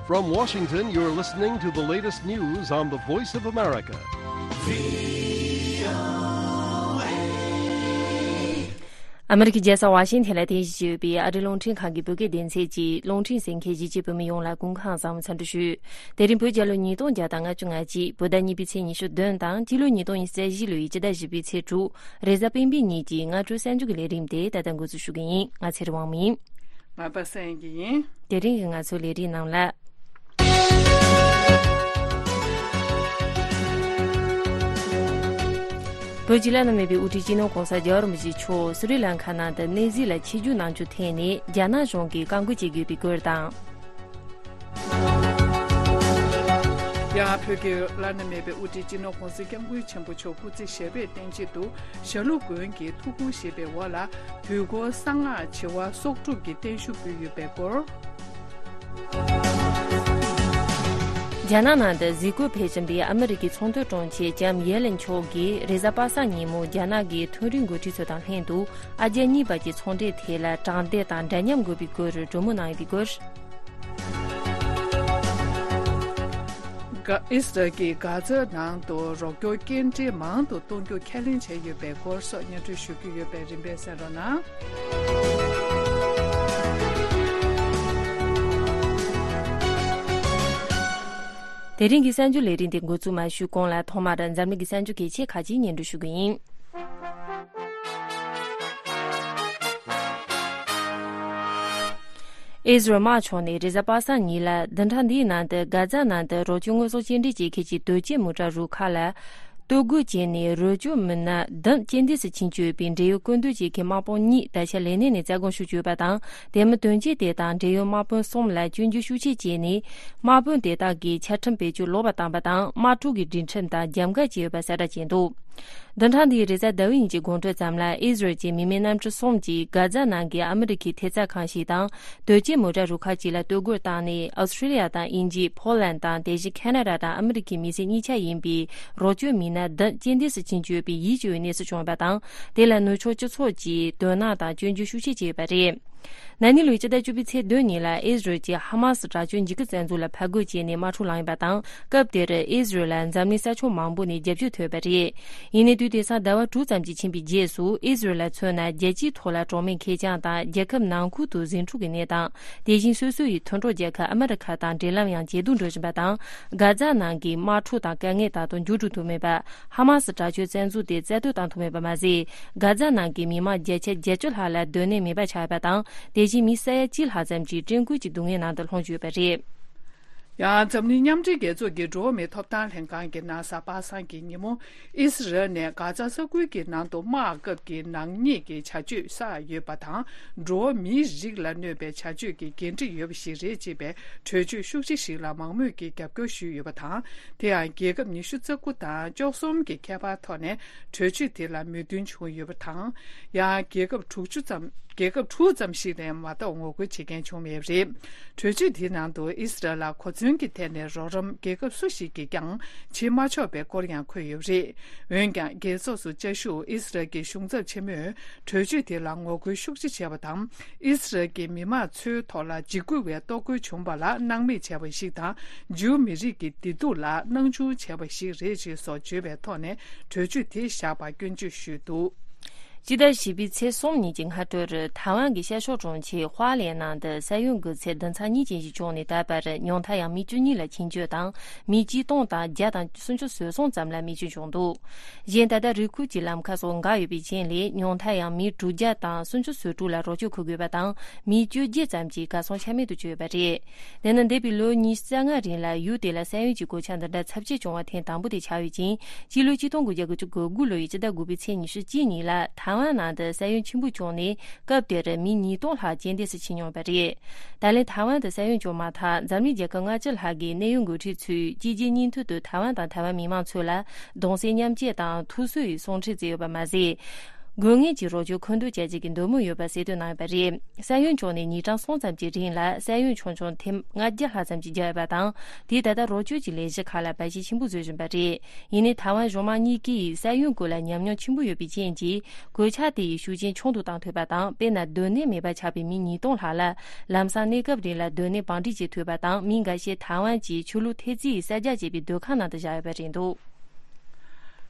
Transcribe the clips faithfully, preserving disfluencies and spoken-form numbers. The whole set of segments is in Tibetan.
From Washington, you're listening to the latest news on the Voice of America. ཨ་མི་རི་ཀའི་རྒྱལ་ས་ཝ་ཤིང་ཐན་ལ་རྟེན་གཞི་བྱས་ཡོད་པའི་ཨ་རིའི་རླུང་འཕྲིན་ཁང་གི་བོད་སྐད་སྡེ་ཚན་གྱིས་རླུང་འཕྲིན་གསན་མཁན་གཞིས་བྱེས་བོད་མི་ཡོངས་ལ་སྐུ་ཁམས་བཟང་བའི་འཚམས་འདྲི་ཞུ། དེ་རིང་བོད་རྒྱལ་ལོ་ཉིས་སྟོང་བརྒྱ་དང་ལྔ་བཅུ་ང་གཅིག་བོད་ཟླ་གཉིས་པའི་ཚེས་ཉི་ཤུ་བདུན་དང་སྤྱི་ལོ་ཉིས་སྟོང་ཉི་ཤུ་རྩ་བཞི་ལོའི་སྤྱི་ཟླ་བཞི་པའི་ཚེས་དྲུག་རེས་གཟའ་སྤེན་པའི་ཉིན་གྱི་སྔ་དྲོའི་གསར་འགྱུར་གྱི་ལས་རིམ་དེ་ད་ལྟ་འགོ་འཛུགས་ཞུ་གི་ཡིན། ང་ཚེ་རིང་དབང་མོ་ཡིན། ང་པ་སངས་ཡིན། དེ་རིང་གི་ང་ཚོའི་ལས་རིམ་ནང་ལ། བོད་ཀྱི་བླ་ན་མེད་པའི་དབུ་ཁྲིད་སྤྱི་ནོར་༸གོང་ས་༸རྒྱལ་བ་རིན་པོ་ཆེ་མཆོག་སི་རི་ལང་ཁ་ནང་དུ་གནས་གཟིགས་ལ་ཆིབས་བསྒྱུར་གནང་རྒྱུ་ཐད་ནས་རྒྱ་ནག་གཞུང་གིས་བཀག་འགོག་བྱེད་དགོས་པའི་སྐོར་དང་། ཡང་བོད་ཀྱི་བླ་ན་མེད་པའི་དབུ་ཁྲིད་སྤྱི་ནོར་༸གོང་ས་༸སྐྱབས་མགོན་ཆེན་པོ་མཆོག་སྐུ་ཚེ་ཞབས་པད་བརྟན་ཆེད་དུ་ཞྭ་ལུ་དགོན་གྱི་ཐུགས་དགོངས་བཞེས་པའི་འོག་ལ་དུས་འཁོར་གསང་སྔགས་བྱེ་བ་སྲོག་སྒྲུབ་ཀྱི་བརྟན་བཞུགས་ཕུལ་ཡོད་པའི་སྐོར། རྒྱ་ནག་ནང་དུ་གཟིགས་སྐོར་ཕེབས་བཞིན་པའི་ཨ་མི་རི་ཀའི་ཚོང་དོན་དྲུང་ཆེ་ལྕམ་ཡེ་ལན་མཆོག་གིས་རེས་གཟའ་པ་སངས་ཉིན་མོ་རྒྱ་ནག་གི་མཐོ་རིམ་འགོ་ཁྲིད་ཚོ་དང་ལྷན་དུ་ཨ་རྒྱ་གཉིས་བར་གྱི་ཚོང་འབྲེལ་ཐད་ལ་དྲང་བདེན་དང་འདྲ་མཉམ་དགོས་པའི་སྐོར་གྲོས་མོལ་གནང་ཡོད་པའི་སྐོར། ཨིས་རལ་གྱིས་གྷ་ཛ་ནང་དུ་རོགས་སྐྱོར་སྐྱེལ་འདྲེན་མང་དུ་གཏོང་རྒྱུ་ཁས་ལེན་བྱས་ཡོད་པའི་སྐོར་སོགས་སྙན་སྒྲོན་ཞུ་རྒྱུ་ཡོད་པས་རིམ་པས་གསན་རོགས་གནང་། དེ་རིང་གི་གསར་འགྱུར་ལས་རིམ་དེ་འགོ་འཛུགས་མ་ཞུས་གོང་ལ་ཐོག་མར་འཛམ་གླིང་གི་གསར་འགྱུར་གལ་ཆེ་ཁག་ཅིག་སྙན་སྒྲོན་ཞུ་གི་ཡིན། ཨིས་རལ་དམག་ཕྱོགས་ནས་རེས་གཟའ་པ་སངས་ཉིན་ལ་བདུན་ཕྲག་འདིའི་ནང་དུ་གྷ་ཛ་ནང་དུ་རོགས་སྐྱོར་དངོས་ཟོག་སྐྱེལ་འདྲེན་བྱེད་མཁན་གྱི་དོས་སྐྱེལ་མོ་ཊ་རུ་ཁག་ལ་གཏོར་རྒོལ་བྱས་ནས་རོགས་སྐྱོར་མི་སྣ་བདུན་རྐྱེན་འདས་སུ་ཕྱིན་བཅུག་ཡོད་པའི་འབྲེལ་ཡོད་སྐུ་མདུན་གྱི་གི་དམག་དཔུང་གཉིས་ད་ཆ་ལས་གནས་ནས་རྩ་དགོངས་ཞུ་བཅུག་ཡོད་པ་དང་། དེ་མིན་དོན་རྐྱེན་དེ་དང་འབྲེལ་ཡོད་དམག་དཔུང་གསུམ་ལ་སྐྱོན་བརྗོད་ཤུགས་ཆེ་བྱས་ནས་དམག་དཔུང་དེ་དག་གིས་ཆ་ཁྲིམས་བེད་སྤྱོད་ལོག་པར་བཏང་བ་དང་དམག་འཁྲུག་གི་སྒྲིག་ཁྲིམས་དང་རྒྱབ་འགལ་བྱས་ཡོད་པ་གསལ་བསྒྲགས་བྱས་འདུག་བདུན་ཕྲག་འདིའི་རེས་གཟའ་ཟླ་བའི་ཉིན་གྱི་དགོང་དྲོ་ཙམ་ལ་ཨིས་རལ་གྱི་མི་མེད་གནམ་གྲུ་གསུམ་གྱིས་གྷ་ཛ་ནང་གི་ཨ་མི་རི་ཁའི་ཐེབས་རྩ་ཁང་ཞིག་དང་དོས་སྐྱེལ་མོ་ཊ་རུ་ཁག་ཅིག་ལ་གཏོར་རྒོལ་བཏང་ནས་ཨོ་སི་ཁྲི་ལི་ཡ་དང་དབྱིན་ཇི། ཕོ་ལན་དང་དེ་བཞིན་ཁ་ན་ཌ་དང་ཨ་མི་རི་ཁའི་མི་སེར་གཉིས་ཆ་ཡིན་པའི་རོགས་སྐྱོར་མི་སྣ་བདུན་རྐྱེན་འདས་སུ་ཕྱིན་བཅུག་ཡོད་པའི་ཡིད་སྐྱོ་བའི་གནས་སུ་བྱུང་ཡོད་པ་དང་། དེ་ལ་ནུབ་ཕྱོགས་སྤྱི་ཚོགས་ཀྱིས་དོ་སྣང་དང་སྐྱོན་བརྗོད་ཤུགས་ཆེ་བྱས་ཡོད་པ་རེད། ན་ནིང་ལོའི་སྤྱི་ཟླ་བཅུ་པའི་ཚེས་བདུན་ཉིན་ལ་ཨིས་རལ་གྱིས་ཧ་མ་སི་དྲག་སྤྱོད་འཇིགས་སྐུལ་བཙན་འཛུལ་ལ་ཕར་རྒོལ་བྱས་ནས་དམག་འཁྲུག་བསླངས་ཡོད་པ་དང་། སྐབས་དེར་ཨིས་རལ་ལ་འཛམ་གླིང་ས་ཕྱོགས་མང་པོ་ནས་རྒྱབ་སྐྱོར་ཐོབ་ཡོད་པ་རེད། ཡིན་ནའི་དུས་དེང་སང་ཟླ་བ་དྲུག་ཙམ་ཅིག་ཕྱིན་པའི་རྗེས་སུ་ཨིས་རལ་ལ་མཚོན་ན་རྒྱལ་སྤྱིའི་ཐོག་ལ་གྲོགས་མེད་ཁེར་རྐྱང་དང་རྒྱལ་ཁབ་ནང་ཁུལ་དུ་ཟིང་འཁྲུག་གི་གནས་སྟངས། དེ་བཞིན་སོ་སོ་ཡི་མཐུན་གྲོགས་རྒྱལ་ཁབ་ཨ་མི་རི་ཁ་དང་འབྲེལ་ལམ་ཡང་ཇེ་སྡུག་འགྲོ་བཞིན་པ་དང་། གྷ་ཛ་ནང་གི་དམག་འཁྲུག་དང་དཀའ་ངལ་ད་དུང་མཇུག་སྒྲིལ་ཐུབ་མེད་པ། ཧ་མ་སི་དྲག་སྤྱོད་བཙན་འཛུལ་དེ་རྩ་གཏོར་བཏང་ཐུབ་མེད་པ་མ་ཟད། གྷ་ཛ་ནང་གི་མི་མང་བརྒྱ་ཆ་བརྒྱད་ཅུ་ལྷག་ལ་སྡོད་གནས་མེད་པ་ཆགས་ཡོད་པ་དང་། དེ་བཞིན་མི་ས་ཡ་གཅིག་ལྷག་ཙམ་གྱིས་བཀྲེས་སྐོམ་གྱི་སྡུག་བསྔལ་ནང་དུ་ལྷུང་བཅུག་ཡོད་པ་རེད། ཡང་འཛམ་གླིང་མཉམ་འབྲེལ་རྒྱལ་ཚོགས་ཀྱི་འགྲོ་བ་མིའི་ཐོབ་ཐང་ལྷན་ཁང་གིས་གནངས་གཟའ་པ་སངས་ཀྱི་ཉིན་མོ་ཨིས་རལ་ནས་གྷ་ཛ་ས་ཁུལ་གྱི་ནང་དུ་དམག་སྐབས་ཀྱི་ནག་ཉེས་ཀྱི་བྱ་སྤྱོད་བསགས་ཡོད་པ་དང་། འགྲོ་བ་མིའི་རིགས་ལ་གནོད་པའི་བྱ་སྤྱོད་ཀྱི་འགན་འཁྲི་ཡོད་པ་ཞིག་རེད་ཅེས་པའི་གྲོས་ཆོད་ཤུགས་ཆེ་ཞིག་ལ་མང་མོས་ཀྱིས་རྒྱབ་སྐྱོར་ཞུས་ཡོད་པ་དང་། དེ་ཡང་རྒྱལ་ཁབ་ཉི་ཤུ་རྩ་དགུ་དང་བཅུ་གསུམ་གྱི་ཁྱད་པར་ཐོག་ནས་གྲོས་ཆོད་དེ་ལ་མོས་མཐུན་བྱུང་ཡོད་པ་དང་། ཡང་རྒྱལ་ཁབ་དྲུག་ཅུ་ཙམ། རྒྱལ་ཁབ་དྲུག་ཙམ་ཞིག་ནས་མ་གཏོགས་ངོ་རྒོལ་བྱེད་མཁན་བྱུང་མེད་པ་རེད། གྲོས་ཆོད་དེའི་ནང་དུ་ཨིས་རལ་ལ་གོ་མཚོན་གྱི་ཐད་ནས་རོགས་རམ་རྒྱལ་ཁབ་སུ་ཞིག་གིས་ཀྱང་བྱེད་མ་ཆོག་པའི་སྐོར་ཡང་འཁོད་ཡོད་པ་རེད། འོན་ཀྱང་རྒྱལ་ཚོགས་སུ་བཅའ་བཞུགས་ཨིས་རལ་གྱི་གཞུང་ཚབ་ཆེན་མོས་གྲོས་ཆོད་དེ་ལ་ངོ་རྒོལ་ཤུགས་ཆེ་བྱས་པ་དང་། ཨིས་རལ་གྱི་མི་མང་ཚོའི་ཐོག་ལ་འཇིགས་སྐུལ་བའི་གཏོར་རྒོལ་བྱུང་བ་ལ་སྣང་མེད་བྱས་པ་ཞིག་དང་། ཇིའུ་མི་རིགས་ཀྱི་བདེ་སྡུག་ལ་སྣང་ཆུང་བྱས་པ་ཞིག་རེད་ཅེས་སོགས་བརྗོད་པའི་ཐོག་ནས་གྲོས་ཆོད་དེ་བཞག་པར་སྐྱོན་བརྗོད་ཞུས་འདུག་སྤྱི་ཟླ་བཞི་པའི་ཚེས་གསུམ་ཉིན་གྱི་སྔ་དྲོར་ཐའེ་ཝན་གྱི་ཤར་ཕྱོགས་གྲོང་ཁྱེར་ཧྭ་ལེ་ནང་དུ་ས་ཡོམ་གྱི་ཚད་བདུན་ཚེག་གཉིས་ཅན་ཞིག་བྱུང་ནས། ད་བར་ཉུང་མཐར་ཡང་མི་བཅུ་གཉིས་ལ་འཆིང་སྐྱོད་དང་། མི་ཆིག་སྟོང་དང་བརྒྱ་དང་སུམ་ཅུ་སོ་གསུམ་ཙམ་ལ་རྨས་སྐྱོན་བྱུང་འདུག་གཞན་ད་ལྟ་རི་ཁུལ་གྱི་ལམ་ཁ་སོགས་འགག་ཡོད་པའི་རྐྱེན་ལས་ཉུང་མཐར་ཡང་མི་དྲུག་བརྒྱ་དང་སུམ་ཅུ་སོ་དྲུག་ལ་རོགས་སྐྱོར་འཁུར་དགོས་པ་དང་། མི་བཅོ་བརྒྱད་ཙམ་གྱིས་གར་སོང་ཆ་མེད་དུ་གྱུར་ཡོད་པ་རེད། དེ་ནི་འདས་པའི་ལོ་ཉི་ཤུ་རྩ་ལྔ་རིང་ལ་ཡུལ་དེ་ལ་ས་ཡོམ་གྱི་གོད་ཆག་འདི་འདྲ་ཚབས་ཆེ་བྱུང་བ་ཐེངས་དང་པོ་དེ་ཆགས་ཡོད་ཅིང་། སྤྱི་ལོ་ཆིག་སྟོང་དགུ་བརྒྱ་དགུ་བཅུ་གོ་དགུ་ལོའི་སྤྱི་ཟླ་དགུ་པའི་ཚེས་ཉི་ཤུ་གཅིག་ཉིན་ལ་ཐའེ་ཝན་ནང་དུ་ས་ཡོམ་ཆེན་པོ་བྱུང་ནས། སྐབས་དེར་མི་ཉིས་སྟོང་ལྷག་རྐྱེན་འདས་སུ་ཕྱིན་མྱོང་བ་རེད། ད་ལན་ཐའེ་ཝན་དུ་ས་ཡོམ་བྱུང་མ་ཐག་འཛམ་གླིང་རྒྱལ་ཁབ་ལྔ་བཅུ་ལྷག་གི་གནད་ཡོད་འགོ་ཁྲིད་ཚོས་གཅིག་རྗེས་གཉིས་མཐུད་དུ་ཐའེ་ཝན་དང་ཐའེ་ཝན་མི་མང་ཚོ་ལ་གདུང་སེམས་མཉམ་སྐྱེད་དང་ཐུགས་གསོའི་གསུང་འཕྲིན་བསྩལ་ཡོད་པ་མ་ཟད། དགོས་ངེས་ཀྱི་རོགས་སྐྱོར་མཁོ་འདོན་བྱ་རྒྱུ་གི་འདོད་མོས་ཡོད་པ་གསལ་སྟོན་གནང་ཡོད་པ་རེད། ས་ཡོམ་བྱུང་ནས་ཉིན་གྲངས་གསུམ་ཙམ་གྱི་རིང་ལ་ས་ཡོམ་ཆུང་ཆུང་ཐེངས་ལྔ་བརྒྱ་ལྷག་ཙམ་ཞིག་བརྒྱབ་ཡོད་པ་དང་། དེས་ད་ལྟ་རོགས་སྐྱོར་གྱི་ལས་གཞི་ཁག་ལ་འབད་བརྩོན་ཆེན་པོ་བཟོ་བཞིན་པ་རེད། ཡིན་ནའི་ཐའེ་ཝན་གཞུང་མང་གཉིས་ཀས་ས་ཡོམ་སྐོར་ལ་ཉམས་མྱོང་ཆེན་པོ་ཡོད་པའི་རྐྱེན་གྱིས། གོད་ཆག་དེ་ཡི་ཤུགས་རྐྱེན་ཆུང་དུ་བཏང་ཐུབ་པ་དང་། དཔེར་ན། སྡོད་གནས་མེད་པར་ཆགས་པའི་མི་ཉིས་སྟོང་ལྷག་ལ་ལམ་སང་གནས་སྐབས་རིང་ལ་སྡོད་གནས་བང་སྒྲིག་བྱེད་ཐུབ་པ་དང་། མི་འགའ་ཤས་ཐའེ་ཝན་གྱི་ཆོས་ལུགས་ཐེབས་རྩའི་གསར་རྒྱག་བྱས་པའི་སྡོད་ཁང་ནང་དུ་བཞག་ཡོད་པ་རེད་འདུག།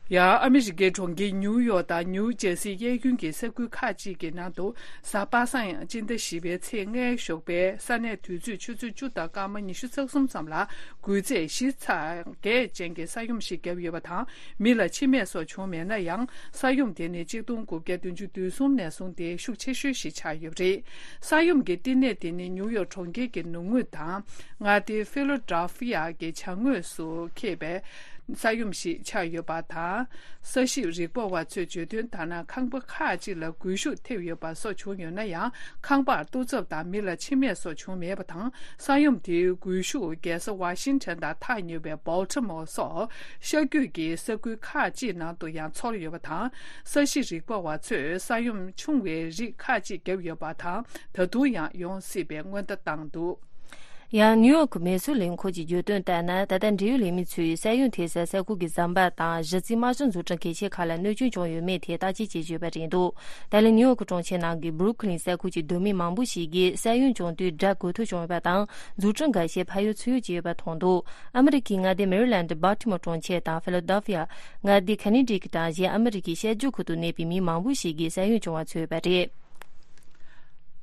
ཡང་ཨ་མི་རི་ཀའི་གྲོང་ཁྱེར་ཉིའུ་ཡོག་དང་ཉིའུ་ཇར་སིའི་གཡས་གཡོན་གྱི་ས་ཁུལ་ཁག་ཅིག་གི་ནང་དུ། གཟའ་པ་སངས་སྤྱི་ཟླ་བཞི་པའི་ཚེས་ལྔའི་ཞོགས་པའི་ས་གནས་དུས་ཚོད་ཆུ་ཚོད་བཅུ་དང་སྐར་མ་ཉི་ཤུ་རྩ་གསུམ་ཙམ་ལ་འགུལ་ཚད་བཞི་ཚེག་བརྒྱད་ཅན་གྱི་ས་ཡོམ་ཞིག་བརྒྱབ་ཡོད་པ་དང་། མི་ལ་འཆི་རྨས་སོགས་བྱུང་མེད་ན་ཡང་། ས་ཡོམ་དེ་ནི་གཅིག་སྟོང་དགུ་བརྒྱ་བདུན་ཅུ་དོན་གསུམ་ནས་བཟུང་སྟེ་ཤུགས་ཆེ་ཤོས་ཤིག་ཆགས་ཡོད་པ་རེད། ས་ཡོམ་གྱི་བསྟི་གནས་དེ་ནི་ཉིའུ་ཡོག་གྲོང་ཁྱེར་གྱི་ནུབ་ངོས་དང་། མངའ་སྡེ་ཕི་ལོ་ཌེལ་ཕི་ཡ་གི་བྱང་ངོས་སུ་འཁེལ་བའི་ས་ཡོམ་ཞིག་ཆགས་ཡོད་པ་དང་། ས་གཤིས་རིག་པ་བ་ཚོས་བརྗོད་དོན་ལྟར་ན། ཁང་པ་ཁག་ཅིག་ལ་སྒུལ་ཤུགས་ཐེབས་ཡོད་པ་སོགས་བྱུང་ཡོད་ན་ཡང་། ཁང་པར་གཏོར་ཚབ་དང་མི་ལ་འཆི་རྨས་སོགས་བྱུང་མེད་པ་དང་། ས་ཡོམ་དེའི་སྒུལ་ཤུགས་རྒྱལ་ས་ཝ་ཤིང་ཊོན་དང་ཐག་ཉེ་བའི་བོལ་ཊི་མོར་སོགས་ཤར་རྒྱུད་ཀྱི་ས་ཁུལ་ཁག་ཅིག་ནང་དུ་ཡང་ཚོར་ཡོད་པ་དང་། ས་གཤིས་རིག་པ་བ་ཚོས་ས་ཡོམ་ཆུང་བའི་རིགས་ཁག་ཅིག་བརྒྱབ་ཡོད་པ་དང་། ད་དུང་ཡང་ཡོང་སྲིད་པའི་སྔོན་བརྡ་བཏང་འདུག། ཡང་ནིའུ་ཡོག་གི་མེ་གསོད་ལས་ཁུངས་ཀྱིས་བརྗོད་དོན་ལྟར་ན། ད་ལྟ་འབྲེལ་ཡོད་ལས་མི་ཚོས་ས་ཡོམ་ཐེབས་སའི་ས་ཁུལ་གྱི་ཟམ་པ་དང་གཞི་རྩའི་དམག་གཞི་འཛུགས་སྐྲུན་གལ་ཆེ་ཁག་ལ་གནོད་སྐྱོན་བྱུང་ཡོད་མེད་ཐད་བརྟག་དཔྱད་བྱེད་ཀྱི་ཡོད་པ་རེད་འདུག། ད་ལན་ནིའུ་ཡོག་གི་གྲོང་ཁྱེར་ནང་གི་སྦུ་རུག་ལིན་ས་ཁུལ་གྱི་སྡོད་མི་མང་པོ་ཞིག་གིས་ས་ཡོམ་བྱུང་དུས་སྒྲ་གོ་ཐོས་བྱུང་ཡོད་པ་དང་། འཛུགས་སྐྲུན་འགའ་ཤས་ཕར་ཡུལ་ཚུར་ཡུལ་བྱས་ཡོད་པ་མཐོང་འདུག། ཨ་མི་རི་ཀའི་མངའ་སྡེ་མེ་རི་ལན་ཌི་སྦལ་ཊི་མོར་གྲོང་ཁྱེར་དང་ཕི་ལ་ཌེལ་ཕི་ཡ། མངའ་སྡེ་ཀོ་ནེ་ཊི་ཀཊ་དང་གཞན་ཨ་མི་རི་ཀའི་ཤར་ཕྱོགས་ཁུལ་དུ་གནས་པའི་མི་མང་པོ་ཞིག་གིས་ས་ཡོམ་བྱུང་བ་ཚོར་ཡོད་པ་རེད།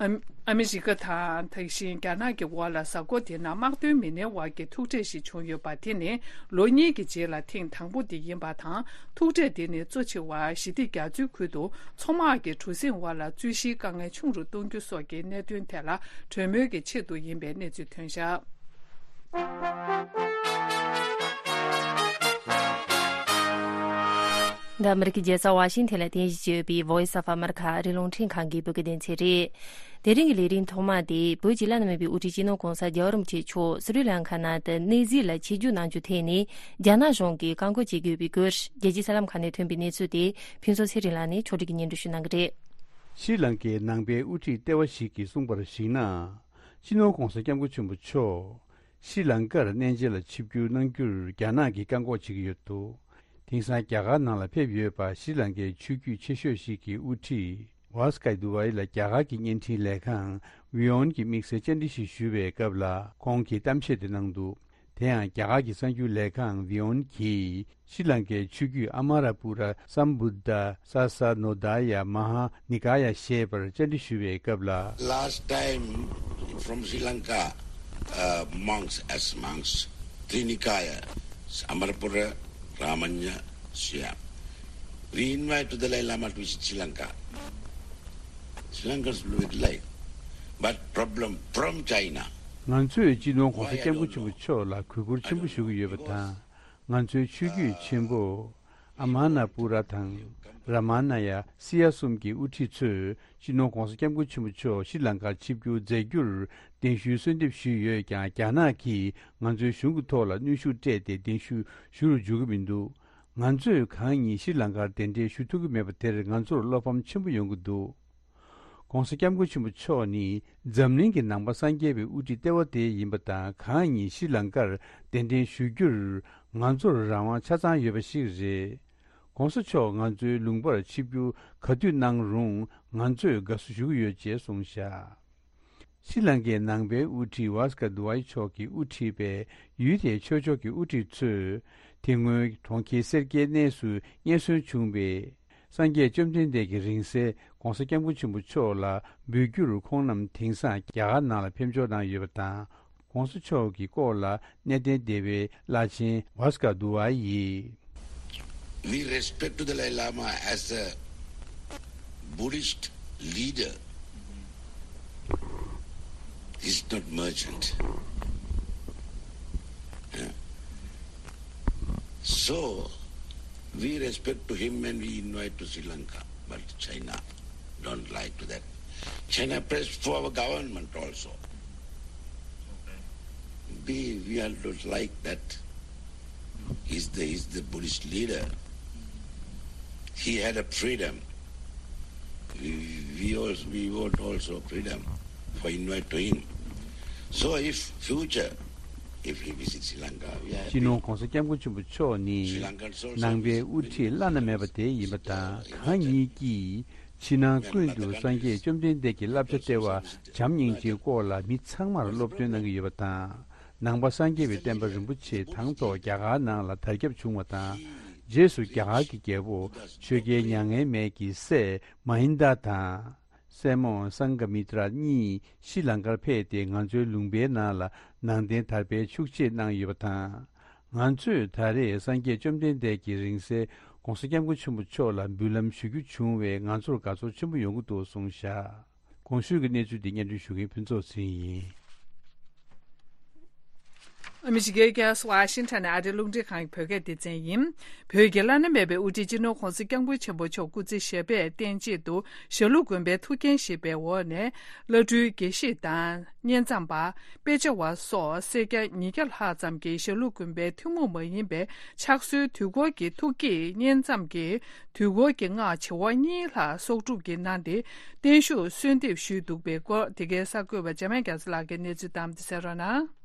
ཨ་ཨ་མི་རི་ཀ་དང་དེ་བཞིན་རྒྱ་ནག་གི་དབར་ལ་གཟའ་འཁོར་འདིའི་ནང་དམག་དོན་མི་སྣའི་དབར་གྱི་ཐུག་འཕྲད་ཞིག་བྱུང་ཡོད་པ། དེ་ནི་ལོ་གཉིས་ཀྱི་རྗེས་ལ་ཐེངས་དང་པོ་དེ་ཡིན་པ་དང་། ཐུག་འཕྲད་དེ་ནི་གཙོ་ཆེ་བ་ཞི་བདེ་རྒྱ་མཚོའི་ཁུལ་དུ་མཚོ་དམག་གི་གྲུ་གཟིངས་དབར་ལ་རྩོད་གཞིའི་དཀའ་ངལ་ཆུང་རུ་གཏོང་རྒྱུ་སོགས་ཀྱི་གནད་དོན་ཐད་ལ་གྲོས་མོལ་གྱི་ཆེད་དུ་ཡིན་པའི་གནས་ཚུལ་ཐོན་བཞག། འདི་ཨ་མི་རི་ཀའི་རྒྱལ་ས་ཝ་ཤིང་ཐན་ལ་རྟེན་གཞི་བྱས་ཡོད་པའི་Voice of America ཨ་རིའི་རླུང་འཕྲིན་ཁང་གི་བོད་སྐད་སྡེ་ཚན་རེད། དེ་རིང་གི་ལས་རིམ་ཐོག་མ་དེ་བོད་ཀྱི་བླ་ན་མེད་པའི་དབུ་ཁྲིད་སྤྱི་ནོར་༧གོང་ས་༧རྒྱལ་བ་རིན་པོ་ཆེ་མཆོག་སི་རི་ལང་ཀ་ནང་དུ་གནས་གཟིགས་ལ་ཆིབས་བསྒྱུར་གནང་རྒྱུ་ཐད་ནས་རྒྱ་ནག་གཞུང་གིས་བཀག་འགོག་བྱེད་ཀྱི་ཡོད་པའི་སྐོར་རྒྱལ་སྤྱིའི་གསར་ལམ་ཁག་ནས་ཐོན་པའི་གནས་ཚུལ་དེ་ཕུན་ཚོགས་ཚེ་རིང་ལགས་ནས་ཕྱོགས་སྒྲིག་གིས་སྙན་སྒྲོན་ཞུ་གནང་གི་རེད། ཤྲི་ལང་ཀའི་ནང་པའི་དབུ་ཁྲིད་ལྟེ་བ་ཞིག་གིས་གསུངས་པར་གཞིགས་ན། སྤྱི་ནོར་༧གོང་ས་༧སྐྱབས་མགོན་ཆེན་པོ་མཆོག་ཤྲི་ལང་ཀར་གནས་མཇལ་ལ་ཆིབས་བསྒྱུར་གནང་རྒྱུར་རྒྱ་ནག་གིས་བཀག་འགོག་བྱེད་ཀྱི་ཡོད་འདུག། དེང་སང་རྒྱ་གར་ནང་ལ་ཕེབས་ཡོད་པ་ཤྲི་ལང་ཀའི་ཆོས་བརྒྱུད་ཆེ་ཤོས་ཤིག་གི་དབུ་ཁྲིད་ཝཱ་སི་ཀ་དུ་ཝཱ་ཡི་ལ་རྒྱ་གར་གྱི་བརྙན་འཕྲིན་ལས་ཁང་ཝི་ཨོན་གྱིས་དམིགས་བསལ་བཅར་འདྲི་ཞིག་ཞུ་བའི་སྐབས་ལ་ཁོང་གིས་གཏམ་བཤད་དེ་གནང་འདུག། དེ་ཡང་རྒྱ་གར་གྱི་གསར་འགྱུར་ལས་ཁང་ཝི་ཨོན་གྱིས་ཤྲི་ལང་ཀའི་ཆོས་བརྒྱུད་ཨ་མ་ར་པུ་ར་སམ་བུད་དྷ་ས་ས་ནོ་དྷ་ཡ་མ་ཧཱ་ནི་ཀ་ཡ་ཞེས་པར་བཅར་འདྲི་ཞུ་བའི་སྐབས་ལ། Last time from Sri Lanka, uh, monks as monks, Trinikaya, Amarapura, Ramanya, Siam. We invite to Dalai Lama to visit Sri Lanka. Sri Lankans will be delighted. But problem from China. ང་ཚོས་སྤྱི་ནོར་༧གོང་ས་༧སྐྱབས་མགོན་ཆེན་པོ་མཆོག་ལ་གུས་བཀུར་ཆེན་པོ་ཞུ་གི་ཡོད་པ་དང་། ང་ཚོའི་ཆོས་བརྒྱུད་ཆེན་པོ་ཨ་མ་ན་པུ་ར་དང་ར་མ་ན་ཡ་སི་ཡ་གསུམ་གྱི་དབུ་ཁྲིད་ཚོས་སྤྱི་ནོར་༧གོང་ས་༧སྐྱབས་མགོན་ཆེན་པོ་མཆོག་ཤྲི་ལང་ཀར་ཆིབས་བསྒྱུར་མཛད་རྒྱུར་གདན་ཞུའི་གསོལ་འདེབས་ཞུས་ཡོད་ཀྱང་། རྒྱ་ནག་གིས་ང་ཚོའི་གཞུང་གི་ཐོག་ལ་གནོན་ཤུགས་སྤྲད་དེ་གདན་ཞུ་ཞུ་རུ་འཇུག་གི་མི་འདུག། ང་ཚོས་གང་ཉིད་ཤྲི་ལང་ཀར་གདན་འདྲེན་ཞུ་ཐུབ་ཀྱི་མེད་པ་དེར་ང་ཚོར་བློ་ཕམ་ཆེན་པོ་ཡོང་གི་འདུག། ༧གོང་ས་༧སྐྱབས་མགོན་ཆེན་པོ་མཆོག་ནི་འཛམ་གླིང་གི་ནང་པ་སངས་རྒྱས་པའི་དབུ་ཁྲིད་ལྟེ་བ་དེ་ཡིན་པ་དང་། གང་ཉིད་ཤྲི་ལང་ཀར་གདན་འདྲེན་ཞུ་རྒྱུར་ང་ཚོར་རང་དབང་ཆ་ཚང་ཡོད་པ་ཞིག་རེད། ༧གོང་ས་མཆོག་ང་ཚོའི་ལུང་པར་ཆིབས་བསྒྱུར་ག་དུས་གནང་རུང་ང་ཚོས་དགའ་བསུ་ཞུ་གི་ཡོད་ཅེས་གསུངས་བཞག། ཤྲི་ལང་ཀའི་ནང་པའི་དབུ་ཁྲིད་ཝཱ་སི་ཀ་དུ་ཝཱ་ཡི་མཆོག་གིས་དབུ་ཁྲིད་པའི་ཡུལ་དེའི་ཆོས་ཕྱོགས་ཀྱི་དབུ་ཁྲིད་ཚོས་དེ་སྔོན་གྲོང་ཁྱེར་སེར་སྐྱའི་གནས་སུ་རྙེད་སོན་བྱུང་བའི་སངས་རྒྱས་བཅོམ་ལྡན་འདས་ཀྱི་རིང་བསྲེལ་༧གོང་ས་༧སྐྱབས་མགོན་ཆེན་པོ་མཆོག་ལ་འབུལ་རྒྱུར་ཁོང་རྣམས་དེང་སང་རྒྱ་གར་ནང་ལ་ཕེབས་འབྱོར་གནང་ཡོད་པ་དང་། ༧གོང་ས་མཆོག་གི་སྐོར་ལ་གནས་བརྟན་སྡེ་བའི་བླ་ཆེན་ཝཱ་སི་ཀ་དུ་ཝཱ་ཡིས། We respect to the Dalai Lama as a Buddhist leader. He's not merchant. Yeah. So, we respect to him and we invite to Sri Lanka. But China don't like to that. China pressed for our government also. We, we are not like that. He's the, he's the Buddhist leader. He had a freedom. We want also freedom for invite to him. So if future, if he visits Sri Lanka, we are happy. སྤྱི་ནོར་༧གོང་ས་༧སྐྱབས་མགོན་ཆེན་པོ་མཆོག་ནི་Sri Lankans also ནང་པའི་དབུ་ཁྲིད་བླ་ན་མེད་པ་དེ་ཡིན་པ་དང་། གང་ཉིད་ཀྱིས་ཕྱི་ནང་ཀུན་ཏུ་སངས་རྒྱས་བཅོམ་ལྡན་འདས་ཀྱི་བསླབ་བྱ་ལྟེ་བ་བྱམས་སྙིང་རྗེའི་སྐོར་ལ་མི་ཚང་མར་སློབ་སྟོན་གནང་གི་ཡོད་པ་དང་། ནང་པ་སངས་རྒྱས་པའི་བསྟན་པ་རིན་པོ་ཆེ་དང་ཐོག་རྒྱ་གར་ནང་ལ་དར་ཁྱབ་བྱུང་བ་དང་། རྗེས་སུ་རྒྱ་གར་གྱི་རྒྱལ་པོ་ཆོས་རྒྱལ་མྱ་ངན་མེད་ཀྱི་སྲས་མ་ཧིན་དཱ་དང་། སྲས་མོ་སངྒ་མི་ཏྲ་གཉིས་ཤྲི་ལང་ཀར་ཕེབས་ཏེ་ང་ཚོའི་ལུང་པའི་ནང་ལ་ནང་བསྟན་དར་སྤེལ་ཤུགས་ཆེ་གནང་ཡོད་པ་དང་། ང་ཚོས་ད་རེས་སངས་རྒྱས་བཅོམ་ལྡན་འདས་ཀྱི་རིང་བསྲེལ་༧གོང་ས་༧སྐྱབས་མགོན་ཆེན་པོ་མཆོག་ལ་འབུལ་ལམ་ཞུ་རྒྱུ་བྱུང་བས་ང་ཚོར་དགའ་ཚོར་ཆེན་པོ་ཡོང་གི་འདུག་གསུངས་བཞག་གོང་ཞུས་ཀྱི་གནས་ཚུལ་འདི་སྙན་སྒྲོན་ཞུ་མཁན་ཕུན་ཚོགས་ཚེ་རིང་ཡིན། ཨ་མི་རི་ཀའི་རྒྱལ་ས་ཝ་ཤིང་ཊོན་ནས་ཨ་རིའི་རླུང་འཕྲིན་ཁང་གི་བོད་སྐད་སྡེ་ཚན་ཡིན། བོད་ཀྱི་བླ་ན་མེད་པའི་དབུ་ཁྲིད་སྤྱི་ནོར་༧གོང་ས་༧སྐྱབས་མགོན་ཆེན་པོ་མཆོག་སྐུ་ཚེ་ཞབས་པད་བརྟན་ཆེད་དུ་ཞྭ་ལུ་དགོན་པའི་ཐུགས་འགན་བཞེས་པའི་འོག་ནས། བླ་སྤྲུལ་དགེ་བཤེས་དང་། བསྙེན་མཚམས་པ། དཔེ་ཆ་བ་སོགས་སེར་སྐྱ་ཉིས་བརྒྱ་ལྷག་ཙམ་གྱིས་ཞྭ་ལུ་དགོན་པའི་ཐུན་མོང་མ་ཡིན་པའི་ཕྱག་སྲོལ་དུས་འཁོར་གྱི་ཐུགས་བསྐྱེད་བསྙེན་མཚམས་ཀྱི་དུས་འཁོར་གྱི་སྔགས་བྱེ་བ་གཉིས་ལྷག་གསོག་སྒྲུབ་ཀྱིས་གནང་སྟེ། བརྟན་བཞུགས་གསོལ་འདེབས་ཞུས་འདུག་པའི་སྐོར། དེ་གའི་གསར་འགོད་པ་འཇམ་དབྱངས་རྒྱ་མཚོ་ལགས་ཀྱིས་གནས་ཚུལ་བཏང་སྟེ་གསན་རོགས་གནང་།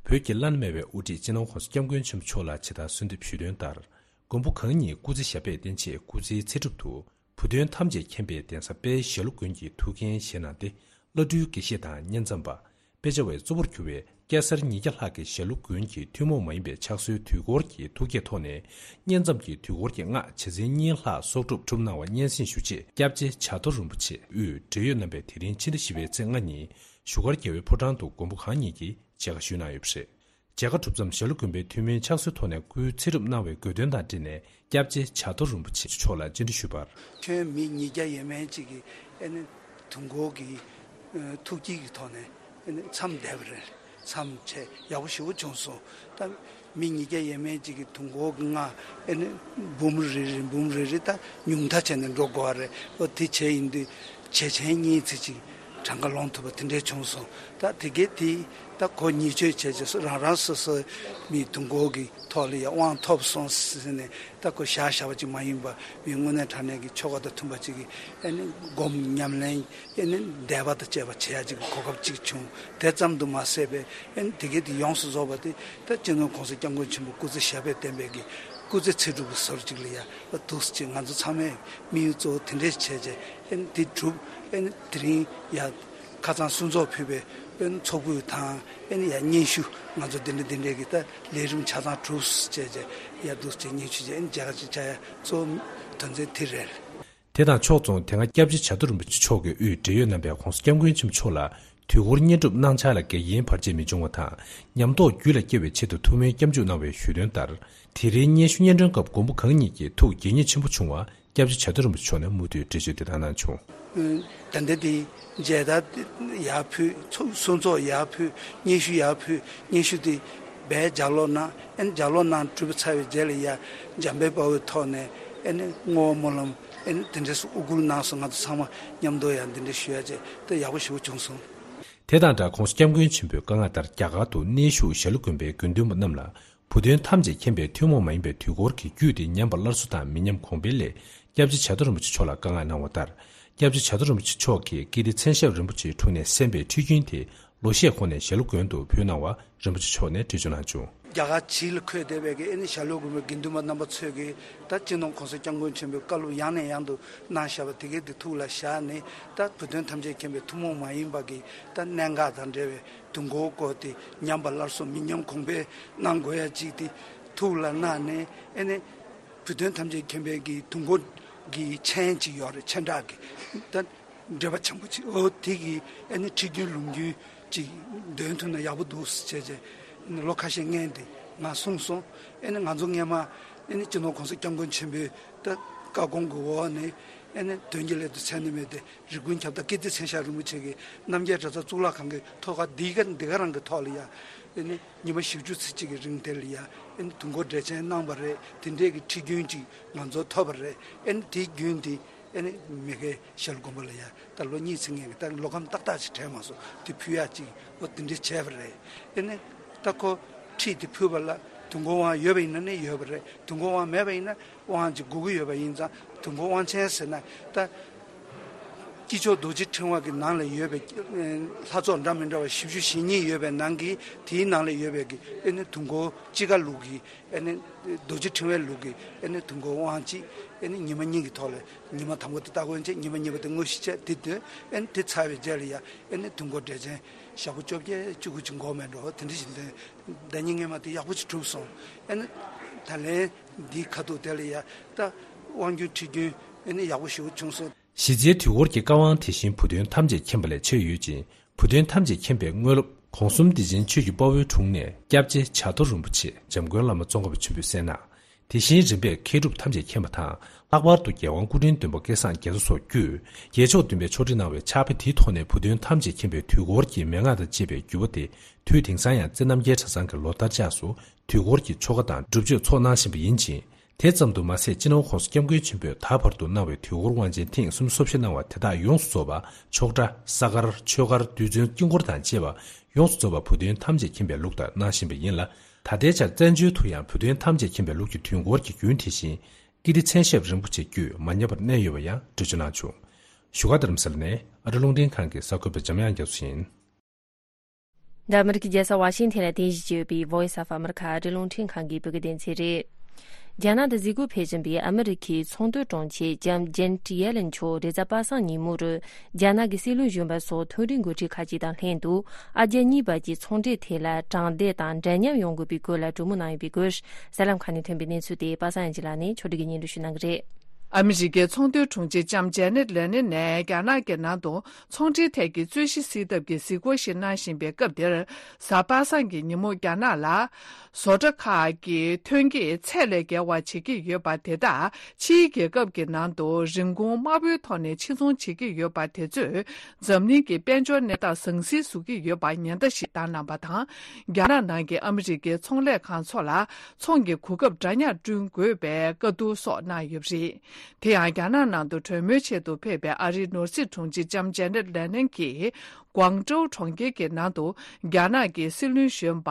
བོད་ཀྱི་བླ་ན་མེད་པའི་དབུ་ཁྲིད་སྤྱི་ནོར་༧གོང་ས་༧སྐྱབས་མགོན་ཆེན་པོ་མཆོག་ལ་ཇི་ལྟར་གསོལ་འདེབས་ཞུས་དོན་ལྟར། མགོན་པོ་གང་ཉིད་སྐུ་ཚེ་ཞབས་པད་བརྟན་ཆེད་སྐུ་ཚེའི་ཚེ་སྒྲུབ་ཏུ། བུ་སྟོན་ཐམས་ཅད་མཁྱེན་པའི་གདན་ས་དཔལ་ཞྭ་ལུ་དགོན་གྱི་ཐུགས་འགན་བཞེས་གནང་སྟེ། བླ་སྤྲུལ་དགེ་བཤེས་དང་བསྙེན་མཚམས་པ། དཔེ་ཆ་བའི་གཙོ་བོར་གྱུར་བའི་སྐྱ་སེར་ཉིས་བརྒྱ་ལྷག་གིས་ཞྭ་ལུ་དགོན་གྱི་ཐུན་མོང་མ་ཡིན་པའི་ཕྱག་སྲོལ་དུས་འཁོར་གྱི་ཐུགས་བསྐྱེད་ཐོག་ནས། བསྙེན་མཚམས་ཀྱི་དུས་འཁོར་གྱི་སྔགས་བྱེ་ཚན་གཉིས་ལྷག་གསོག་སྒྲུབ་གྲུབ་གནང་བ་སྙན་སེང་ཞུ་ཆེད། སྐྱབས་རྗེ་བྱ་དོར་རིན་པོ་ཆེ་དབུས་འབྲེལ་ཡོད་རྣམ་པས་དེ་རིང་ཕྱི་ཟླ་བཞི་པའི་ཚེས་ལྔ་ཉིན་བཞུགས་སྒར་རྒྱལ་བའི་ཕོ་བྲང་དུ་མགོན་པོ་གང་ཉིད་ཀྱིས་མཇལ་ཁ་ཞུས་གནང་ཡོད་པ་རེད། མཇལ་ཁ་གྲུབ་མཚམས་ཞྭ་ལུ་དགོན་པའི་ཐུན་མིན་ཕྱག་སྲོལ་ཐོག་ནས་སྐུའི་ཚེ་སྒྲུབ་གནང་བའི་དགོས་འདུན་དང་འབྲེལ་ནས་སྐྱབས་རྗེ་བྱ་དོར་རིན་པོ་ཆེ་མཆོག་ལ་བཅར་འདྲི་ཞུས་པར། ཁྱོན་མི་ཉིས་བརྒྱ་ཡས་མས་ཅིག་གིས་ཨེ་ནི་དུས་འཁོར་གྱི་ཨ་ཐུགས་བསྐྱེད་ཀྱི་ཐོག་ནས་ཨེ་ནི་མཚམས་བསྡད་པ་རེད། མཚམས་བྱས་ཡག་པོ་ཞེ་པོ་བྱུང་སོང་། ད་མི་ཉིས་བརྒྱ་ཡས་མས་ཅིག་གིས་དུས་འཁོར་གྱི་སྔགས་ཨེ་ནི་འབུམ་རེ་རེ་འབུམ་རེ་རེ་ད་ཉུང་མཐའ་བྱས་ནས་འགྲོ་དགོས་པ་རེད། ཨོ་དེ་བྱས་ཡིན་དུས་བྱེ་ཆེན་གཉིས་ཙམ་ཅིག་གྲངས་ཀ་ལོངས་ཐུབ་པ་དེ་འདྲས་བྱུང་སོང་། ད་དེ་གས་དེ་ད་གོ་ཉེས་ཆད་བྱས་རྗེས་སུ་རང་རང་སོ་སོའི་མི་དུས་འཁོར་གྱི་ཐོག་ལ་ཡང་དབང་ཐོབ་སོང་ཟེར་ནས་ད་གོ་བཞག་བཞག་པ་ཅིག་མ་ཡིན་པ། མི་དངོས་གནས་དྲང་གནས་ཀྱི་ཆོ་ག་དང་མཐུན་པ་ཅིག་གིས་ཨེ་ནི་སྒོམ་ཉམས་ལེན་ཨེ་ནི་བཟླས་པ་དང་བཅས་པ་བྱེད་ཡ་ཅིག་གི་གོ་སྐབས་ཅིག་བྱུང་། དེ་ཙམ་དུ་མ་ཟད་པའི་ཨེ་ནི་དེ་གས་དེ་ཡོངས་སུ་རྫོགས་པ་དེ་ད་སྤྱི་ནོར་༧གོང་ས་༧སྐྱབས་མགོན་ཆེན་པོ་སྐུ་ཚེ་ཞབས་པད་བརྟན་པའི་གི་སྐུ་ཚེ་ཚེ་སྒྲུབ་ཀྱི་ཟུར་ཅིག་ལ་ཡ་འདུག་སེ་ང་ཚོ་ཚང་མས་དམིགས་ཡུལ་གཙོ་བོ་དེ་འདྲས་བྱས་བྱས་ཨེ་ནི་དེ་གྲུབ། ཨེ་ནི་དེ་རིང་ཡ་ཁ་སང་གསུང་ཚོགས་ཕུལ་བའི་ཨེ་ནི་ཚོགས་ཕུད་དང་ཨེ་ནི་ཡ་སྙན་ཞུ་ང་ཚོ་དེ་འདྲ་དེ་འདྲས་ཀྱི་ད་ལས་རིམ་ཆ་ཚང་གྲུབ་བྱས་བྱས་ཡ་འདུག་སེ་སྙན་ཞུ་བྱས་ཨེ་ནི་མཇལ་ཁ་ཅིག་བཅར་ཡ་གཙོ་བོ་དོན་ཚན་དེ་རེད། དེ་དང་ཕྱོགས་མཚུངས་དེ་སྔ་སྐྱབས་རྗེ་བྱ་དོར་རིན་པོ་ཆེ་མཆོག་གིས་དབུས་འབྲེལ་ཡོད་རྣམ་པས་༧གོང་ས་༧སྐྱབས་མགོན་ཆེན་པོ་མཆོག་ལ་དུས་འཁོར་བསྙེན་སྒྲུབ་གནང་འཆར་ལ་འགལ་རྐྱེན་བར་ཆད་མི་འབྱུང་བ་དང་། ཉམས་རྟོགས་རྒྱུད་ལ་སྐྱེ་བའི་ཆེད་དུ་ཐུགས་སྨོན་སྐྱབས་འཇུག་གནང་བའི་ཞུས་དོན་ལྟར། དེ་རིང་སྙན་ཞུ་སྙན་སྒྲོན་སྐབས་མགོན་པོ་གང་ཉིད་ཀྱིས་ཐུགས་དགྱེས་མཉེས་ཆེན་པོ་བྱུང་བ་སྐྱབས་རྗེ་བྱ་དོར་རིན་པོ་ཆེ་མཆོག་ནས་མུ་མཐུད་འགྲེལ་བརྗོད་འདི་ལྟར་གནང་བྱུང་། ད་ལྟ་དེ་མཇལ་དར་ཡར་ཕུལ། ཚོགས་གསུང་ཚོགས་ཡར་ཕུལ། སྙན་ཞུ་ཡར་ཕུལ། སྙན་ཞུ་དེ་བས་ལྗགས་ཀློག་གནང་། ཨེ་ནི་ལྗགས་ཀློག་གནང་གྲུབ་པ་ཚར་བའི་རྗེས་ལ་ཡ་འཇམ་དཔལ་དཔའ་བོའི་ཐོག་ནས་ཨེ་ནི་བསྔོ་བ་སྨོན་ལམ་ཨེ་ནི་དེ་འདྲས་སུ་དབུ་བསྐུལ་གནང་སོང་། ང་ཚོ་ཚང་མ་མཉམ་དུ་ཡང་འདི་འདྲས་ཞུ་ཡ་བྱས་ཏེ་ཡག་པོ་ཞེ་པོ་བྱུང་སོང་། དེ་དང་སྦྲགས་༧གོང་ས་༧སྐྱབས་མགོན་ཆེན་པོའི་བཀའ་མངགས་ལྟར་རྒྱ་གར་དུ་གནས་བཞུགས་ཞྭ་ལུ་དགོན་པའི་དགེ་འདུན་པ་རྣམས་ལ། བུ་སྟོན་ཐམས་ཅད་མཁྱེན་པའི་ཐུན་མོང་མ་ཡིན་པའི་དུས་འཁོར་གྱི་རྒྱུད་དེ་ཉམས་པ་སླར་གསོ་དང་མི་ཉམས་གོང་འཕེལ་སླད། སྐྱབས་རྗེ་བྱ་དོར་རིན་པོ་ཆེ་མཆོག་ལ་བཀའ་མངགས་གནང་བ་ལྟར། སྐྱབས་རྗེ་བྱ་དོར་རིན་པོ་ཆེ་མཆོག་གིས་ཀིརྟི་མཚན་ཞབས་རིན་པོ་ཆེའི་དྲུང་ནས་གསན་པའི་ཁྲིད་རྒྱུན་དེ་ལོ་ཤས་གོང་ནས་ཞྭ་ལུ་དགོན་དུ་ཕུལ་གནང་བ་རིན་པོ་ཆེ་མཆོག་ནས་འགྲེལ་བརྗོད་གནང་བྱུང་། རྒྱ་གར་ཕྱི་ལ་འཁོད་བསྡད་པའི་གི་ཨེ་ནི་ཞྭ་ལུ་དགོན་པའི་དགེ་འདུན་པ་རྣམ་པ་ཚོས་གི་ད་སྤྱི་ནོར་༧གོང་ས་༧སྐྱབས་མགོན་ཆེན་པོའི་བཀའ་སློབ་ཡང་ནས་ཡང་དུ་གནང་བཞག་པ་དེ་གས་དེ་ཐུགས་ལ་བཞག་ནས། ད་བུ་སྟོན་ཐམས་ཅད་མཁྱེན་པའི་ཐུན་མོང་མ་ཡིན་པ་གི་ད་གནད་འགག་དང་འབྲེལ་བའི་དུས་འཁོར་སྐོར་དེ་ཉམས་པ་སླར་གསོ་མི་ཉམས་གོང་འཕེལ་གནང་དགོས་ཡ་ཅིག་དེ་ཐུགས་ལ་གནང་ནས། ཨེ་ནི་བུ་སྟོན་ཐམས་ཅད་མཁྱེན་པའི་གི་དུས་འཁོར་གི་མཆན་ཅིག་ཡོད་རེད། མཆན་གྲགས་ཀྱི་ད་འགྲེལ་པ་ཆེན་པོ་ཅིག་འོ་དེ་གི་ཨེ་ནི་ཁྲིད་རྒྱུན་ལུང་རྒྱུན་ཅིག་འདོན་ཐུབ་ན་ཡག་པོ་འདུག་ཟེར་བྱས་བྱས་ཨེ་ནི་ལོ་ཁ་ཤས་སྔོན་དེ་ང་གསུངས་སོང་། ཨེ་ནི་ང་ཚོ་སྔས་མ་ཨེ་ནི་སྤྱི་ནོར་༧གོང་ས་༧སྐྱབས་མགོན་ཆེན་པོའི་ད་བཀའ་དགོངས་ཀྱི་འོག་ནས་ཨེ་ནི་དོན་གྱི་སླད་དུ་མཚན་ནི་མེད་དེ། རི་ཀོན་ཁྱབ་བདག་ཀིརྟི་མཚན་ཞབས་རིན་པོ་ཆེ་གིས་རྣམ་རྒྱལ་གྲྭ་ཚང་གཙུག་ལག་ཁང་གི་ཐོག་ཁ་འདི་ག་འདི་ག་རང་གི་ཐོག་ལ་ཡ་ཨེ་ནི་ཉི་མ་བཞི་བཅུ་ཙམ་ཅིག་གི་རིང་དེ་ལ་ཡ་ཨེ་ནི་དུས་འཁོར་འགྲེལ་ཆེན་གནང་བ་རེད། དེ་འདྲས་ཀྱི་ཁྲིད་རྒྱུན་ཅིག་ང་ཚོ་ཐོབ་པ་རེད། ཨེ་ནི་དེའི་རྒྱུན་དེ་ཨེ་ནི་མ་གི་ཞྭ་ལུ་དགོན་པ་ལ་ཡ་ད་ལོ་གཉིས་ཙམ་སྔོན་གྱི་ད་ལོ་ཁམས་ཏག་ཏག་ཅིག་དྲན་མ་སོང་། དེ་ཕུལ་ཡ་ཅིག་འོ་དེ་འདྲས་བྱས་པ་རེད། ཨེ་ནི་ད་ཁོ་ཁྲིད་དེ་ཕུལ་བ་ལ་དུས་འཁོར་དབང་ཡོད་པ་ཡིན་ན་ནི་ཡོད་པ་རེད། དུས་འཁོར་དབང་མེད་པ་ཡིན་ན། དབང་ཅིག་དགོས་ཀྱི་ཡོད་པ་ཡིན་ཙང་དུས་འཁོར་དབང་ཆེན་ཟེར་ན་ད་ དཀྱིལ་ཆོག་རྡོ་རྗེ་ཕྲེང་བ་གི་ནང་ལ་ཡོད་པའི་ལྷ་ཚོགས་འདྲ་མི་འདྲ་བ་བཞི་བཅུ་ཞེ་གཉིས་ཡོད་པའི་ནང་གི་དེའི་ནང་ལ་ཡོད་པའི་གི་ཨེ་ནི་དུས་འཁོར་སྤྱི་ཁ་ལུགས་ཀྱི་ཨེ་ནི་རྡོ་རྗེ་ཕྲེང་བའི་ལུགས་ཀྱི་ཨེ་ནི་དུས་འཁོར་དབང་གཅིག་ཨེ་ནི་ཉི་མ་གཉིས་ཀྱི་ཐོག་ལ་ཉི་མ་དང་པོ་དེ་སྟ་གོན་བྱས། ཉི་མ་གཉིས་པ་དེ་དངོས་གཞི་བྱས། དེ་དུས་ཨེ་ནི་དེ་ཚར་བའི་རྗེས་ལ་ཡ་ཨེ་ནི་དུས་འཁོར་འགྲེལ་ཆེན་ཞག་པོ་བཅོ་བརྒྱད་བཅུ་དགུ་ཅིག་འགོར་མེད་འགྲོ། དེ་འདྲ་ཞིག་འདུག་ཟླ་ཉིན་སྔོན་མ་དེ་ཡག་པོ་ཅིག་གྲུབ་སོང་། ཨེ་ནི་ད་ལན་འདིའི་ཁ་ཐུག་དེ་ལ་ཡ་ད་དབང་རྒྱུན་ཁྲིད་རྒྱུན་ཨེ་ནི་ཡག་པོ་ཞེ་པོ་བྱུང་སོང་། གཞི་རྩའི་དུས་འཁོར་གྱི་བཀའ་དབང་དེ་བཞིན་བུ་སྟོན་ཐམས་ཅད་མཁྱེན་པ་ལས་མཆེད་ཡོད་ཅིང་། བུ་སྟོན་ཐམས་ཅད་མཁྱེན་པའི་དངོས་སློབ་གོང་གསུམ་སྡེ་ཆེན་ཆོས་ཀྱི་དཔའ་བོའི་དྲུང་ནས་སྐྱབས་རྗེ་བྱ་རྡོ་རིན་པོ་ཆེ་འཇམ་མགོན་བླ་མ་ཙོང་ཁ་པ་ཆེན་པོས་གསན་གནང་། དེ་བཞིན་རིམ་པས་མཁས་གྲུབ་ཐམས་ཅད་མཁྱེན་པ་དང་། ལྷག་པར་དུ་རྒྱལ་དབང་སྐུ་ཕྲེང་བདུན་པ་སྐལ་བཟང་རྒྱ་མཚོ་སོགས་བརྒྱུད། རྒྱལ་མཆོག་བདུན་པས་ཕྱོགས་སྒྲིག་གནང་བའི་ཕྱག་དཔེ་དེའི་ཐོག་ནས་བུ་སྟོན་ཐམས་ཅད་མཁྱེན་པའི་དུས་འཁོར་གྱི་མན་ངག་དང་བཅས་པའི་བརྒྱུད་པ་དེ། དུས་དེང་སང་ཡང་རྩེ་རྣམ་རྒྱལ་གྲྭ་ཚང་གི་ལོ་ལྟར་ཆགས་སུ་དུས་འཁོར་གྱི་ཆོ་ག་དང་སྒྲུབ་མཆོད་ཚོགས་གནང་བཞིན་པ་ཡིན་ཅིང་། དེ་ཙམ་དུ་མ་ཟད། སྤྱི་ནོར་༸གོང་ས་༸སྐྱབས་མགོན་ཆེན་པོས་ད་བར་དུ་གནང་བའི་དུས་འཁོར་དབང་ཆེན་ཐེངས་སུམ་ཅུ་སོ་བཞི་གནང་བ་དེ་དག་ཡོངས་སུ་རྫོགས་པ་ཆོག་གྲྭ། ས་མཁར། ཆོས་སྒར། རྡུལ་ཚོན། དཀྱིལ་འཁོར་དང་བཅས་པ་ཡོངས་སུ་རྫོགས་པ་བུ་སྟོན་ཐམས་ཅད་མཁྱེན་པའི་ལུགས་ལྟར་གནང་བཞིན་པ་ཡིན་ལ། ད་ལྟའི་ཆར་བཙན་བྱོལ་དུ་ཡང་བུ་སྟོན་ཐམས་ཅད་མཁྱེན་པའི་ལུགས་ཀྱི་དུས་འཁོར་གྱི་རྒྱུན་དེ་བཞིན་ཀིརྟི་མཚན་ཞབས་རིན་པོ་ཆེ་བརྒྱུད་མ་ཉམས་པར་གནས་ཡོད་པ་ཡང་འགྲེལ་བརྗོད་གནང་བྱུང་། བཞུགས་སྒར་རྡ་རམ་ས་ལ་ནས་ཨ་རི་རླུང་འཕྲིན་ཁང་གི་གསར་འགོད་པ་འཇམ་དབྱངས་རྒྱ་མཚོ་ཡིན། འདི་ཨ་མི་རི་ཀའི་རྒྱལ་ས་ཝ་ཤིང་ཐན་ལ་རྟེན་གཞི་བྱས་ཡོད་པའི་Voice of America ཨ་རིའི་རླུང་འཕྲིན་ཁང་གི་བོད་སྐད་སྡེ་ཚན་རེད། རྒྱ་ནག་ཏུ་གཟིགས་སྐོར་ཕེབས་བཞིན་པའི་ཨ་མི་རི་ཁའི་ཚོང་དོན་དྲུང་ཆེ་ལྕམ་ཇེ་ནེ་ཊི་ཡེ་ལེན་མཆོག་རེས་གཟའ་པ་སངས་ཉིན་མོ་རུ་རྒྱ་ནག་གི་སྲིད་བློན་གཞོན་པ་སོགས་མཐོ་རིམ་འགོ་ཁྲིད་ཁག་ཅིག་དང་ལྷན་དུ། ཨ་རྒྱ་གཉིས་བར་གྱི་ཚོང་འབྲེལ་ཐད་ལ་དྲང་བདེན་དང་འདྲ་མཉམ་ཡོང་དགོས་པའི་སྐོར་ལ་གྲོས་མོལ་གནང་ཡོད་པའི་སྐོར། གསར་ལམ་ཁག་ནས་ཐོན་པའི་གནས་ཚུལ་དེ་པ་སངས་ཡང་ཅིག་ལགས་ནས་ཕྱོགས་སྒྲིག་གིས་སྙན་སྒྲོན་ཞུ་གནང་གི་རེད། ཨ་མི་རི་ཀའི་ཚོང་དོན་དྲུང་ཆེ་ལྕམ་ཇེ་ནེ་ཊི་ཡེ་ལེན་ནས་རྒྱ་ནག་གི་ནང་དུ། ཚོང་འབྲེལ་ཐད་ཀྱི་རྩོད་གཞི་སེལ་ཐབས་ཀྱི་གཟིགས་སྐོར་ཞིག་གནང་བཞིན་པའི་སྐབས་འདིར། གཟའ་པ་སངས་ཀྱི་ཉིན་མོ་རྒྱ་ནག་ལ། བཟོ་གྲྭ་ཁག་གི་ཐོན་སྐྱེད་ཚད་ལས་བརྒལ་བ་བྱེད་ཀྱི་ཡོད་པ་དེ་དག་ཕྱིའི་རྒྱལ་ཁབ་ཀྱི་ནང་དུ་རིན་གོང་དམའ་པོའི་ཐོག་ནས་ཕྱིར་ཚོང་བྱེད་ཀྱི་ཡོད་པ་དེ་ཚོས། འཛམ་གླིང་གི་དཔལ་འབྱོར་གནས་སྟངས་ཟང་ཟིང་བཟོ་གི་ཡོད་པ་ཉེན་བརྡ་ཞིག་བཏང་གནང་བ་དང་། རྒྱ་ནག་ནང་གི་ཨ་མི་རི་ཀའི་ཚོང་ལས་ཁང་ཚོ་ལ། ཚོང་གི་གོ་སྐབས་འདྲ་མཉམ་བསྐྲུན་དགོས་པའི་བཀའ་བསྡུར་སོགས་གནང་ཡོད་པ་རེད། དེ་ཡང་རྒྱ་ནག་ནང་དུ་གྲོས་མོལ་ཆེད་དུ་ཕེབས་པའི་ཨ་རིའི་ནོར་སྲིད་དྲུང་ཆེ་ལྕམ་ཇེ་ནེ་ཊི་ཡེ་ལེན་གྱིས། ཀུང་ཀྲོའུ་གྲོང་ཁྱེར་གྱི་ནང་དུ། རྒྱ་ནག་གི་སྲིད་བློན་གཞོན་པ་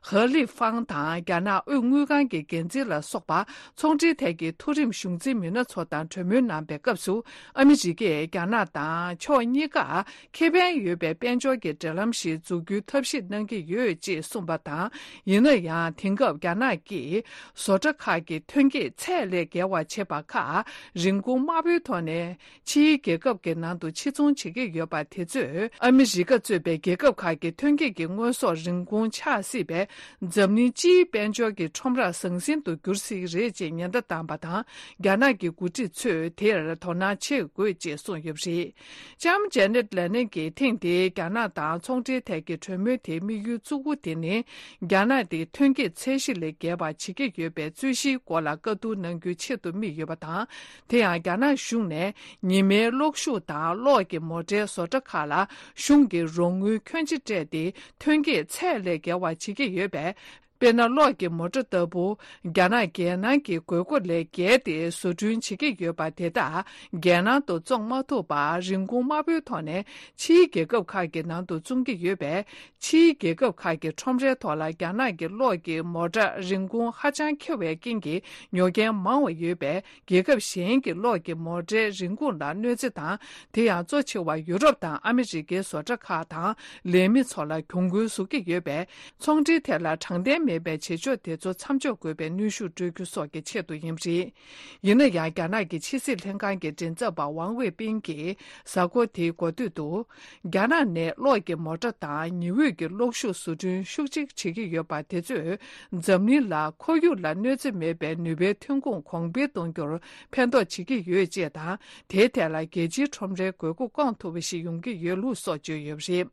ཧེ་ལི་ཧྥང་དང་། རྒྱ་ནག་དབུས་དངུལ་ཁང་གི་འགན་འཛིན་ལ་སོགས་པ། ཚོང་འབྲེལ་ཐད་ཀྱི་མཐོ་རིམ་གཞུང་འཛིན་མི་སྣ་ཚོ་དང་གྲོས་མོལ་གནང་པའི་སྐབས་སུ། ཨ་མི་རི་ཀས་རྒྱ་ནག་དང་ཕྱོགས་གཉིས་ཀ། ཁེ་ཕན་ཡོད་པའི་དཔལ་འབྱོར་གྱི་འབྲེལ་ལམ་ཞིག་འཛུགས་རྒྱུའི་ཐབས་ཤེས་གནང་གི་ཡོད་ཅེས་གསུངས་པ་དང་། ཡིན་ན་ཡང་། དེང་སྐབས་རྒྱ་ནག་གིས་བཟོ་གྲྭ་ཁག་གི་ཐོན་སྐྱེད་ཚད་ལས་བརྒལ་བ་བྱེད་པ་ཁག་རིན་གོང་དམའ་པོའི་ཐོག་ནས་ཕྱིའི་རྒྱལ་ཁབ་ཀྱི་ནང་དུ་ཕྱིར་ཚོང་བྱེད་ཀྱི་ཡོད་པ་དེ་ཚོས། ཨ་མི་རི་ཀ་གཙོས་པའི་རྒྱལ་ཁབ་ཁག་གི་ཐོན་སྐྱེད་ཀྱི་དངོས་ཟོག་རིན་གོང་ཆག་སྲིད་པས། འཛམ་གླིང་སྤྱིའི་དཔལ་འབྱོར་གྱི་ཁྲོམ་ར་ཟང་ཟིང་དུ་འགྱུར་སྲིད་རེད་ཅེས་ཉེན་བརྡ་བཏང་པ་དང་། རྒྱ་ནག་གི་འགོ་ཁྲིད་ཚོས་དེར་དོ་སྣང་བྱེད་དགོས་ཅེས་གསུངས་ཡོད་པ་རེད། ལྕམ་ཇེ་ནེ་ཊི་ཡེ་ལེན་གྱིས་ཐེངས་འདིའི་རྒྱ་ནག་དང་ཚོང་འབྲེལ་ཐད་ཀྱི་གྲོས་མོལ་དེའི་དམིགས་ཡུལ་གཙོ་བོ་དེ་ནི། རྒྱ་ནག་དེ་ཐོན་སྐྱེད་ཚད་གཞི་ལས་བརྒལ་བ་བྱེད་ཀྱི་ཡོད་པའི་རྩོད་གཞིའི་སྐོར་ལ་བཀའ་བསྡུར་གནང་རྒྱུའི་ཆེད་དུ་དམིགས་ཡོད་པ་དང་། དེ་ཡང་རྒྱ་ནག་གཞུང་ནས་ཉི་མའི་གློག་ཤུགས་དང་གློག་གི་མོ་ཊའི་བཟོ་གྲྭ་ཁག་ལ་གཞུང་གི་རོགས་དངུལ་ཁྱོན་ཆེ་སྤྲད་དེ། ཐོན་སྐྱེད་ཚད་ལས་བརྒལ་བ་བྱེད་ཀྱི་ཡོད་པས། དཔེར་ན། གློག་གི་མོ་ཊ་ལྟ་བུ། རྒྱ་ནག་རྒྱལ་ནང་གི་དགོས་མཁོ་ལས་བརྒལ་ཏེ་བཟོ་སྐྲུན་བྱེད་ཀྱི་ཡོད་པ་དེ་དག་རྒྱལ་ནང་དུ་བཙོང་མ་ཐུབ་པར། རིན་གོང་དམའ་པོའི་ཐོག་ནས་ཕྱིའི་རྒྱལ་ཁབ་ཁག་གི་ནང་དུ་བཙོང་གི་ཡོད་པས། ཕྱིའི་རྒྱལ་ཁབ་ཁག་གི་ཁྲོམ་རའི་ཐོག་ལ་རྒྱ་ནག་གི་གློག་གི་མོ་ཊ་རིན་གོང་ཧ་ཅང་ཁེ་བའི་རྐྱེན་གྱིས། ཉོ་མཁན་མང་བ་ཡོད་པས། རྒྱལ་ཁབ་གཞན་གྱི་གློག་གི་མོ་ཊའི་རིན་གོང་ལ་གནོད་འཚེ་དང་། དེ་ཡང་གཙོ་ཆེ་བ་ཡུ་རོབ་དང་ཨ་མི་རི་ཀའི་བཟོ་གྲྭ་ཁག་དང་ལས་མི་ཚོ་ལ་གྱོང་གུན་བཟོ་གི་ཡོད་པས། ཚོང་འབྲེལ་ཐད་ལ་དྲང་བདེན་མེད་པའི་བྱེད་ཕྱོགས་དེ་ཚོ་མཚམས་འཇོག་དགོས་པའི་གནོན་ཤུགས་སྤྲོད་རྒྱུ་སོགས་ཀྱི་ཆེད་དུ་ཡིན་པ་རེད། ཡིན་ན་ཡང་། རྒྱ་ནག་གི་ཕྱི་སྲིད་ལྷན་ཁང་གི་མགྲིན་ཚབ་པ་ཝང་ཝེ་པིན་གྱིས་གཟའ་འཁོར་དེའི་འགོ་སྟོད་དུ། རྒྱ་ནག་ནས་གློག་གི་མོ་ཊ་དང་ཉི་འོད་ཀྱི་གློག་ཤུགས་བཟོ་སྐྲུན་ཤུགས་ཆེ་བྱེད་ཀྱི་ཡོད་པ་དེ་ཚོས་འཛམ་གླིང་ལ་ཁོར་ཡུག་ལ་གནོད་འཚེ་མེད་པའི་ནུས་པའི་ཐོན་ཁུངས་གོང་འཕེལ་གཏོང་རྒྱུར་ཕན་ཐོགས་བྱེད་ཀྱི་ཡོད་ཅེས་དང་། དེའི་ཐད་ལ་རྒྱལ་སྤྱིའི་ཁྲོམ་རའི་དགོས་མཁོ་སྐོང་ཐུབ་པ་ཞིག་ཡོང་གི་ཡོད་ལུགས་སོགས་བརྗོད་ཡོད་པ་རེད།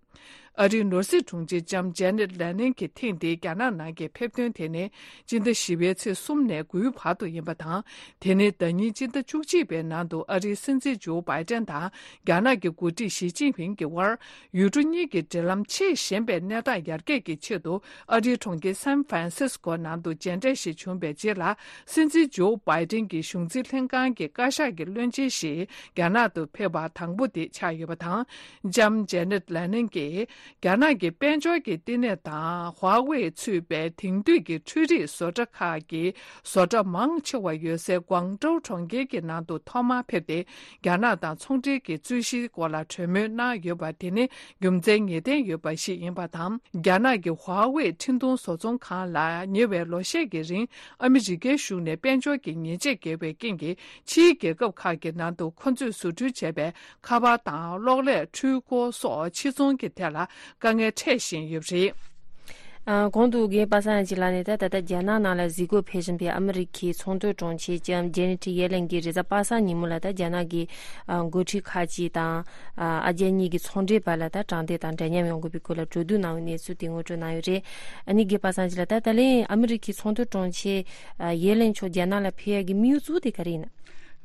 ཨ་རིའི་ནོར་སྲིད་དྲུང་ཆེ་ལྕམ་ཇེ་ནེ་ཊི་ལེ་ནིང་གི་ཐེངས་འདིའི་རྒྱ་ནག་ནང་གི་ཕེབས་ཐོན་དེ་ནི། སྤྱི་ཟླ་བཞི་པའི་ཚེས་གསུམ་ནས་དགུའི་བར་དུ་ཡིན་པ་དང་། དེ་ནི་ཟླ་ཉིན་སྤྱི་ཟླ་བཅུ་གཅིག་པའི་ནང་དུ་ཨ་རིའི་སྲིད་འཛིན་ཇོ་བྷའི་ཏན་དང་རྒྱ་ནག་གི་འགོ་ཁྲིད་ཞི་ཅིན་ཕིང་གི་དབར་ཡུལ་གྲུ་གཉིས་ཀྱི་འབྲེལ་ལམ་ཆེས་ཞན་པའི་གནས་སྟངས་ཡར་རྒྱས་ཀྱི་ཆེད་དུ་ཨ་རིའི་གྲོང་ཁྱེར་སན་ཧྥ་རན་སིས་ཀོ་ནང་དུ་མཇལ་འཕྲད་ཞིག་བྱུང་བའི་རྗེས་ལ། སྲིད་འཛིན་ཇོ་བྷའི་ཏན་གྱི་གཞུང་འཛིན་ལྷན་ཁང་གི་བཀའ་ཤག་གི་བློན་ཆེན་ཞིག་རྒྱ་ནག་ཏུ་ཕེབས་པ་དང་པོ་དེ་ཆགས་ཡོད་པ་དང་། ལྕམ་ཇེ་ནེ་ཊི་ལེ་ནིང་གིས་ རྒྱ་ནག་གི་དཔལ་འབྱོར་གྱི་བསྟི་གནས་དང་ཧྭ་ཝེ་ཚུད་པའི་དེང་དུས་ཀྱི་འཕྲུལ་རིག་བཟོ་གྲྭ་ཁག་གི་བཟོ་གྲྭ་མང་ཆེ་བ་ཡོད་སའི་ཀུང་ཀྲོའུ་གྲོང་ཁྱེར་གྱི་ནང་དུ་ཐོག་མར་ཕེབས་ཏེ། རྒྱ་ནག་དང་ཚོང་འབྲེལ་གྱི་རྩོད་གཞིའི་སྐོར་ལ་གྲོས་མོལ་གནང་ཡོད་པ་དེ་ནི་རྒྱུ་མཚན་ངེས་གཏན་ཡོད་པ་ཞིག་ཡིན་པ་དང་། རྒྱ་ནག་གི་ཧྭ་ཝེ་འཕྲིན་གཏོང་བཟོ་ཚོང་ཁང་ལ་ཉེ་བའི་ལོ་ཤས་ཀྱི་རིང་ཨ་མི་རི་ཀའི་གཞུང་ནས་དཔལ་འབྱོར་གྱི་ཉེས་ཆད་བཀལ་བའི་རྐྱེན་གྱིས། ཕྱིའི་རྒྱལ་ཁབ་ཁག་གི་ནང་དུ་ཁོ་ཚོས་བཟོ་སྐྲུན་བྱས་པའི་ཁ་པར་དང་གློག་ཀླད། འཕྲུལ་འཁོར་སོགས་ཕྱིར་ཚོང་གི་ཐད་ལ་དཀའ་ངལ་འཕྲད་བཞིན་ཡོད་པ་རེད། ཨ། གོང་དུ་རྒན་པ་སངས་ཡང་ཅིག་ལ་ནས་ད་ད་ལྟ་རྒྱ་ནག་ནང་ལ་གཟིགས་སྐོར་ཕེབས་བཞིན་པའི་ཨ་མི་རི་ཁའི་ཚོང་དོན་དྲུང་ཆེ་ལྕམ་ཇེ་ནེ་ཊི་ཡེ་ལེན་གྱིས་རེས་གཟའ་པ་སངས་ཉིན་མོ་ལ་ད་རྒྱ་ནག་གི་ཨ་འགོ་ཁྲིད་ཁག་ཅིག་དང་ཨ་ཨ་རྒྱ་གཉིས་ཀྱི་ཚོང་འབྲེལ་བར་ལ་ད་དྲང་བདེན་དང་འདྲ་མཉམ་ཡོང་དགོས་པའི་སྐོར་ལ་གྲོས་བསྡུར་གནང་བའི་གནས་ཚུལ་དེ་ངོ་སྤྲོད་གནང་ཡོད་རེད། ཨ་ནི་རྒན་པ་སངས་ཅིག་ལ་ད་ད་ལན་ཨ་མི་རི་ཁའི་ཚོང་དོན་དྲུང་ཆེ་ཨ་ཡེ་ལེན་མཆོག་རྒྱ་ནག་ལ་ཕེབས་ཡག་གི་དམིགས་ཡུལ་གཙོ་བོ་དེ་ག་རེ་ཡིན་ན།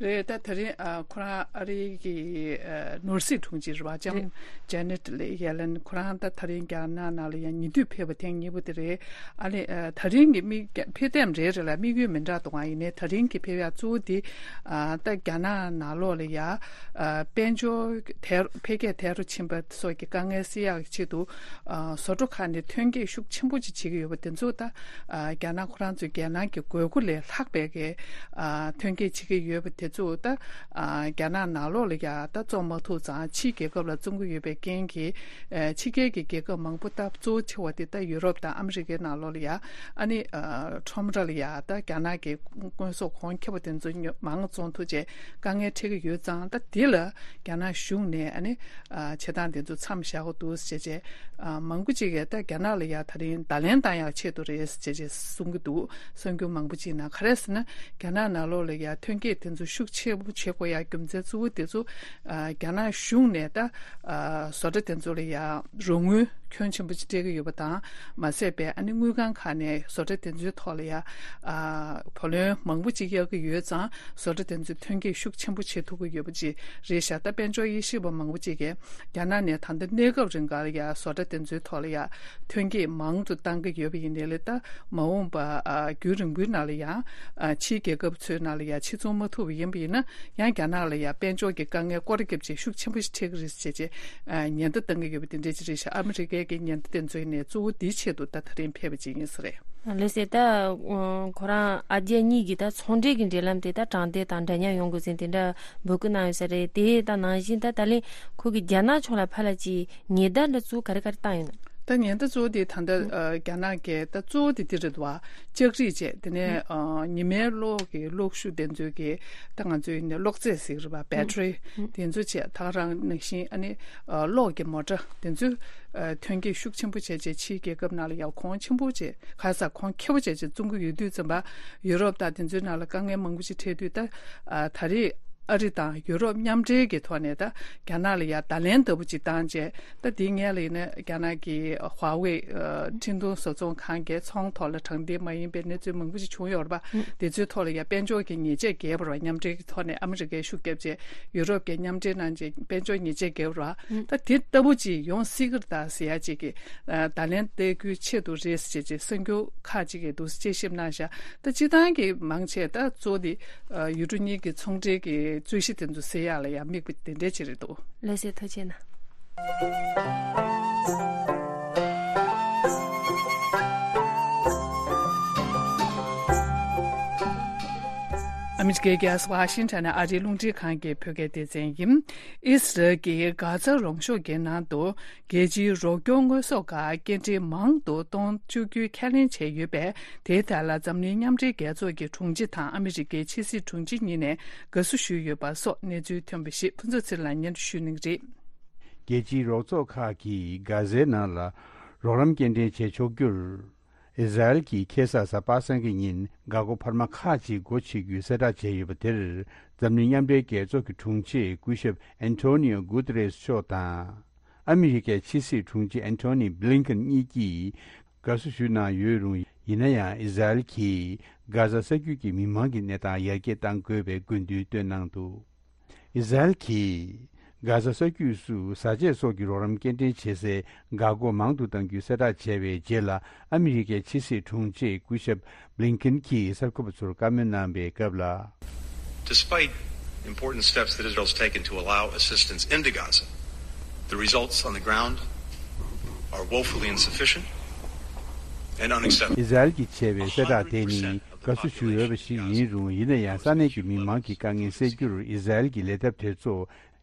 རེད། ད་ད་རིང་ཨ་ཁོ་རང་ཨ་རི་གི་ཨ་ནོར་སྲིད་དྲུང་ཆེ་རེད་བ། ལྕམ་རེད། ཇེ་ནེ་ཊི་ལེ་ཡེ་ལེན། ཁོ་རང་ད་ད་རིང་རྒྱ་ནག་ནང་ལ་ཡང་ཉེ་དུས་ཕེབས་པ་ཐེངས་གཉིས་པ་དེ་རེད། ཨ་ནི་ཨ་ད་རིང་གི་དམིགས་ཕེབས་ཐེངས་རེ་རེ་ལ་དམིགས་ཡུལ་མི་འདྲ་འདུག་ཨང་། ཡིན་ནའི་ད་རིང་གི་ཕེབས་ཡག་གཙོ་བོ་དེ་ཨ་ད་རྒྱ་ནག་ནང་ལོགས་ལ་ཡ་ཨ་དཔལ་འབྱོར་དལ་འཕེལ་རྒྱས་དལ་དུ་ཕྱིན་པ་སོགས་ཀྱི་དཀའ་ངལ་སེལ་ཡག་གི་ཆེད་དུ་ཨ་བཟོ་གྲྭ་ཁག་ནས་ཐོན་སྐྱེད་ཤུགས་ཆེན་པོ་ཅིག་བྱེད་ཀྱི་ཡོད་པ་དེ་ཚོ་ད་ཨ་རྒྱ་ནག་ཁོ་རང་ཚོའི་རྒྱལ་ནང་གི་དགོས་མཁོ་ལས་ལྷག་པའི་གི་ཨ་ཐོན་སྐྱེད་བྱེད་ཀྱི་ཡོད་པ་དེ་ཚོ་ད་ཨ་རྒྱ་ནག་ནང་ལོགས་ལ་ཡ་ད་བཙོང་མ་ཐུབ་ཙང་ཕྱིའི་རྒྱལ་ཁབ་ལ་བཙོང་གི་ཡོད་པའི་རྐྱེན་གྱིས་ཨ་ཕྱི་རྒྱལ་གྱི་རྒྱལ་ཁབ་མང་པོ་ད་གཙོ་བོ་ཆེ་བ་དེ་ད་ཡུ་རོབ་དང་ཨ་མི་རི་ཀའི་ནང་ལོགས་ལ་ཡ་ཨ་ནི་ཨ་ཁྲོམ་ར་ལ་ཡ་ད་རྒྱ་ནག་གི་དངོས་ཟོག་གོང་ཁེ་པོ་དེ་ཚོ་ཉོ་མང་བཙོང་ཐུབ་བྱས་དཀའ་ངལ་འཕྲད་ཀྱི་ཡོད་ཙང་། ད་དེ་ལ་རྒྱ་ནག་གཞུང་ནས་ཨ་ནི་ཨ་བྱེད་སྟངས་དེ་ཚོ་མཚམས་བཞག་དགོས་འདུག་ཟེར་བྱས་བྱས། ཨ་མང་པོ་ཅིག་གིས་ད་རྒྱ་ནག་ལ་ཡ་ད་རིང་བརྡ་ལན་བཏང་ཡག་ཆེད་དུ་རེད་ཟེར་བྱས་བྱས་གསུང་གི་འདུག། གསར་འགྱུར་མང་པོ་ཅིག་ནང་ག་རེ་ཟེར་ན། རྒྱ་ནག་ནང་ལོགས་ལ་ཡ་ཐོན་སྐྱེད་དེ་ཚོ་ཤུགས་ཆེན་པོ་བྱེད་དགོས་ཡ་རྒྱུ་མཚན་གཙོ་བོ་དེ་ཚོ་ཨ་རྒྱ་ནག་གཞུང་ནས་ད་ཨ་བཟོ་གྲྭ་དེ་ཚོ་ལ་ཡ་རོགས་དངུལ་ཁྱོན་ཆེན་པོ་ཅིག་སྤྲད་ཀྱི་ཡོད་པ་དང་། མ་ཟད་པའི་ཨ་ནི་དངུལ་ཁང་ཁག་ནས་བཟོ་གྲྭ་དེ་ཚོའི་ཐོག་ལ་ཡ་ཨ་བུ་ལོན་མང་པོ་ཅིག་གཡར་གྱི་ཡོད་ཙང་། བཟོ་གྲྭ་དེ་ཚོས་ཐོན་སྐྱེད་ཤུགས་ཆེན་པོ་བྱེད་ཐུབ་ཀྱི་ཡོད་པ་ཅིག་རེད་ཤག། ད་དཔལ་འབྱོར་དབྱེ་ཞིབ་པ་མང་པོ་ཅིག་གིས་རྒྱ་ནག་ནས་ད་ལྟ་གནས་སྐབས་རིང་ག་ལ་ཡ་བཟོ་གྲྭ་དེ་ཚོའི་ཐོག་ལ་ཡ་ཐོན་སྐྱེད་མང་དུ་བཏང་གི་ཡོད་པ་ཡིན་ནའི་ལས། ད་མ་འོངས་པ་ཨ་རྒྱུན་རིང་པོའི་ནང་ལ་ཡང་ཨ་ཕྱིའི་རྒྱལ་ཁབ་ཚོའི་ནང་ལ་ཡ་ཕྱིར་ཚོང་མ་ཐུབ་པ་ཡིན་པ་ཡིན་ན། ཡང་རྒྱ་ནག་ལ་ཡ་དཔལ་འབྱོར་གྱི་དཀའ་ངལ་སྐོར་ར་བརྒྱབ་བྱས་ཤུགས་ཆེན་པོ་ཞིག་འཕྲད་ཀྱི་རེད་ཟེར་བྱས་བྱས་ཨ་ཉེན་བརྡ་བཏང་གི་ཡོད་པ་དེ་འདྲ་ཅིག་རེད་ཤག། ཨ་མི་རི་ཀའི་གི་ཉེན་བརྡ་དེ་ཚོའི་ནས་གཙོ་བོ་འདིའི་ཆེད་དུ་ད་ད་རིང་ཕེབས་པ་ཅིག་ཡིན་ས་རེད། ལགས་སེ། ད་ཁོ་རང་ཨ་རྒྱ་གཉིས་ཀྱི་ད་ཚོང་འབྲེལ་གྱི་འབྲེལ་ལམ་དེ་ད་དྲང་བདེན་དང་འདྲ་མཉམ་ཡོང་དགོས་ཟེར་དེ་འདྲ་འབོད་སྐུལ་གནང་ཡོད་ས་རེད། དེ་ད་ནང་བཞིན་ད་ད་ལན་ཁོ་གི་རྒྱ་ནག་ཕྱོགས་ལ་ཕར་ལ་ཅིག་ཉེན་བརྡ་འདྲ་གཙོ་བོ་ག་རེ་ག་རེ་བཏང་ཡོད་ན། ད་ཉེན་བརྡ་གཙོ་བོ་དེ་ད་ལྟ་ཨ་རྒྱ་ནག་གི་ད་གཙོ་བོ་དེ་དེ་རེད་འདུག་བ། ལྕགས་རིགས་བཅས། དེ་ནས་ཨ་ཉི་མའི་གློག་གི་གློག་ཤུགས་དེ་ཚོའི་གི་ད་ང་ཚོའི་ནས་གློག་རྫས་ཟེར་གི་རེད་པ། བེ་ཊི་རི་དེ་ཚོ་བཅས། ད་ག་རང་ནང་བཞིན་ཨ་ནི་ཨ་གློག་གི་མོ་ཊ་དེ་ཚོའི་ཨ་ཐོན་སྐྱེད་ཤུགས་ཆེན་པོ་བྱས་བྱས་ཕྱིའི་རྒྱལ་ཁབ་ནང་ལ་ཡར་གོང་ཆེན་པོ་བྱས། ག་ས་གོང་ཁེ་པོ་བྱས་བྱས་བཙོང་གི་ཡོད་དུས་ཙམ་པ། ཡུ་རོབ་དང་དེ་ཚོའི་ནང་ལ་དཀའ་ངལ་མང་པོ་ཞིག་འཕྲད་དུས། ད་ཨ་ད་རེས་ཨ་རི་དང་ཡུ་རོབ་མཉམ་འབྲེལ་གྱི་ཐོག་ནས་ད་རྒྱ་ནག་ལ་ཡ་བརྡ་ལན་ལྟ་བུ་ཅིག་བཏང་བྱས། ད་དེའི་སྔོན་ལ་ཡིན་ན་རྒྱ་ནག་གི་ཧྭ་ཝེ་ཨ་འཕྲིན་གཏོང་བཟོ་ཚོང་ཁང་གིས་ཚོང་ཐོག་ལ་དྲང་བདེན་མ་ཡིན་པའི་གནས་ཚུལ་མང་པོ་ཞིག་བྱུང་ཡོད་རེད་པ། དེ་ཚོའི་ཐོག་ལ་ཡ་དཔལ་འབྱོར་གྱི་ཉེས་ཆད་བཀལ་བ་རེད་པ། མཉམ་འབྲེལ་གྱི་ཐོག་ནས་ཨ་མི་རི་ཀས་ཤུགས་བརྒྱབ་བྱས་ཡུ་རོབ་ཀྱིས་མཉམ་འབྲེལ་གནང་བྱས་དཔལ་འབྱོར་ཉེས་ཆད་བཀལ་བ་རེད་པ། ད་དེ་ལྟ་བུ་ཅིག་ཡོང་སྲིད་ཀྱི་རེད་ད་ཟེར་ཡ་ཅིག་གི་ཨ་བརྡ་ལན་སྟེར་རྒྱུའི་ཆེད་དུ་རེད་ཟེར་བྱས་གསར་འགྱུར་ཁག་ཅིག་གིས་འདུག་སེ་དཔྱད་ཞིབ་གནང་བཞག། ད་སྤྱིར་བཏང་གི་མང་ཆེ་ད་གཙོ་བོ་དེ་ཨ་ཡུལ་གྲུ་གཉིས་ཀྱི་ཚོང་འབྲེལ་གྱི་རྩོད་གཞི་དེ་ཚོ་སེལ་ཡག་ལ་ཡང་དམིགས་པ་དེ་འདྲ་ཅིག་རེད་འདུག། ལགས་སེ། ཐུགས་རྗེ་གནང་། ཨ་མི་རི་ཀའི་རྒྱལ་ས་ཝ་ཤིང་ཊོན་ནས་ཨ་རིའི་རླུང་འཕྲིན་ཁང་གི་བོད་སྐད་སྡེ་ཚན་ཡིན། ཨིས་རལ་གྱིས་གྷ་ཛ་རོང་ཤོག་གི་ནང་དུ་རྒྱལ་སྤྱིའི་རོགས་སྐྱོར་དངོས་ཟོག་ཁག་སྐྱེལ་འདྲེན་མང་དུ་གཏོང་བཅུག་རྒྱུའི་ཁས་ལེན་བྱས་ཡོད་པས། དེའི་ཐད་ལ་འཛམ་གླིང་མཉམ་འབྲེལ་རྒྱལ་ཚོགས་ཀྱི་དྲུང་ཆེ་དང་ཨ་མི་རི་ཀའི་ཕྱི་སྲིད་དྲུང་ཆེ་གཉིས་ནས་དགའ་བསུ་ཞུས་ཡོད་པ་སོགས་གནས་ཚུལ་ཐོན་པ་ཞིག་ཕུན་ཚོགས་ཚེ་རིང་ལགས་སྙན་སྒྲོན་ཞུ་གནང་གི་རེད། རྒྱལ་སྤྱིའི་རོགས་ཚོགས་ཁག་གིས་གྷ་ཛའི་ནང་ལ་རོགས་རམ་སྐྱེལ་འདྲེན་བྱེད་ཆོག་རྒྱུར། ཨི་ཟ་རེལ་གྱིས་ཁ་སང་གཟའ་པ་སངས་ཀྱི་ཉིན་འགག་སྒོ་འཕར་མ་ཁག་ཅིག་སྒོ་ཕྱེ་རྒྱུའི་གསལ་བསྒྲགས་བྱས་ཡོད་པ་དེར། འཛམ་གླིང་མཉམ་འབྲེལ་རྒྱལ་ཚོགས་ཀྱི་དྲུང་ཆེ་སྐུ་ཞབས་ཨན་ཐོ་ནིའོ་གུ་ཏེ་རེས་མཆོག་དང་། ཨ་མི་རི་ཀའི་ཕྱི་སྲིད་དྲུང་ཆེ་ཨན་ཐོ་ནི་བྷི་ལིན་ཁིན་གཉིས་ཀྱིས་དགའ་བསུ་ཞུས་གནང་ཡོད་རུང་། ཡིན་ན་ཡང་ཨི་ཟ་རེལ་གྱིས་གྷ་ཛ་ས་རྒྱུད་ཀྱི་མི་མང་གི་གནས་སྟངས་ཡར་རྒྱས་གཏང་དགོས་པའི་དགོས་འདུན་བཏོན་གནང་འདུག། ཨི་ཟ་རེལ་གྱིས་གྷ་ཛ་ས་རྒྱུད་སུ་བཟའ་ཆས་སོགས་ཀྱི་རོགས་རམ་སྐྱེལ་འདྲེན་བྱེད་སའི་འགག་སྒོ་མང་དུ་གཏང་རྒྱུའི་གསལ་བསྒྲགས་བྱས་པའི་རྗེས་ལ། ཨ་མི་རི་ཀའི་ཕྱི་སྲིད་དྲུང་ཆེ་སྐུ་ཞབས་བྷི་ལིན་ཁིན་གྱིས་གསར་འགོད་པ་ཚོར་བཀའ་མོལ་གནང་བའི་སྐབས་ལ། Despite important steps that Israel's taken to allow assistance into Gaza, the results on the ground are woefully insufficient and unacceptable. ཨི་ཟ་རེལ་གྱིས་བྱས་པའི་གསལ་བསྒྲགས་དེ་ནི་དགའ་བསུ་ཞུ་འོས་པ་ཞིག་ཡིན་རུང་། ཡིན་ན་ཡང་ས་གནས་ཀྱི་མི་མང་གི་དཀའ་ངལ་སེལ་རྒྱུར་ཨི་ཟ་རེལ་གྱི་ལས་ཐབས་དེ་ཚོ།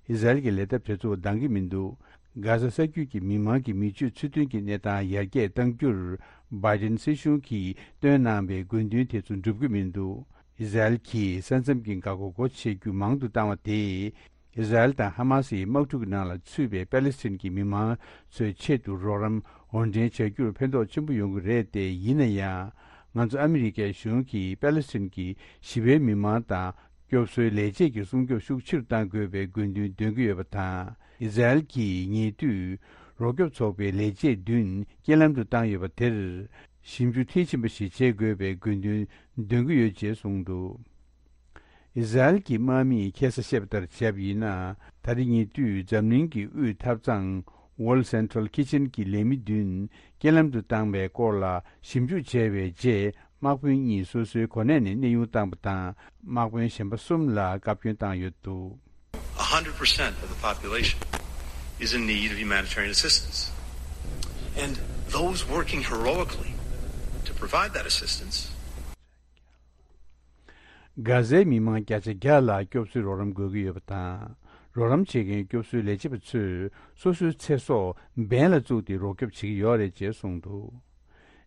ཨི་ཟ་རེལ་གྱི་ལས་ཐབས་དེ་ཚོ་འདང་གི་མི་འདུག་གྷ་ཟ་ས་རྒྱུད་ཀྱི་མི་མང་གི་མི་སྤྱོད་ཚུལ་མཐུན་གྱི་གནས་སྟངས་ཡར་རྒྱས་གཏང་རྒྱུར། བྷའི་ཌེན་སྲིད་གཞུང་གིས་བཏོན་གནང་བའི་དགོས་འདུན་དེ་ཚོ་འགྲུབ་ཀྱི་མི་འདུག་ཨི་ཟ་རེལ་གྱིས་ས་མཚམས་ཀྱི་འགག་སྒོ་སྒོ་ཕྱེ་རྒྱུ་མང་དུ་བཏང་བ་དེས། ཨི་ཟ་རེལ་དང་ཧ་མ་སིའི་དམག་འཁྲུག་ནང་ལ་ཚུད་པའི་པ་ལི་སི་ཐན་གྱི་མི་མང་ཚོའི་ཆེད་དུ་རོགས་རམ་དབོར་འདྲེན་བྱ་རྒྱུར་ཕན་ཐོགས་ཆེན་པོ་ཡོང་གི་རེད་དེ། ཡིན་ན་ཡང་། ང་ཚོ་ཨ་མི་རི་ཀའི་གཞུང་གིས་པ་ལི་སི་ཐན་གྱི་ཞི་བའི་མི་མང་དང་། སྐྱོབ་གསོའི་ལས་བྱེད་ཀྱི་སྲུང་སྐྱོབ་ཤུགས་ཆེ་རུ་གཏང་དགོས་པའི་དགོས་འདུན་འདོན་གྱི་ཡོད་པ་དང་། ཨི་ཟ་རེལ་གྱིས་ཉེ་དུས་རོགས་སྐྱོབ་ཚོགས་པའི་ལས་བྱེད་བདུན་རྐྱེན་ལམ་དུ་བཏང་ཡོད་པ་དེར། ཞིབ་འཇུག་མཐིལ་ཕྱིན་པ་ཞིག་བྱེད་དགོས་པའི་དགོས་འདུན་འདོན་གྱི་ཡོད་ཅེས་གསུངས་འདུག་ཨི་ཟ་རེལ་གྱི་དམག་མིས་ཁ་སང་བཤད་པ་ལྟར་བྱས་པ་ཡིན་ན། ད་རེས་ཉེ་དུས་འཛམ་གླིང་གི་དབུས་ཐབ་ཚང་World Central Kitchen གྱི་ལས་མི་བདུན་རྐྱེན་ལམ་དུ་བཏང་བའི་སྐོར་ལ་ཞིབ་འཇུག་བྱས་པའི་རྗེས། དམག་དཔོན་གཉིས་སོ་སོའི་གོ་གནས་ནས་གནས་དབྱུང་བཏང་བ་དང་། དམག་དཔོན་གཞན་པ་གསུམ་ལ་བཀའ་བཀྱོན་བཏང་ཡོད་འདུག A hundred percent of the population is in need of humanitarian assistance. And those working heroically to provide that assistance གྷ་ཟའི་མི་མང་བརྒྱ་ཆ་བརྒྱ་ལ་སྐྱོབ་གསོའི་རོགས་རམ་དགོས་ཀྱི་ཡོད་པ་དང་། རོགས་རམ་བྱེད་མཁན་སྐྱོབ་གསོའི་ལས་བྱེད་པ་ཚོས་སོ་སོའི་ཚེ་སྲོག་འབེན་ལ་བཙུགས་ཏེ་རོགས་སྐྱོབ་བྱེད་ཀྱི་ཡོད་རེད་ཅེས་གསུངས་འདུག་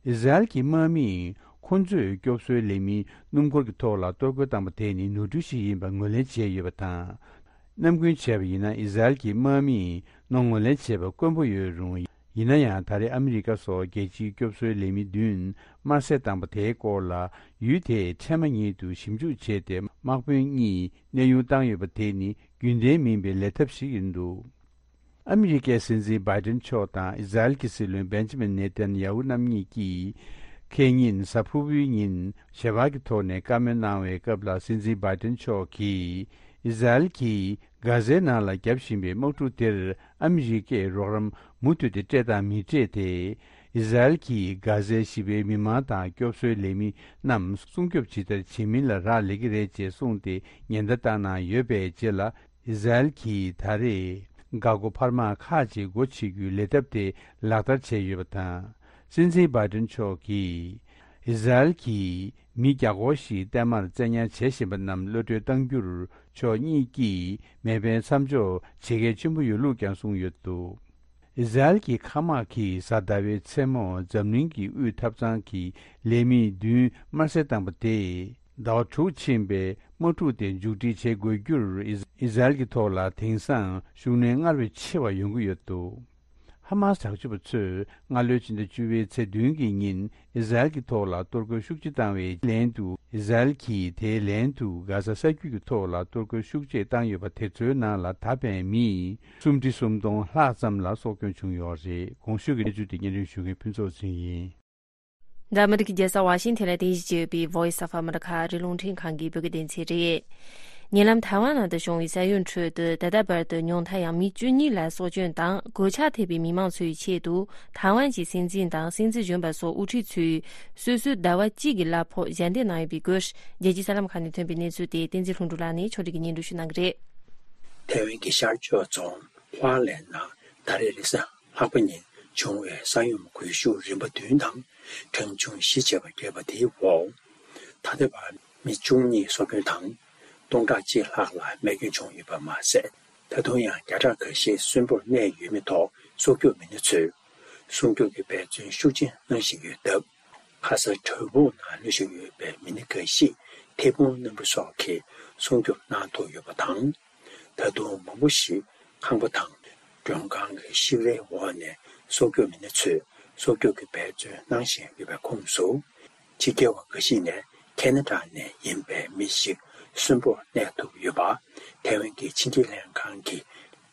ཨི་ཟ་རེལ་གྱི་དམག་མིས་ཁོ་ཚོས་སྐྱོབ་གསོའི་ལས་མིའི་སྣུམ་འཁོར་གྱི་ཐོག་ལ་གཏོར་རྒོལ་བཏང་པ་དེ་ནི་ནོར་འཁྲུལ་ཞིག་ཡིན་པ་ངོས་ལེན་བྱས་ཡོད་པ་དང་། ནམ་རྒྱུན་བྱས་པ་ཡིན་ན་ཨི་ཟ་རེལ་གྱི་དམག་མིས་གནོད་ངོས་ལེན་བྱས་པ་དཀོན་པོ་ཡོད་རུང་། ཡིན་ན་ཡང་ད་རེས་ཨ་མི་རི་ཀ་སོགས་རྒྱལ་སྤྱིའི་སྐྱོབ་གསོའི་ལས་མི་བདུན་དམར་གསོད་བཏང་པ་དེའི་སྐོར་ལ། ཡུལ་དེས་འཕྲལ་མ་ཉིད་དུ་ཞིབ་འཇུག་བྱས་ཏེ། དམག་དཔོན་གཉིས་གནས་དབྱུང་བཏང་ཡོད་པ་དེ་ནི་རྒྱུན་ལྡན་མིན་པའི་ལས་ཐབས་ཤིག་ཡིན་འདུག་ཨ་མི་རི་ཀའི་སྲིད་འཛིན་བྷའི་ཌེན་མཆོག་དང་ཨི་ཟ་རེལ་གྱི་སྲིད་བློན་བེན་ཇི་མིན་ནེ་ཐན་ཡ་ཧུ་རྣམ་གཉིས་ཀྱིས། ཁེ་ཉིན་གཟའ་ཕུར་བུའི་ཉིན་ཞལ་པར་གྱི་ཐོག་ནས་བཀའ་མོལ་གནང་བའི་སྐབས་ལ། སྲིད་འཛིན་བྷའི་ཌེན་མཆོག་གིས། ཨི་ཟ་རེལ་གྱིས་གྷ་ཟའི་ནང་ལ་བརྒྱབ་བཞིན་པའི་དམག་འཁྲུག་དེར་ཨ་མི་རི་ཀས་རོགས་རམ་མུ་མཐུད་དེ་སྤྲད་དང་མི་སྤྲད་དེ། ཨི་ཟ་རེལ་གྱིས་གྷ་ཟའི་ཞི་བའི་མི་མང་དང་སྐྱོབ་གསོའི་ལས་མི་རྣམས་སྲུང་སྐྱོབ་ཇི་ལྟར་བྱེད་མིན་ལ་རག་ལས་ཀྱི་རེད་ཅེས་གསུངས་ཏེ་ཉེན་བརྡ་བཏང་གནང་ཡོད་པའི་རྗེས་ལ། ཨི་ཟ་རེལ་གྱིས་ད་རེས་འགག་སྒོ་འཕར་མ་ཁག་ཅིག་སྒོ་ཕྱེ་རྒྱུའི་ལས་ཐབས་དེ་ལག་བསྟར་བྱས་ཡོད་པ་དང་། སྲིད་འཛིན་བྷའི་ཌེན་མཆོག་གིས། ཨི་ཟ་རེལ་གྱིས་མི་བརྒྱ་སྐོར་ཞིག་བརྟན་མར་བཙན་ཉར་བྱེད་བཞིན་པ་རྣམས་གློད་གྲོལ་གཏང་རྒྱུར་ཕྱོགས་གཉིས་ཀྱིས་མེ་འཕེན་མཚམས་འཇོག་བྱེད་གལ་ཆེན་པོ་ཡོད་ལུགས་ཀྱང་གསུངས་ཡོད་འདུག་ཨི་ཟ་རེལ་གྱི་མཁའ་དམག་གིས་གཟའ་ཟླ་བའི་མཚན་མོ་འཛམ་གླིང་གི་དབུས་ཐབ་ཚང་གི་ལས་མི་བདུན་དམར་གསོད་བཏང་པ་དེས། ཟླ་བ་དྲུག་ཕྱིན་པའི་དམག་འཁྲུག་དེ་མཇུག་སྒྲིལ་བྱེད་དགོས་རྒྱུར། ཨི་ཟ་རེལ་གྱི་ཐོག་ལ་དེང་སང་ཤུགས་སྣོན་སྔར་བས་ཆེ་བ་ཡོང་གི་ཡོད་འདུག་ཧ་མ་སི་དྲག་སྤྱོད་པ་ཚོས་སྔ་ལོའི་ཕྱི་ཟླ་བཅུ་པའི་ཚེས་བདུན་གྱི་ཉིན་ཨི་ཟ་རེལ་གྱི་ཐོག་ལ་གཏོར་རྒོལ་ཤུགས་ཆེ་བཏང་བའི་ལན་དུ། ཨི་ཟ་རེལ་གྱིས་དེའི་ལན་དུ་གྷ་ཟ་ས་རྒྱུད་ཀྱི་ཐོག་ལ་གཏོར་རྒོལ་ཤུགས་ཆེ་བཏང་ཡོད་པ་དེ་ཚོའི་ནང་ལ་ད་ཕན་མི་སུམ་ཁྲི་སུམ་སྟོང་ལྷག་ཙམ་ལ་སྲོག་སྐྱོན་བྱུང་ཡོད་རེད། གོང་ཞུས་ཀྱི་གནས་ཚུལ་དེ་སྙན་སྒྲོན་ཞུ་མཁན་ཕུན་ཚོགས་ཚེ་རིང་ཡིན། འདི་ཨ་མི་རི་ཀའི་རྒྱལ་ས་ཝ་ཤིང་ཐན་ལ་རྟེན་གཞི་བྱས་ཡོད་པའི་Voice of America ཨ་རིའི་རླུང་འཕྲིན་ཁང་གི་བོད་སྐད་སྡེ་ཚན་རེད། ཉེ་ལམ་ཐའེ་ཝན་ནང་དུ་བྱུང་བའི་ས་ཡོམ་ཁྲོད་དུ། ད་ལྟ་བར་དུ་ཉུང་མཐའ་ཡང་མི་བཅུ་གཉིས་ལ་སྲོག་སྐྱོན་དང་གོད་ཆག་ཐེབས་པའི་མི་མང་ཚོའི་ཆེད་དུ། ཐའེ་ཝན་གྱི་སྲིད་འཛིན་དང་སྲིད་འཛིན་གཞོན་པ་སོགས་དབུ་ཁྲིད་ཚོས་སོ་སོའི་ཟླ་བ་གཅིག་གི་གླ་ཕོགས་ཞལ་འདེབས་གནང་ཡོད་པའི་སྐོར། རྒྱལ་སྤྱིའི་གསར་ལམ་ཁག་ནས་ཐོན་པའི་གནས་ཚུལ་དེ་བསྟན་འཛིན་ལྷུན་གྲུབ་ལགས་ནས་ཕྱོགས་སྒྲིག་གིས་སྙན་སྒྲོན་ཞུ་གནང་གི་རེད། ཐའེ་ཝན་གྱི་ཤར་ཕྱོགས་རྫོང་ཧྭ་ལན་ནང་ད་རེས་རེས་གཟའ་ལྷག་པ་ཉིན་བྱུང་བའི་ས་ཡོམ་འགུལ་ཤུགས་རིམ་པ་བདུན་དང་གྲངས་ཆུང་བཞི་བྱས་པ་བརྒྱབ་པ་དེའི་འོག་ད་ལྟ་བར་མི་བཅུ་གཉིས་སྲོག་སྐྱོན་དང་། སྟོང་ཕྲག་གཅིག་ལྷག་ལ་རྨས་སྐྱོན་བྱུང་ཡོད་པ་མ་ཟད། ད་དུང་ཡང་བརྒྱ་ཕྲག་འགའ་ཤས་གསོན་པོར་གནས་ཡོད་མེད་ཐོག་སྲོག་སྐྱོབ་མི་སྣ་ཚོས་སྲུང་སྐྱོབ་ཀྱི་འབད་བརྩོན་ཤུགས་ཆེ་གནང་བཞིན་ཡོད་སྟབས། ཁ་སང་བྲག་ཕུག་ནང་ལུས་བཞུགས་ཡོད་པའི་མི་སྣ་འགའ་ཞིག་ཐལ་སྤུངས་སྣམ་བུ་སོགས་ཀྱིས་སྲུང་སྐྱོབ་གནང་ཐུབ་ཡོད་པ་དང་། ད་དུང་མང་པོ་ཞིག་ཁང་པ་དང་མགྲོན་ཁང་གི་བཤིག་རའི་འོག་ནས་སྲོག་སྐྱོབ་མི་སྣ་ཚོས་སྲོག་སྐྱོབ་ཀྱི་འབད་བརྩོན་གནང་བཞིན་ཡོད་པའི་ཁོངས་སུ། ཕྱི་རྒྱལ་བ་འགའ་ཞིག་ནས་ཁེ་ན་ཌ་ནས་ཡིན་པའི་མི་ཞིག་གསོན་པོར་གནས་ཐུབ་ཡོད་པ་ཐའེ་ཝན་གྱི་ཕྱི་འབྲེལ་ལྷན་ཁང་གིས་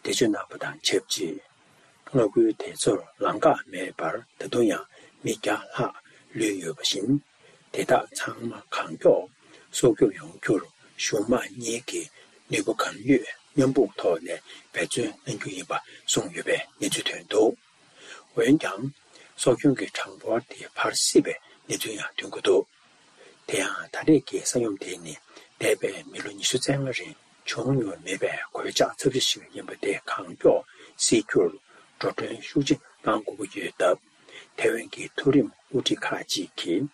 འགྲེལ་བརྗོད་གནང་པ་དང་ཆབས་ཅིག་མངའ་ཁུལ་དེ་ཚོར་ལམ་ཁ་མེད་པར་ད་དུང་ཡང་མི་བརྒྱ་ལྷག་ལུས་ཡོད་པ་བཞིན། དེ་དག་ཚང་མ་གང་མགྱོགས་སྲོག་སྐྱོབ་ཡོང་རྒྱུར་གཞུང་དམངས་གཉིས་ཀྱིས་ནུས་པ་གང་ཡོད་མཉམ་སྤུངས་ཐོག་ནས་འབད་བརྩོན་གནང་རྒྱུ་ཡིན་པ་གསུངས་ཡོད་པའི་གནས་ཚུལ་ཐོན་འདུག་འོན་ཀྱང་། སྲོག་སྐྱོན་གྱི་གྲངས་འབོར་དེ་འཕར་སྲིད་པའི་གནས་ཚུལ་ཡང་ཐོན་གྱི་འདུག་དེ་ཡང་ད་རེས་ཀྱི་ས་ཡོམ་དེ་ནི་འདས་པའི་མི་ལོ་ཉི་ཤུ་རྩ་ལྔ་རིང་བྱུང་མྱོང་མེད་པའི་གོད་ཆག་ཚབས་ཆེ་ཞིག་ཡིན་པ་དེ་གང་མགྱོགས་སེལ་རྒྱུར་འགྲོ་གྲོན་ཤུགས་ཆེ་ གཏང་དགོས་ཀྱི་ཡོད་སྟབས། ཐའེ་ཝན་གྱི་མཐོ་རིམ་དབུ་ཁྲིད་ཁག་ཅིག་གིས།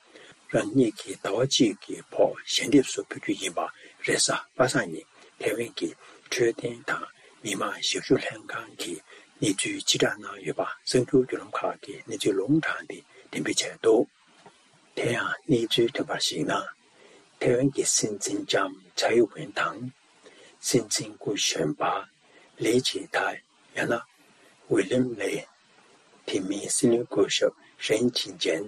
རང་ཉིད་ཀྱིས་ཟླ་བ་གཅིག་གི་བར་ཞལ་འདེབས་སུ་ཕུལ་རྒྱུ་ཡིན་པ། རེས་གཟའ་པ་སངས་ཉིན་ཐའེ་ཝན་གྱི་འཕྲོད་བསྟེན་དང་མི་དམངས་ཞབས་ཞུ་ལྷན་ཁང་གིས་གནས་ཚུལ་ཕྱིར་བསྒྲགས་གནང་ཡོད་པ། གསར་འགྱུར་བརྒྱུད་ལམ་ཁག་གིས་གནས་ཚུལ་ལུང་དྲངས་ཏེ་འགྲེམས་སྤེལ་བྱས་འདུག་དེ་ཡང་གནས་ཚུལ་ཐོན་པར་གཞིགས་ན། ཐའེ་ཝན་གྱི་སྲིད་འཛིན་ལྕམ་ཚའེ་ཝེན་དང་། སྲིད་འཛིན་སྐུ་གཞོན་པ་ལི་ཇི་ཐའེ། ཡང་ན་ཝི་ལིམ་ལེ། དེ་མིན་སྲིད་བློན་སྐུ་ཞབས་ཧྲེན་ཅིན་ཅན།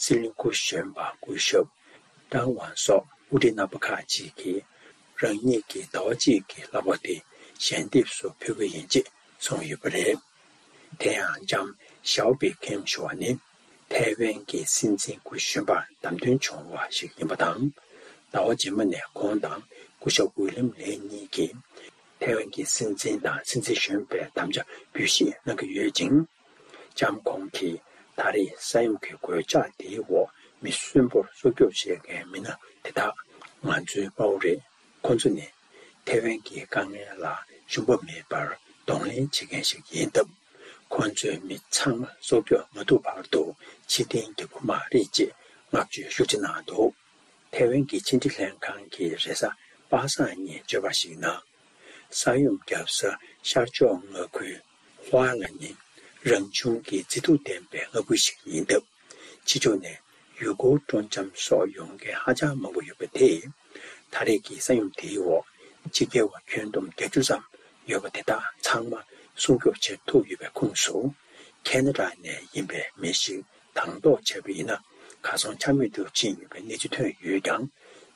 སྲིད་བློན་སྐུ་གཞོན་པ་སྐུ་ཞབས་ཀྲང་ཝང་སོགས་དབུ་ཁྲིད་རྣམ་པ་ཁག་ཅིག་གིས། རང་ཉིད་ཀྱིས་ཟླ་བ་གཅིག་གི་ལྷག་པ་དེ་ཞལ་འདེབས་སུ་ཕུལ་གྱི་ཡིན་ཅེས་གསུངས་ཡོད་པ་རེད། དེ་ཡང་ལྕམ་ཞའོ་པེ་ཁེམ་ཞུ་བ་ནི། ཐའེ་ཝན་གྱི་སྲིད་འཛིན་སྐུ་གཞོན་པར་བདམས་ཐོན་བྱུང་བ་ཞིག་ཡིན་པ་དང་། ཟླ་བ་རྗེས་མ་ནས་ཁོང་དང་སྐུ་ཞབས་ཝི་ལིམ་ལེ་གཉིས་ཀྱིས། ཐའེ་ཝན་གྱི་སྲིད་འཛིན་དང་སྲིད་འཛིན་གཞོན་པའི་དམ་བཅའ་འབུལ་བཞེས་གནང་གི་ཡོད་ཅིང་། ལྕམ་ཁོང་གིས་ད་རེས་ས་ཡོམ་གྱི་གོད་ཆག་དེའི་འོག་མི་གསོན་པོར་སྲོག་སྐྱོབ་བྱེད་མཁན་མི་སྣ་དེ་དག་ང་ཚོའི་དཔའ་བོ་རེད། ཁོང་ཚོ་ནི་ཐའེ་ཝན་གྱི་དཀའ་ངལ་ལ་ཞུམ་པ་མེད་པར་གདོང་ལེན་བྱེད་མཁན་ཞིག་ཡིན་སྟབས། ཁོང་ཚོའི་མི་ཚང་མ་སྲོག་སྐྱོབ་མ་ཐུབ་བར་དུ་ཕྱིར་འཐེན་རྒྱག་གི་མ་རེད་ཅེས་བསྔགས་བརྗོད་ཤུགས་ཆེ་གནང་འདུག་ཐའེ་ཝན་གྱི་ཕྱི་འབྲེལ་ལྷན་ཁང་གིས་རེས་གཟའ་པ་སངས་ཉིན་བརྗོད་པར་གཞིགས་ན། ས་ཡོམ་བརྒྱབ་ས་ཤར་ཕྱོགས་མངའ་ཁུལ་ཧྭ་ལ་ནི། རང་བྱུང་གི་མཛེས་སྡུག་ལྡན་པའི་མངའ་ཁུལ་ཞིག་ཡིན་སྟབས། ཕྱི་ཕྱོགས་ནས་ཡུལ་སྐོར་སྤྲོ་འཆམ་སོགས་ཡོང་མཁན་ཧ་ཅང་མང་པོ་ཡོད་པ་དེས། ད་རེས་ཀྱི་ས་ཡོམ་དེའི་འོག་ཕྱི་རྒྱལ་བ་ཁྱོན་བསྡོམས་བརྒྱད་ཅུ་ཙམ་ཡོད་པ་དེ་དག་ཚང་མ་སྲུང་སྐྱོབ་བྱེད་ཐུབ་ཡོད་པའི་ཁོངས་སུ། ཁེ་ན་ཌ་ནས་ཡིན་པའི་མི་ཞིག་དང་ཐོག་བྱས་པ་ཡིན་ན། གར་སོང་ཆ་མེད་དུ་ཕྱིན་ཡོད་པའི་གནས་ཚུལ་ཐོན་ཡོད་ཀྱང་།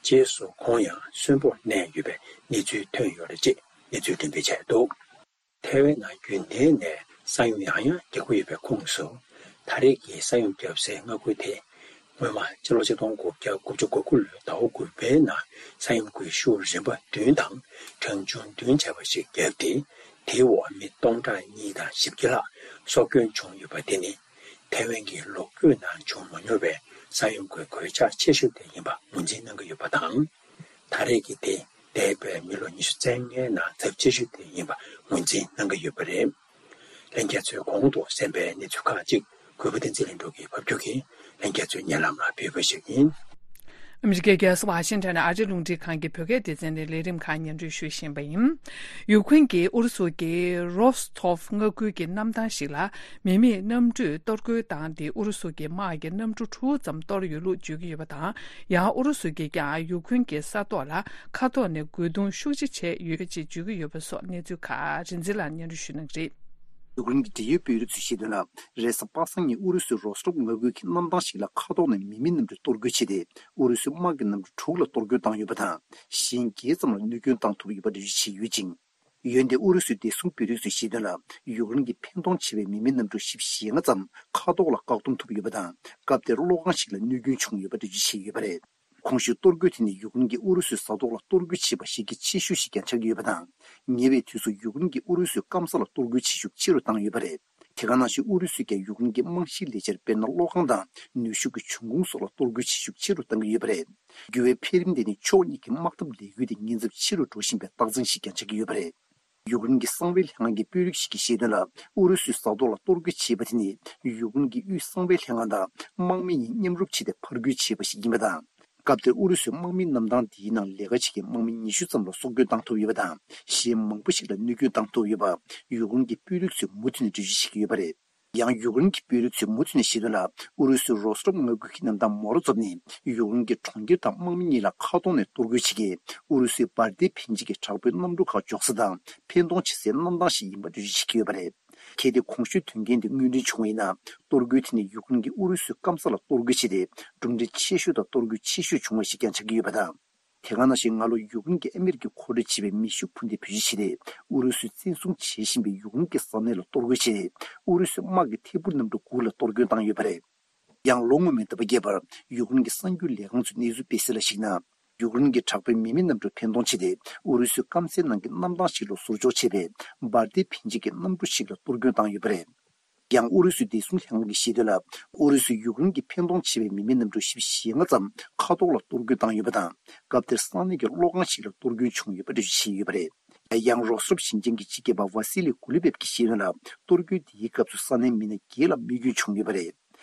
རྗེས་སུ་ཁོང་ཡང་གསོན་པོར་གནས་ཡོད་པའི་གནས་ཚུལ་ཐོན་ཡོད་རེད་ཅེས་གནས་ཚུལ་འགྲེམས་སྤེལ་བྱས་འདུག་ཐའེ་ཝན་ནང་རྒྱུན་ལྡན་ནས་ས་ཡོམ་ཡང་ཡང་རྒྱག་གི་ཡོད་པའི་ཁོངས་སུ། ད་རེས་ཀྱི་ས་ཡོམ་བརྒྱབ་སའི་མངའ་ཁུལ་དེ། སྔོན་མ་ཕྱི་ལོ་ཆིག་སྟོང་དགུ་བརྒྱ་དགུ་བཅུ་གོ་དགུ་ལོའི་ཟླ་བ་དགུ་པའི་ནང་ས་ཡོམ་གྱི་ཤུགས་རིམ་པ་བདུན་དང་གྲངས་ཆུང་བདུན་བྱས་པ་ཞིག་བརྒྱབ་སྟེ། དེའི་འོག་མི་སྟོང་ཕྲག་གཉིས་དང་བཞི་བརྒྱ་ལྷག་སྲོག་སྐྱོན་བྱུང་ཡོད་པ་དེ་ནི། ཐའེ་ཝན་གྱི་ལོ་རྒྱུས་ནང་བྱུང་མ་མྱོང་བའི་ས་ཡོམ་གྱི་གོད་ཆག་ཆེ་ཤོས་དེ་ཡིན་པ་ངོས་འཛིན་གནང་གི་ཡོད་པ་དང་། ད་རེས་ཀྱི་དེ་འདས་པའི་མི་ལོ་ཉི་ཤུ་རྩ་ལྔའི་ནང་ཚབས་ཆེ་ཤོས་དེ་ཡིན་པ་ངོས་འཛིན་གནང་གི་ཡོད་པ་རེད། ལྷན་རྒྱས་ཚོས་གོང་དུ་གསན་པའི་གནས་ཚུལ་ཁག་ཅིག་གུས་པ་བསྟན་འཛིན་ལྷུན་གྲུབ་ཀྱིས་ཕབ་སྒྱུར་གྱིས་ལྷན་རྒྱས་ཚོའི་སྙན་ལམ་ལ་ཕུལ་བ་ཞིག་ཡིན། ཨ་མི་རི་ཀའི་རྒྱལ་ས་ཝ་ཤིང་ཊོན་ནས་ཨ་རིའི་རླུང་འཕྲིན་ཁང་གི་བོད་སྐད་སྡེ་ཚན་ནས་ལས་རིམ་ཁག་སྙན་སྒྲོན་ཞུ་བཞིན་པ་ཡིན། ཡུཀ་རེན་གྱིས་ཨུ་རུ་སུ་གྱི་རོས་ཐོབ་མངའ་ཁུལ་གྱི་གནམ་ཐང་ཞིག་ལ་མི་མེད་གནམ་གྲུས་གཏོར་རྒོལ་བཏང་སྟེ། ཨུ་རུ་སུ་གྱི་དམག་གི་གནམ་གྲུ་དྲུག་ཙམ་གཏོར་ཡོད་ལུགས་བརྗོད་ཀྱི་ཡོད་པ་དང་། ཡང་ཨུ་རུ་སུ་གྱིས་ཀྱང་ཡུཀ་རེན་གྱི་ས་ཐོག་ལ་མཁའ་ཐོག་ནས་རྒོལ་རྡུང་ཤུགས་ཆེ་བྱས་ཡོད་ཅེས་བརྗོད་ཀྱི་ཡོད་པ་སོགས་གནས་ཚུལ་ཁག་རིག་འཛིན་ལགས་སྙན་སྒྲོན་ཞུ་གནང་གི་རེད། ཡུཀ་རེན་གྱི་འབྲེལ་ཡོད་དཔོན་རིགས་ཚོས་བཤད་དོན་ལ། རེས་གཟའ་པ་སངས་ཉིན་ཨུ་རུ་སུའི་རོས་ཐོབ་མངའ་ཁུལ་གྱི་གནམ་ཐང་ཞིག་ལ་མཁའ་ཐོག་ནས་མི་མེད་གནམ་གྲུས་གཏོར་རྒོལ་བྱས་ཏེ། ཨུ་རུ་སུའི་དམག་གི་གནམ་གྲུ་དྲུག་ལ་གཏོར་རྒོལ་བཏང་ཡོད་པ་དང་། གཞན་བརྒྱད་ཙམ་ལ་གནོད་སྐྱོན་བཏང་ཐུབ་ཡོད་པ་འགྲེལ་བརྗོད་བྱས་ཡོད་ཅིང་། འོན་ཏེ་ཨུ་རུ་སུའི་བདེ་སྲུང་དཔོན་རིགས་ཚོས་བཤད་དོན་ལ། ཡུཀ་རེན་གྱིས་འཕེན་གཏོང་བྱས་པའི་མི་མེད་གནམ་གྲུ་བཞི་བཅུ་ཞེ་ལྔ་ཙམ་མཁའ་ཐོག་ལ་བཀག་སྡོམ་ཐུབ་ཡོད་པ་དང་། སྐབས་དེར་གློག་ཁང་ཞིག་ལ་གནོད་སྐྱོན་བྱུང་ཡོད་པ་འགྲེལ་བརྗོད་བྱས་ཡོད་པ་རེད། གོང་ཞུས་གཏོར་རྒོལ་དེ་ནི་ཡུཀ་རེན་གྱིས་ཨུ་རུ་སུའི་ས་ཐོག་ལ་གཏོར་རྒོལ་བྱས་པ་ཞིག་གི་ཆེ་ཤོས་ཤིག་ཀྱང་ཆགས་ཀྱི་ཡོད་པ་དང་། ཉེ་བའི་དུས་སུ་ཡུཀ་རེན་གྱིས་ཨུ་རུ་སུའི་སྐམ་ས་ལ་གཏོར་རྒོལ་བྱེད་ཤུགས་ཆེ་རུ་བཏང་ཡོད་པ་རེད། དེ་ག་ནང་བཞིན་ཨུ་རུ་སུས་ཀྱང་ཡུཀ་རེན་གྱི་རྨང་གཞིའི་ལས་འཆར་དཔེར་ན་གློག་ཁང་དང་ནུས་ཤུགས་ཀྱི་འབྱུང་ཁུངས་སོགས་ལ་གཏོར་རྒོལ་བྱེད་ཤུགས་ཆེ་རུ་བཏང་གི་ཡོད་པ་རེད། འགྱུར་བའི་འཕེལ་རིམ་དེ་ནི་ཕྱོགས་གཉིས་ཀྱི་དམག་འཐབ་ལས་འགུལ་དེ་ཉེན་ཚབས་ཆེ་རུ་འགྲོ་བཞིན་པའི་རྟགས་མཚན་ཞིག་ཀྱང་ཆགས་ཀྱི་ཡོད་པ་རེད། ཡུཀ་རེན་གྱི་གསང་བའི་ལྷན་ཁང་གི་དཔོན་རིགས་ཤིག་གིས་བཤད་དོན་ལ། ཨུ་རུ་སུའི་ས་ཐོག་ལ་གཏོར་རྒོལ་བྱས་པ་དེ་ནི་ཡུཀ་རེན་གྱི་དབུས་གསང་བའི་ལྷན་ཁང་དང་དམག་མི་གཉིས་མཉམ་རུབ་བྱས་ཏེ་ཕར་རྒོལ་བྱས་པ་ཞིག་ཡིན་པ་དང་། སྐབས་དེར་ཨུ་རུ་སུའི་དམག་མིའི་གནམ་ཐང་འདིའི་ནང་ལས་ཀ་བྱེད་མཁན་དམག་མི་ཉི་ཤུ་ཙམ་ལ་སྲོག་སྐྱོན་བཏང་ཐུབ་ཡོད་པ་དང་། གཞན་མང་པོ་ཞིག་ལ་གནོད་སྐྱོན་བཏང་ཐུབ་ཡོད་པ། ཡུཀ་རེན་གྱི་དཔོན་རིགས་ཚོས་མུ་མཐུད་ནས་འགྲེལ་བརྗོད་བྱེད་ཀྱི་ཡོད་པ་རེད། ཡང་ཡུཀ་རེན་གྱི་དཔོན་རིགས་ཚོས་མུ་མཐུད་ནས་བཤད་དོན་ལ། ཨུ་རུ་སུའི་རོས་ཐོབ་མངའ་ཁུལ་གྱི་གནམ་ཐང་མོ་རོ་ཛོབ་ནི་ཡུཀ་རེན་གྱི་གྲོང་ཁྱེར་དང་དམག་མི་གཉིས་ལ་མཁའ་ཐོག་ནས་གཏོར་རྒོལ་བྱེད་མཁན་ཨུ་རུ་སུའི་འབར་མདེལ་འཕེན་བྱེད་ཀྱི་དྲག་པོའི་གནམ་གྲུ་ཁག་འཇོག་ས་དང་འཕེན་གཏོང་བྱེད་སའི་གནམ་ཐང་ཞིག་ཡིན་པ་འགྲེལ་བརྗོད་བྱེད་ཀྱི་ཡོད་པ་རེད། གལ་ཏེ་གོང་ཞུས་དོན་རྐྱེན་དེ་དངོས་འབྲེལ་བྱུང་བ་ཡིན་ན། གཏོར་རྒོལ་དེ་ནི་ཡུཀ་རེན་གྱིས་ཨུ་རུ་སུའི་སྐམ་ས་ལ་གཏོར་རྒོལ་བྱས་ཏེ། གྲུབ་འབྲས་ཆེ་ཤོས་དང་གཏོར་རྒོལ་ཆེ་ཤོས་བྱུང་བ་ཞིག་ཀྱང་ཆགས་ཀྱི་ཡོད་པ་དང་། དེ་ག་ནང་བཞིན་སྔ་ལོ་ཡུཀ་རེན་གྱིས་ཨ་མི་རི་ཀས་མཁོ་སྤྲོད་བྱས་པའི་མེ་ཤུགས་འཕུར་མདེལ་བེད་སྤྱོད་བྱས་ཏེ། ཨུ་རུ་སུས་བཙན་བཟུང་བྱེད་བཞིན་པའི་ཡུཀ་རེན་གྱི་ས་གནས་ལ་གཏོར་རྒོལ་བྱས་ཏེ། ཨུ་རུ་སུའི་དམག་གི་ཐད་འཕུར་གནམ་གྲུ་དགུ་ལ་གཏོར་སྐྱོན་བཏང་ཡོད་པ་རེད། ཡང་ལོ་སྔོན་མའི་ཟླ་བ་བརྒྱད་པར་ཡུཀ་རེན་གྱི་གསར་འགྱུར་ལས་ཁང་ཚོས་གནས་ཚུལ་སྤེལ་གསལ་ལ་གཞིགས་ན། ཡུཀ་རེན་གྱི་དྲག་པོའི་མི་མེད་གནམ་གྲུས་འཕེན་གཏོང་བྱས་ཏེ། ཨུ་རུ་སུའི་སྐམ་སའི་ནང་གི་གནམ་ཐང་ཞིག་ལ་ཟུར་འཇོག་བྱས་པའི་འབར་མདེལ་འཕེན་བྱེད་ཀྱི་གནམ་གྲུ་ཞིག་ལ་གཏོར་སྐྱོན་བཏང་ཡོད་པ་རེད། ཡང་ཨུ་རུ་སུའི་བདེ་སྲུང་ལྷན་ཁང་གིས་བཤད་དོན་ལ། ཨུ་རུ་སུས་ཡུཀ་རེན་གྱིས་འཕེན་གཏོང་བྱས་པའི་མི་མེད་གནམ་གྲུ་བཞི་བཅུ་ཞེ་ལྔ་ཙམ་མཁའ་ཐོག་ལ་གཏོར་རྒོལ་བཏང་ཡོད་པ་དང་། སྐབས་དེར་ས་གནས་ཀྱི་གློག་ཁང་ཞིག་ལ་གཏོར་སྐྱོན་བྱུང་ཡོད་པ་འགྲེལ་བརྗོད་བྱས་ཡོད་པ་རེད། ཡང་རོ་སི་ཊོབ་ཞིང་ཆེན་གྱི་སྤྱི་ཁྱབ་པ་ཝ་སི་ལི་གུ་ལི་བེབ་ཀྱིས་བཤད་དོན་ལ། གཏོར་རྒོལ་དེའི་སྐབས་སུ་ས་གནས་མི་སྣ་བརྒྱད་ལ་རྨས་སྐྱོན་བྱུང་ཡོད་པ་རེད།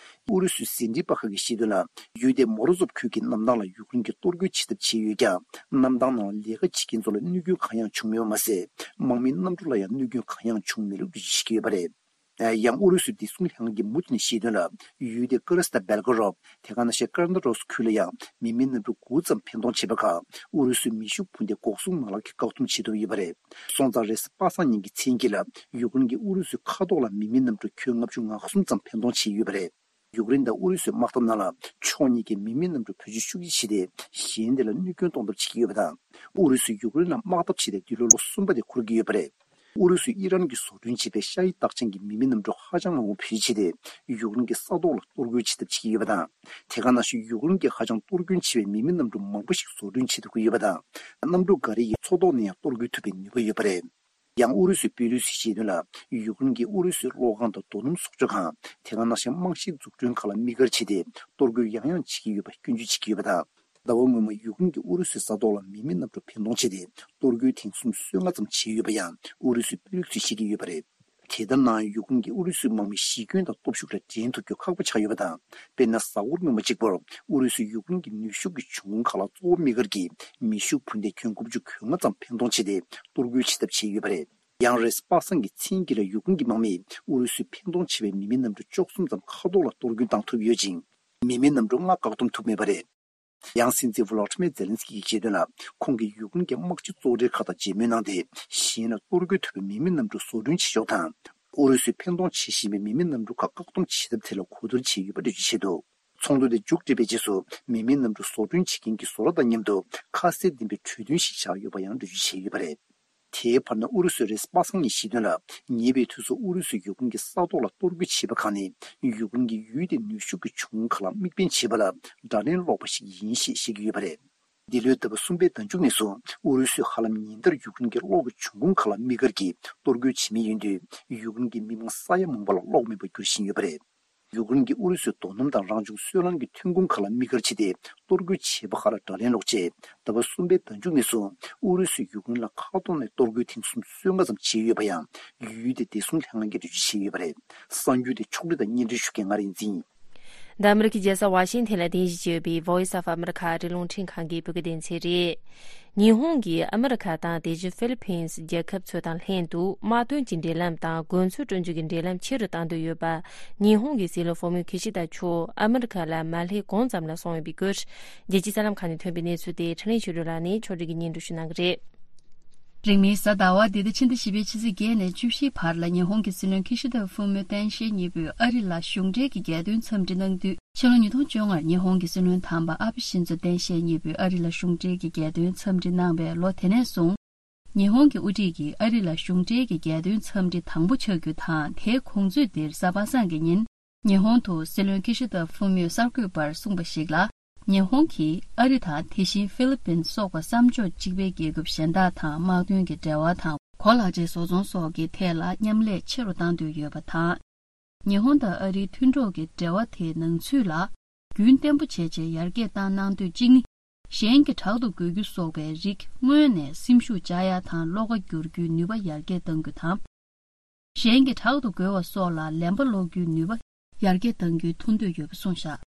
ཨུ་རུ་སུའི་ཟིན་བྲིས་པ་ཁག་གིས་བཤད་དོན་ལ། ཡུལ་དེའི་མོ་རོ་ཟོབ་ཁུལ་གྱི་གནམ་ཐང་ལ་ཡུཀ་རེན་གྱིས་གཏོར་རྒོལ་བྱེད་ཐབས་བྱས་ཡོད་ཀྱང་། གནམ་ཐང་ནང་ལས་ཀ་བྱེད་མཁན་ཚོ་ལ་གནོད་སྐྱོན་གང་ཡང་བྱུང་མེད་པ་མ་ཟད། དམག་མིའི་གནམ་གྲུ་ལ་ཡང་གནོད་སྐྱོན་གང་ཡང་བྱུང་མེད་ལུགས་འགྲེལ་བརྗོད་བྱེད་ཀྱི་ཡོད་པ་རེད། ཡང་ཨུ་རུ་སུའི་བདེ་སྲུང་ལྷན་ཁང་གི་མུ་མཐུད་ནས་བཤད་དོན་ལ། ཡུལ་དེའི་ཀ་ར་སི་ཏ་བེལ་གོ་རོབ། དེ་ག་ནང་བཞིན་ཀར་ན་རོ་སི་ཁུལ་ལ་ཡང་མི་མེད་གནམ་གྲུ་དགུ་ཙམ་འཕེན་གཏོང་བྱས་པ་ཁག་ཨུ་རུ་སུའི་མེ་ཤུགས་འཕུར་མདེལ་འགོག་སྲུང་མ་ལག་གིས་བཀག་སྡོམ་བྱེད་ཐུབ་ཡོད་པ་རེད། སོང་ཙང་རེས་གཟའ་པ་སངས་ཉིན་གྱི་མཚན་དཀྱིལ་ལ་ཡུཀ་རེན་གྱིས་ཨུ་རུ་སུའི་མཁའ་ཐོག་ལ་མི་མེད་གནམ་གྲུ་ཁྱོན་ལྔ་བཅུ་ང་གསུམ་ཙམ་འཕེན་གཏོང་བྱས་ཡོད་པ་རེད། ཡུཀ་རེན་དང་ཨུ་རུ་སུའི་དམག་འཐབ་ནང་ལ་ཕྱོགས་གཉིས་ཀས་མི་མེད་གནམ་གྲུ་བེད་སྤྱོད་ཤུགས་ཆེ་བྱས་ཏེ། གཞན་དེ་ལ་གནོད་སྐྱོན་གཏོང་ཐབས་བྱེད་ཀྱི་ཡོད་པ་དང་། ཨུ་རུ་སུས་ཡུཀ་རེན་ལ་དམག་འཐབ་བྱས་ཏེ་འདི་ལོའི་ལོ་གསུམ་པ་དེ་འཁོར་གྱི་ཡོད་པ་རེད། ཨུ་རུ་སུས་ཨི་རན་གྱིས་བཟོ་སྐྲུན་བྱས་པའི་ཤ་ཡི་རྟགས་ཅན་གྱི་མི་མེད་གནམ་གྲུ་ཧ་ཅང་མང་པོ་བེད་སྤྱོད་བྱས་ཏེ། ཡུཀ་རེན་གྱི་ས་ཐོག་ལ་གཏོར་རྒོལ་བྱེད་ཐབས་བྱེད་ཀྱི་ཡོད་པ་དང་། དེ་ག་ནང་བཞིན་ཡུཀ་རེན་གྱིས་ཧ་ཅང་གཏོར་སྐྱོན་ཆེ་བའི་མི་མེད་གནམ་གྲུ་མང་པོ་ཞིག་བཟོ་སྐྲུན་བྱེད་ཐུབ་ཀྱི་ཡོད་པ་དང་། གནམ་གྲུ་འགའ་རེ་ཡིས་མཚོ་ཐོག་ནས་ཡང་གཏོར་རྒོལ་ཐུབ་པའི་ནུས་པ་ཡོད་པ་རེད། ཡང་ཨུ་རུ་སུའི་དཔོན་རིགས་ཚོས་བཤད་དོན་ལ། ཡུཀ་རེན་གྱིས་ཨུ་རུ་སུའི་གློག་ཁང་དང་རྡོ་སྣུམ་བཟོ་བཅོས་ཁང་། དེ་ག་ནང་བཞིན་རྨང་གཞིའི་འཛུགས་སྐྲུན་ཁག་ལ་དམིགས་བཀར་བྱས་ཏེ། གཏོར་རྒོལ་ཡང་ཡང་བྱེད་ཀྱི་ཡོད་པ་སྐྱོན་བརྗོད་བྱེད་ཀྱི་ཡོད་པ་དང་། ཟླ་བ་སྔོན་མ་ཡུཀ་རེན་གྱིས་ཨུ་རུ་སུའི་ས་ཐོག་ལ་མི་མེད་གནམ་གྲུ་འཕེན་གཏོང་བྱས་ཏེ། གཏོར་རྒོལ་ཐེངས་སུམ་ཅུ་སོ་ལྔ་ཙམ་བྱས་ཡོད་པ་ཡང་ཨུ་རུ་སུའི་དཔོན་རིགས་ཚོས་བཤད་ཀྱི་ཡོད་པ་རེད། དེ་ལྟར་ནའང་ཡུཀ་རེན་གྱིས་ཨུ་རུ་སུའི་དམག་མི་ཞི་རྒོལ་དང་སྟོབས་ཤུགས་ལ་འགྲན་ཐུབ་རྒྱུ་ཁག་པོ་ཆགས་ཡོད་པ་དང་། དཔེར་ན། གཟའ་འཁོར་སྔོན་མ་གཅིག་པུར་ཨུ་རུ་སུས་ཡུཀ་རེན་གྱི་ནུས་ཤུགས་ཀྱི་འབྱུང་ཁུངས་ཁག་ལ་གཙོ་བོ་དམིགས་བཀར་གྱིས་མེ་ཤུགས་འཕུར་མདེལ་ཁྱོན་དགུ་བཅུ་གོ་ལྔ་ཙམ་འཕེན་གཏོང་བྱས་ཏེ། གཏོར་རྒོལ་བྱེད་ཐབས་བྱས་ཡོད་པ་རེད། ཡང་རེས་གཟའ་པ་སངས་ཀྱི་མཚན་དཀྱིལ་ལ་ཡུཀ་རེན་གྱི་དམག་མིས་ཨུ་རུ་སུས་འཕེན་གཏོང་བྱས་པའི་མི་མེད་གནམ་གྲུ་བཅུ་གསུམ་ཙམ་མཁའ་ཐོག་ལ་གཏོར་སྐྱོན་བཏང་ཐུབ་ཡོད་ཅིང་། མི་མེད་གནམ་གྲུ་ལྔ་བཀག་སྡོམ་ཐུབ་མེད་པ་རེད། ཡང་སྲིད་འཛིན་ཝོ་ལོ་ཏི་མེར་ཛེ་ལན་སི་ཀི་ཡིས་བཤད་དོན་ལ། ཁོང་གིས་ཡུཀ་རེན་གྱི་དམག་སྤྱི་གཙོ་གྲས་ཁག་དང་མཇལ་མོལ་གནང་སྟེ། གཞན་ལ་གཏོར་རྒོལ་ཐུབ་པའི་མི་མེད་གནམ་གྲུ་བཟོ་སྐྲུན་བྱེད་ཕྱོགས་དང་། ཨུ་རུ་སུས་འཕེན་གཏོང་བྱེད་བཞིན་པའི་མི་མེད་གནམ་གྲུ་ཁག་བཀག་སྡོམ་བྱེད་ཐབས་ཐད་ལ་གོ་བསྡུར་བྱས་ཡོད་པ་འགྲེལ་བརྗོད་བྱས་འདུག། ཚོགས་འདུ་དེ་མཇུག་སྒྲིལ་བའི་རྗེས་སུ། མི་མེད་གནམ་གྲུ་བཟོ་སྐྲུན་བྱེད་མཁན་གྱི་བཟོ་གྲྭ་དང་མཉམ་དུ་ཁ་གསལ་ལྡན་པའི་གྲོས་མཐུན་ཞིག་བཞག་ཡོད་པ་ཡང་འགྲེལ་བརྗོད་བྱས་ཡོད་པ་རེད། དེའི་བར་ན་ཨུ་རུ་སུས་རེས་གཟའ་པ་སངས་ཉིན་བཤད་དོན་ལ། ཉེ་བའི་དུས་སུ་ཨུ་རུ་སུས་ཡུཀ་རེན་གྱི་ས་ཐོག་ལ་གཏོར་རྒོལ་བྱས་པ་ཁག་ནི། ཡུཀ་རེན་གྱི་ཡུལ་དེའི་ནུས་ཤུགས་ཀྱི་འབྱུང་ཁུངས་ཁག་ལ་དམིགས་འབེན་བྱས་པ་ལ་དགྲ་ལན་སློག་པ་ཞིག་ཡིན་ཞེས་བཤད་ཀྱི་ཡོད་པ་རེད། འདི་ལོའི་ཟླ་བ་གསུམ་པའི་ཟླ་མཇུག་ནས་བཟུང་ཨུ་རུ་སུས་ཧ་ལམ་ཉིན་ལྟར་ཡུཀ་རེན་གྱི་གློག་གི་འབྱུང་ཁུངས་ཁག་ལ་དམིགས་བཀར་གྱིས་གཏོར་རྒོལ་བྱེད་མུས་ཡིན་དུས། ཡུཀ་རེན་གྱི་མི་མང་ས་ཡ་མང་པོ་ལ་གློག་མེད་པར་འགྱུར་བཞིན་ཡོད་པ་རེད། ཡུཀ་རེན་གྱིས་ཨུ་རུ་སུའི་རྡོ་སྣུམ་དང་རང་བྱུང་སོལ་རླངས་ཀྱི་ཐོན་ཁུངས་ཁག་ལ་དམིགས་བཀར་བྱས་ཏེ། གཏོར་རྒོལ་བྱས་པ་ཁག་ལ་དགྲ་ལན་སློག་ཆེད། ཟླ་བ་གསུམ་པའི་ཟླ་མཇུག་ནས་བཟུང་ཨུ་རུ་སུས་ཡུཀ་རེན་ལ་མཁའ་ཐོག་ནས་གཏོར་རྒོལ་ཐེངས་སུམ་ཅུ་སོ་ལྔ་ཙམ་བྱས་ཡོད་པ་ཡང་ཡུལ་དེའི་བདེ་སྲུང་ལྷན་ཁང་གིས་འགྲེལ་བརྗོད་བྱས་ཡོད་པ་རེད། གསར་འགྱུར་དེ་ཕྱོགས་སྒྲིག་དང་སྙན་སྒྲོན་ཞུ་མཁན་ང་རིག་འཛིན་ཡིན། འདི་ཨ་མི་རི་ཀའི་རྒྱལ་ས་ཝ་ཤིང་ཐན་ལ་རྟེན་གཞི་བྱས་ཡོད་པའི་Voice of America ཨ་རིའི་རླུང་འཕྲིན་ཁང་གི་བོད་སྐད་སྡེ་ཚན་རེད། ཉི་ཧོང་གིས་ཨ་མི་རི་ཁ་དང་དེ་བཞིན་ཧྥི་ལི་ཕིན་སི་རྒྱལ་ཁབ་ཚོ་དང་ལྷན་དུ་དམག་དོན་གྱི་འབྲེལ་ལམ་དང་གོ་མཚོན་སྤྲོད་རྒྱུ་གི་འབྲེལ་ལམ་ཆེ་རུ་གཏང་འདོད་ཡོད་པ། ཉི་ཧོང་གི་སྲིད་བློན་ཧྥུ་མིའོ་ཁི་ཤི་ད་མཆོག་ཨ་མི་རི་ཁ་ལ་མ་སླེབས་གོང་ཙམ་ལ་སོང་ཡོད་པའི་སྐོར། རྒྱལ་སྤྱིའི་གསར་ལམ་ཁག་ནས་ཐོན་པའི་གནས་ཚུལ་དེ་འཕྲིན་ལས་ཆོས་སྒྲོན་ལགས་ནས་ཕྱོགས་སྒྲིག་གིས་སྙན་སྒྲོན་ཞུ་གནང་གི་རེད། རིང་མིན་གཟའ་ཟླ་བ་འདི་ཟླ་ཕྱི་ཟླ་བཞི་པའི་ཕྱི་ཚེས་བརྒྱད་ནས་བཅུ་བཞིའི་བར་ལ་ཉི་ཧོང་གི་སྲིད་བློན་ཁི་ཤི་ད་ཧྥུ་མིའོ་སྟངས་དཔྱལ་གཉིས་པོས་ཨ་རི་ལ་གཞུང་འབྲེལ་གྱི་རྒྱལ་དོན་འཚམས་འདྲི་གནང་དུས། ཕྱི་ལོ་ཉིས་སྟོང་བཅོ་ལྔར་ཉི་ཧོང་གི་སྲིད་བློན་དམ་པ་ཨ་བྷེ་ཤིན་ཛོ་སྟངས་དཔྱལ་གཉིས་པོས་ཨ་རི་ལ་གཞུང་འབྲེལ་གྱི་རྒྱལ་དོན་འཚམས་འདྲི་གནང་བའི་ལོ་དེ་ནས་བཟུང་། ཉི་ཧོང་གི་དབུ་ཁྲིད་ཀྱིས་ཨ་རི་ལ་གཞུང་འབྲེལ་གྱི་རྒྱལ་དོན་འཚམས་འདྲི་དང་པོ་ཆགས་རྒྱུ་དང་། དེའི་གོང་ཚོད་འདིར་གཟའ་པ་སངས་ཀྱི་ཉིན། ཉི་ཧོང་དུ་སྲིད་བློན་ཁི་ཤི་ད་ཧྥུ་མིའོ་གསར་འགོད་པར་གསུངས་པ་ཞིག་ལ། ཉི་ཧོང་གིས་ཨ་རི་དང་དེ་བཞིན་ཧྥི་ལི་པིན་སོགས་པ་བསམ་ཕྱོགས་གཅིག་པའི་རྒྱལ་ཁབ་གཞན་དག་དང་དམག་དོན་གྱི་འབྲེལ་བ་དང་གོ་ལག་ཆས་བཟོ་ཚོང་སོགས་ཀྱི་ཐད་ལ་མཉམ་ལས་ཆེ་རུ་གཏང་འདོད་ཡོད་པ་དང་། ཉི་ཧོང་དང་ཨ་རིའི་མཐུན་གྲོགས་ཀྱི་འབྲེལ་བ་དེའི་ནང་ཚུད་ལ་རྒྱུན་བརྟན་པོ་བྱས་རྗེས་ཡར་རྒྱས་བཏང་གནང་འདོད་གཅིག་ནི། གཞན་གྱི་བྲག་ཏུ་རྒོལ་རྒྱུ་སོགས་པའི་རིགས་སྔོན་ནས་སེམས་ཤུགས་བཅག་ཡ་དང་བློ་ཁ་བསྒྱུར་རྒྱུའི་ནུས་པ་ཡར་རྒྱས་གཏང་རྒྱུ་དང་། གཞན་གྱི་བྲག་ཏུ་རྒོལ་བ་སོགས་ལ་ལན་པ་སློག་རྒྱུའི་ནུས་པ་ཡར་རྒྱས་གཏང་རྒྱུའི་ཐུགས་འདོད་ཡོད་པ་གསུངས་བཞག།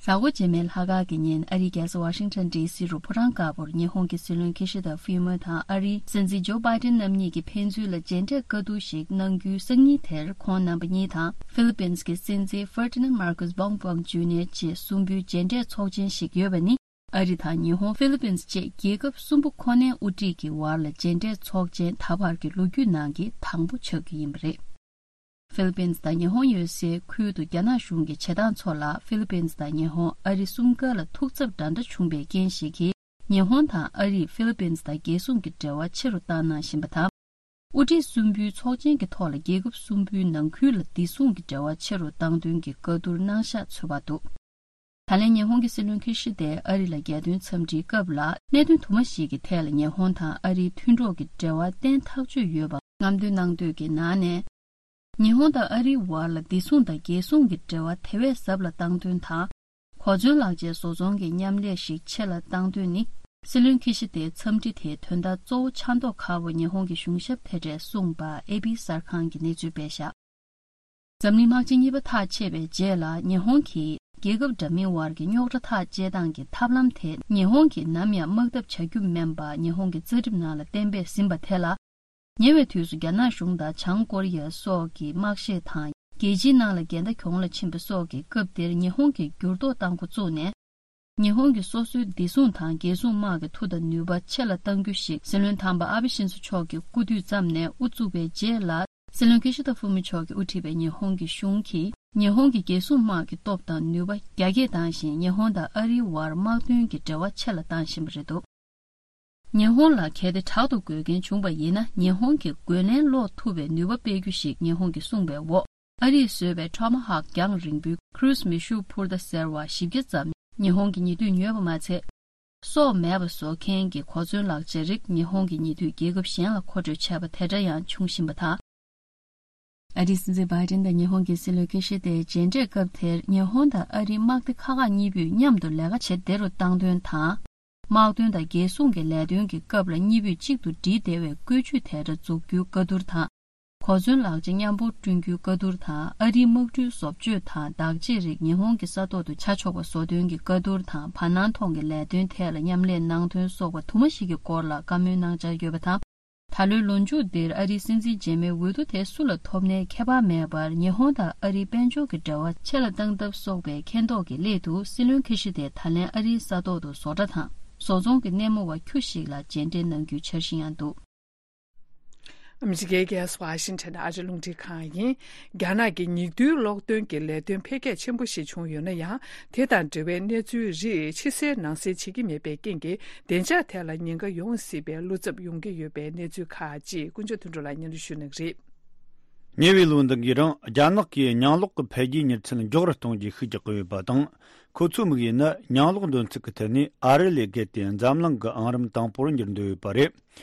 གཟའ་འཁོར་རྗེས་མའི་ལྷག་དཀར་གྱི་ཉིན་ཨ་རིའི་རྒྱལ་ས་ཝ་ཤིང་ཊོན་ཌི་སི་རུ་ཕོ་བྲང་དཀར་པོར་ཉི་ཧོང་གི་སྲིད་བློན་ཁི་ཤི་ད་ཧྥུ་མོ་དང་ཨ་རིའི་སྲིད་འཛིན་ཇོ་བྷའི་ཏིན་རྣམ་གཉིས་ཀྱི་ཕན་ཚུན་ལ་མཇལ་འཕྲད་བཀའ་བསྡུར་ཞིག་གནང་རྒྱུའི་སང་ཉིན་དེར་ཁོང་རྣམ་པ་གཉིས་དང་ཧྥི་ལི་པིན་སི་གྱི་སྲིད་འཛིན་ཧྥར་ཏི་ནན་མར་ཀོས་བོང་བོང་ཇུ་ནི་ཡར་བཅས་གསུམ་པོའི་མཇལ་འཕྲད་ཚོགས་ཆེན་ཞིག་ཡོད་པ་ནི། ཨ་རི་དང་ཉི་ཧོང་ཧྥི་ལི་པིན་སི་བཅས་རྒྱལ་ཁབ་གསུམ་པོ་ཁོ་ནའི་དབུ་ཁྲིད་ཀྱི་བར་ལ་མཇལ་འཕྲད་ཚོགས་ཆེན་ད་བར་གྱི་ལོ་རྒྱུས་ནང་གི་དང་པོ་ཆགས་ཀྱི་ཡིན་པ་རེད། ཧྥི་ལི་པིན་སི་དང་ཉི་ཧོང་ཡོད་སའི་ཁུལ་དུ་རྒྱ་ནག་གཞུང་གི་བྱེད་སྟངས་ཚོ་ལ་ཧྥི་ལི་པིན་སི་དང་ཉི་ཧོང་ཨ་རི་གསུམ་ཀ་ལ་ཐུགས་འཚབ་འདྲ་འདྲ་བྱུང་བའི་རྐྱེན་ཞིག་གིས། ཉི་ཧོང་དང་ཨ་རིས་ཧྥི་ལི་པིན་སི་དང་རྒྱལ་སྲུང་གི་འབྲེལ་བ་ཆེ་རུ་བཏང་གནང་བཞིན་པ་དང་། དབུ་ཁྲིད་གསུམ་པོའི་ཚོགས་ཆེན་གྱི་ཐོག་ལ་རྒྱལ་ཁབ་གསུམ་པོའི་ནང་ཁུལ་ལ་བདེ་སྲུང་གི་འབྲེལ་བ་ཆེ་རུ་བཏང་དོན་གྱི་བཀའ་བསྡུར་གནང་བཞག་ཚོད་དཔག་འདུག། ད་ལན་ཉི་ཧོང་གི་སྲིད་བློན་ཁི་ཤི་དས་ཨ་རི་ལ་རྒྱལ་དོན་འཚམས་འདྲིའི་སྐབས་ལ་གནད་དོན་དུ་མ་ཞིག་གི་ཐད་ལ་ཉི་ཧོང་དང་ཨ་རིའི་མཐུན་གྲོགས་ཀྱི་འབྲེལ་བ་བརྟན་ཐག་ཆོད་ཡོད་པ་རྔམ་སྟོན་གནང་འདོད་ཀྱི་ནང་ནས། ཉི་ཧོང་དང་ཨ་རིའི་བར་ལ་བདེ་སྲུང་དང་རྒྱལ་སྲུང་གི་འབྲེལ་བ་དེ་བས་ཟབ་ལ་བཏང་དོན་དང་། གོ་མཚོན་ལག་ཆས་བཟོ་ཚོང་གི་མཉམ་ལས་ཤིག་ཆེ་ལ་བཏང་དོན་ནི། སྲིད་བློན་ཁི་ཤི་དའི་འཚམས་འདྲི་དེའི་དོན་དག་གཙོ་བོ་ཆ་མདོག་ཁ་པོ་ཉི་ཧོང་གི་གཞུང་ཞབས་དེ་གྲས་གསུངས་པ་ཨེ་པི་གསར་ཁང་གིས་གནས་ཚུལ་སྤེལ་བཞག་འཛམ་གླིང་དམག་ཆེན་གཉིས་པ་ཐག་ཆད་པའི་རྗེས་ལ་ཉི་ཧོང་གིས་རྒྱལ་ཁབ་འདྲ་མིན་དབར་གྱི་རྙོག་དྲ་ཐག་བཅད་སྟངས་ཀྱི་ཐབས་ལམ་དེ་ཉི་ཧོང་གིས་ནམ་ཡང་དམག་འཐབ་བྱ་རྒྱུ་མིན་པ་ཉི་ཧོང་གི་རྩ་ཁྲིམས་ནང་ལ་གཏན་འབེབས་ཟིན་པ་དེ་ལ། ཉེ་བའི་དུས་སུ་རྒྱ་ནག་གཞུང་དང་བྱང་ཀོ་རི་ཡ་སོགས་ཀྱི་དམག་ཤེད་དང་རྒྱལ་སྤྱིའི་ནང་ལ་འགལ་ཟླ་གྱོང་ལ་ཕྱིན་པ་སོགས་ཀྱི་སྐབས་དེར་ཉི་ཧོང་གིས་འགྱུར་ལྡོག་བཏང་འགོ་བཙུགས་ནས། ཉི་ཧོང་གི་སོ་སོའི་བདེ་སྲུང་དང་རྒྱལ་སྲུང་དམག་གི་མཐུ་དང་ནུས་པ་ཆེ་ལ་གཏང་རྒྱུ་ཞིག་སྲིད་བློན་དམ་པ་ཨ་བྷི་ཤིན་ཚོ་མཆོག་གིས་སྐུ་དུས་ཙམ་ནས་དབུ་བཙུགས་པའི་རྗེས་ལ། སྲིད་བློན་ཀི་ཤི་ད་ཧྥུ་མི་མཆོག་གིས་དབུ་ཁྲིད་པའི་ཉི་ཧོང་གི་གཞུང་གིས་ཉི་ཧོང་གི་རྒྱལ་སྲུང་དམག་གི་སྟོབས་དང་ནུས་པ་རྒྱ་སྐྱེད་བཏང་ཞིང་ཉི་ཧོང་དང་ཨ་རིའི་དབར་དམག་དོན་གྱི་འབྲེལ་བ་ཆེ་ལ་བཏང་བཞིན་པ་རེད་འདུག་ཉི་ཧོང་ལ་གལ་ཏེ་དྲག་ཏུ་རྒོལ་མཁན་བྱུང་བ་ཡིན་ན་ཉི་ཧོང་གི་རྒོལ་ལན་སློག་ཐུབ་པའི་ནུས་པ་སྤེལ་རྒྱུ་ཞིག་ཉི་ཧོང་གིས་གསུངས་པའི་འོག་ཨ་རིས་བཟོས་པའི་ཊོ་མ་ཧོག་རྒྱང་རིང་པོའི་ཁུ་རུ་སི་མེ་ཤུགས་འཕུར་མདའ་ཟེར་བ་བཞི་བརྒྱ་ཙམ་ཉི་ཧོང་གི་ཉེ་དུས་ཉོས་པ་མ་ཚད། སྲོག་མེད་པ་བཟོ་མཁན་གྱི་གོ་མཚོན་ལག་ཆ་རིགས་ཉི་ཧོང་གི་ཉེ་དུས་རྒྱལ་ཁབ་གཞན་ལ་མཁོ་སྤྲོད་བྱས་པ་དེ་འདྲ་ཡང་འབྱུང་བཞིན་པ་དང་། ཨ་རིའི་སྲིད་འཛིན་བྷའི་ཏིན་དང་ཉི་ཧོང་གི་སྲིད་བློན་ཀི་ཤི་དའི་མཇལ་འཕྲད་སྐབས་དེར་ཉི་ཧོང་དང་ཨ་རིའི་དམག་སྡེ་ཁག་ཁག་གཉིས་པོས་མཉམ་དུ་ལས་ཀ་བྱེད་བདེ་རུ་བཏང་དོན་དང་། དམག་དོན་དང་རྒྱལ་སྲུང་གི་ལས་དོན་གྱི་སྐབས་ལ་གཉིས་པོས་གཅིག་ཏུ་སྒྲིལ་བདེ་བའི་བཀོད་ཇུས་དེ་འདྲ་འཛུགས་རྒྱུའི་བཀའ་བསྡུར་དང་། གོ་མཚོན་ལག་ཆ་མཉམ་སྤོར་བསྐྲུན་རྒྱུའི་བཀའ་བསྡུར་དང་ཨ་རིའི་དམག་གྲུའི་བཟོ་བཅོས་དང་བདག་གཅེས་རིགས་ཉི་ཧོང་གི་ས་ཐོག་ཏུ་ཆ་འཇོག་པ་བཟོ་དོན་གྱི་བཀའ་བསྡུར་དང་བར་སྣང་ཐོག་གི་ལས་དོན་ཐད་ལ་མཉམ་ལས་གནང་དོན་སོགས་པ་དུ་མ་ཞིག་གི་སྐོར་ལ་བཀའ་མོལ་གནང་འཆར་ཡོད་པ་དང་། ད་ལོའི་ལོ་མཇུག་འདིར་ཨ་རིའི་སྲིད་འཛིན་རྗེས་མའི་འོས་བསྡུ་དེ་སུ་ལ་ཐོབ་ནའི་ཁྱད་པར་མེད་པར་ཉི་ཧོང་དང་ཨ་རིའི་དཔལ་འབྱོར་གྱི་འབྲེལ་བ་ཆེ་ལ་གཏང་ཐབས་སོགས་པའི་མཁྱེན་རྟོགས་ཀྱི་སླད་དུ་སྲིད་བློན་ཁི་ཤི་དེ་ད་ལན་ཨ་རིའི་ས་ཐོག་ཏུ་བཟོ་གྲྭ་དང་བཟོ་ཚོང་གི་སྣེ་མོ་བ་ཁྱུ་ཞིག་ལ་མཇལ་འཕྲད་གནང་རྒྱུའི་འཆར་གཞི་ཡང་འདུག་ཨ་མི་རི་ཀའི་རྒྱལ་ས་ཝ་ཤིང་ཊོན་ཨ་རི་རླུང་འཕྲིན་ཁང་ཡིན། རྒྱ་ནག་གི་ཉིན་བདུན་གློག་འདོན་གྱི་ལས་དོན་འཕེལ་རྒྱས་ཆེན་པོ་ཞིག་བྱུང་ཡོད་ན་ཡང་། དེ་དང་འབྲེལ་བའི་གནས་ཚུལ་རིགས་ཕྱི་གསལ་ནང་གསལ་བྱེད་ཀྱི་མེད་པའི་རྐྱེན་གྱིས། བདེ་འཇགས་ཐད་ལ་ཉེན་ཁ་ཡོང་སྲིད་པའི་བློ་འཚབ་ཡོང་གི་ཡོད་པའི་གནས་ཚུལ་ཁག་ཅིག་ཀུན་སྤྱོད་དོན་གྲུབ་ལགས་སྙན་སྒྲོན་ཞུ་གནང་གི་རེད། ཉེ་བའི་ལོ་འདི་གའི་རིང་རྒྱ་ནག་གིས་ཉང་གློག་གི་འཕེལ་རྒྱས་མྱུར་ཚད་མགྱོགས་རུ་གཏོང་རྒྱུའི་ཤུགས་རྒྱག་གི་ཡོད་པ་དང་། ཁོ་ཚོའི་དམིགས་ཡུལ་ནི་ཉང་གློག་འདོན་ཚུལ་གྱི་ཐད་ནས་ཨ་རི་ལས་བརྒལ་ཏེ་འཛམ་གླིང་གི་ཨང་རིམ་དང་པོར་འགྱུར་འདོད་ཡོད་པ་རེད།